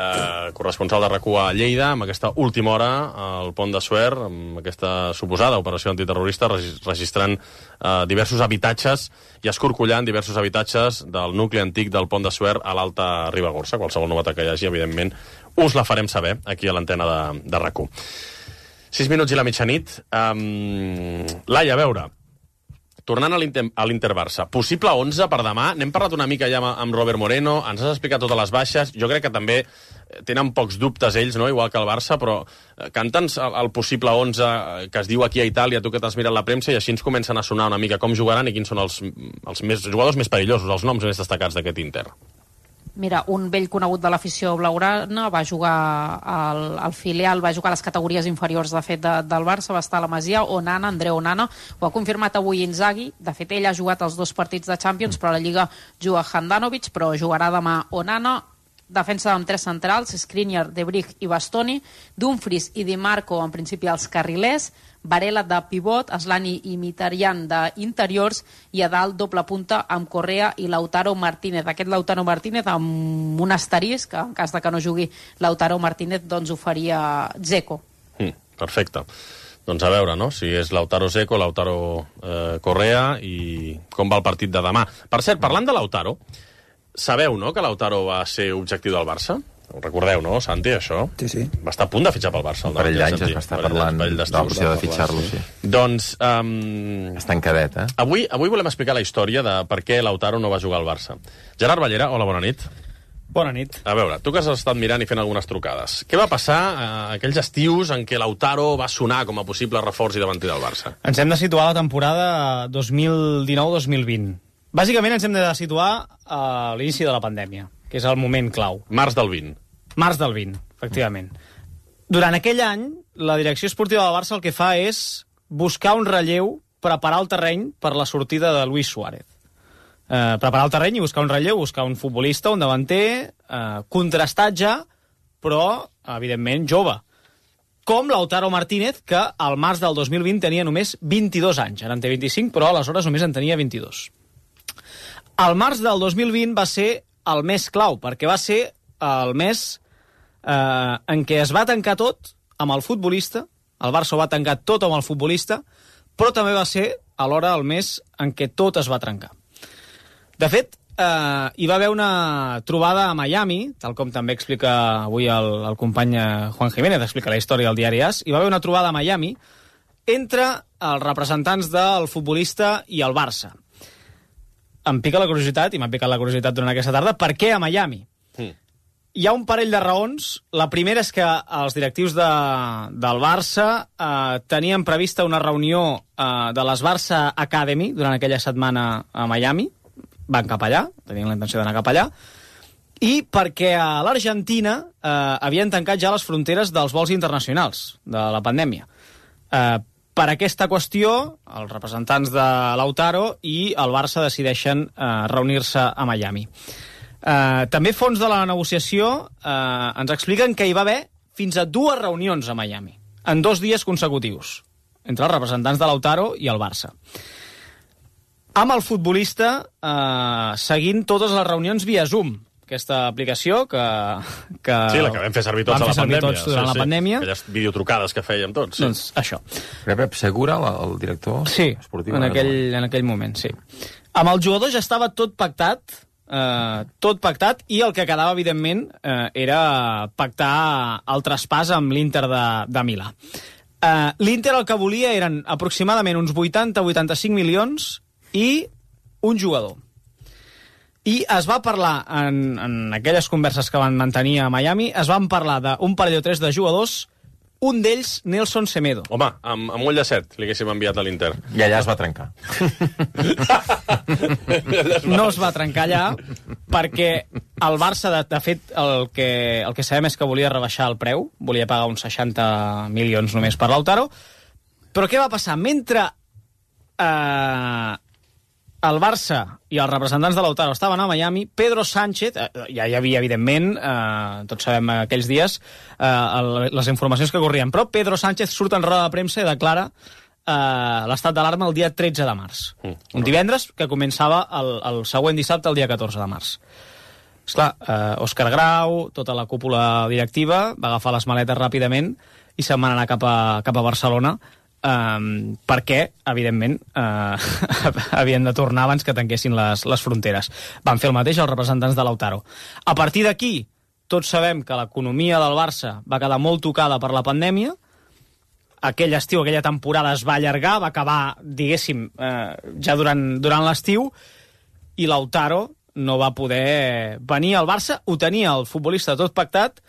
Speaker 4: Eh, corresponsal de RAC1 a Lleida, amb aquesta última hora al Pont de Suert, amb aquesta suposada operació antiterrorista, registrant eh, diversos habitatges i escorcollant diversos habitatges del nucli antic del Pont de Suert a l'Alta Ribagorça. Qualsevol novetat que hi hagi, evidentment, us la farem saber aquí a l'antena de, de RAC1. Sis minuts i la mitjanit. Um, Laia, a veure, tornant a l'Inter-Barça, possible onze per demà. N'hem parlat una mica ja amb Robert Moreno, ens has explicat totes les baixes. Jo crec que també tenen pocs dubtes ells, no?, igual que el Barça, però canta'ns el, el possible onze que es diu aquí a Itàlia, tu que t'has mirat la premsa, i així ens comencen a sonar una mica com jugaran i quins són els, els més, jugadors més perillosos, els noms més destacats d'aquest Inter.
Speaker 7: Mira, un vell conegut de l'afició blaugrana va jugar al, al filial, va jugar a les categories inferiors, de fet, de, del Barça, va estar a la Masia. Onana, Andreu Onana, ho ha confirmat avui Inzaghi. De fet, ell ha jugat els dos partits de Champions, però a la Lliga juga Handanovic, però jugarà demà Onana. Defensa amb tres centrals, Skriniar, De Vrij i Bastoni, Dumfries i Di Marco, en principi els carrilers, Varela de pivot, Aslani i Mkhitaryan d'interiors, i a dalt doble punta amb Correa i Lautaro Martínez. Aquest Lautaro Martínez amb un asterisc, que en cas de que no jugui Lautaro Martínez, doncs ho faria Dzeko.
Speaker 4: Mm, perfecte. Doncs a veure, no?, si és Lautaro Dzeko, Lautaro eh, Correa, i com va el partit de demà. Per cert, parlant de Lautaro, sabeu, no?, que Lautaro va ser objectiu del Barça? Ho recordeu, no, Santi, això?
Speaker 17: Sí, sí.
Speaker 4: Va estar a punt de fitxar pel Barça.
Speaker 18: Un parell d'anys es va estar parlant de l'opció de fitxar-lo, sí.
Speaker 4: Doncs... Um,
Speaker 18: Està en cadet, eh?
Speaker 4: Avui, avui volem explicar la història de per què Lautaro no va jugar al Barça. Gerard Ballera, hola, bona nit.
Speaker 15: Bona nit.
Speaker 4: A veure, tu que has estat mirant i fent algunes trucades, què va passar eh, aquells estius en què Lautaro va sonar com a possible reforç i davanter del Barça?
Speaker 15: Ens hem de situar a la temporada dos mil dinou dos mil vint. Bàsicament ens hem de situar a l'inici de la pandèmia, que és el moment clau.
Speaker 4: Març del vint.
Speaker 15: Març del vint, efectivament. Durant aquell any, la direcció esportiva del Barça el que fa és buscar un relleu, preparar el terreny per la sortida de Luis Suárez. Eh, preparar el terreny i buscar un relleu, buscar un futbolista, un davanter, eh, contrastat ja, però, evidentment, jove. Com Lautaro Martínez, que al març del dos mil vint tenia només vint-i-dos anys. Ara en té vint-i-cinc, però aleshores només en tenia vint-i-dos. El març del dos mil vint va ser el més clau, perquè va ser el mes eh, en què es va tancar tot amb el futbolista, el Barça va tancar tot amb el futbolista, però també va ser alhora el mes en què tot es va trencar. De fet, eh, hi va haver una trobada a Miami, tal com també explica avui el, el company Juan Jiménez, explica la història del diari AS, hi va haver una trobada a Miami entre els representants del futbolista i el Barça. Em pica la curiositat, i m'ha picat la curiositat durant aquesta tarda, per què a Miami? Mm. Hi ha un parell de raons. La primera és que els directius de, del Barça eh, tenien prevista una reunió eh, de les Barça Academy durant aquella setmana a Miami. Van cap allà, tenien la intenció d'anar cap allà. I perquè a l'Argentina eh, havien tancat ja les fronteres dels vols internacionals de la pandèmia. Eh, Per aquesta qüestió, els representants de Lautaro i el Barça decideixen eh, reunir-se a Miami. Eh, també fons de la negociació eh, ens expliquen que hi va haver fins a dues reunions a Miami, en dos dies consecutius, entre els representants de Lautaro i el Barça. Amb el futbolista eh, seguint totes les reunions via Zoom, aquesta aplicació que... que
Speaker 4: sí, la que vam fer servir tots a la pandèmia.
Speaker 15: Tots durant sí, la pandèmia.
Speaker 4: Sí. Aquelles videotrucades que fèiem tots. Sí.
Speaker 15: Doncs això.
Speaker 18: Pep Segura, el director
Speaker 15: sí,
Speaker 18: esportiu?
Speaker 15: Sí, en, aquell, en aquell moment, sí. Amb el jugador ja estava tot pactat, eh, tot pactat, i el que quedava, evidentment, eh, era pactar el traspàs amb l'Inter de, de Milà. Eh, L'Inter el que volia eren aproximadament uns vuitanta a vuitanta-cinc milions i un jugador. I es va parlar, en, en aquelles converses que van mantenir a Miami, es van parlar d'un parell o tres de jugadors, un d'ells, Nelson Semedo.
Speaker 4: Home, amb, amb ull de set li haguéssim enviat a l'Inter.
Speaker 18: I allà es va trencar.
Speaker 15: No es va trencar allà, perquè el Barça, de, de fet, el que, el que sabem és que volia rebaixar el preu, volia pagar uns seixanta milions només per Lautaro, però què va passar? Mentre... Eh, el Barça i els representants de Lautaro estaven a Miami, Pedro Sánchez, eh, ja hi havia, evidentment, eh, tots sabem aquells dies, eh, el, les informacions que corrien, però Pedro Sánchez surt en roda de premsa i declara eh, l'estat d'alarma el dia tretze de març. Mm. Un divendres que començava el, el següent dissabte, el dia catorze de març. Esclar, eh, Òscar Grau, tota la cúpula directiva, va agafar les maletes ràpidament i se'n van anar cap a, cap a Barcelona, Um, perquè, evidentment, uh, havien de tornar abans que tanquessin les, les fronteres. Van fer el mateix els representants de Lautaro. A partir d'aquí, tots sabem que l'economia del Barça va quedar molt tocada per la pandèmia. Aquell estiu, aquella temporada es va allargar, va acabar, diguéssim, uh, ja durant, durant l'estiu, i Lautaro no va poder venir al Barça, ho tenia el futbolista tot pactat,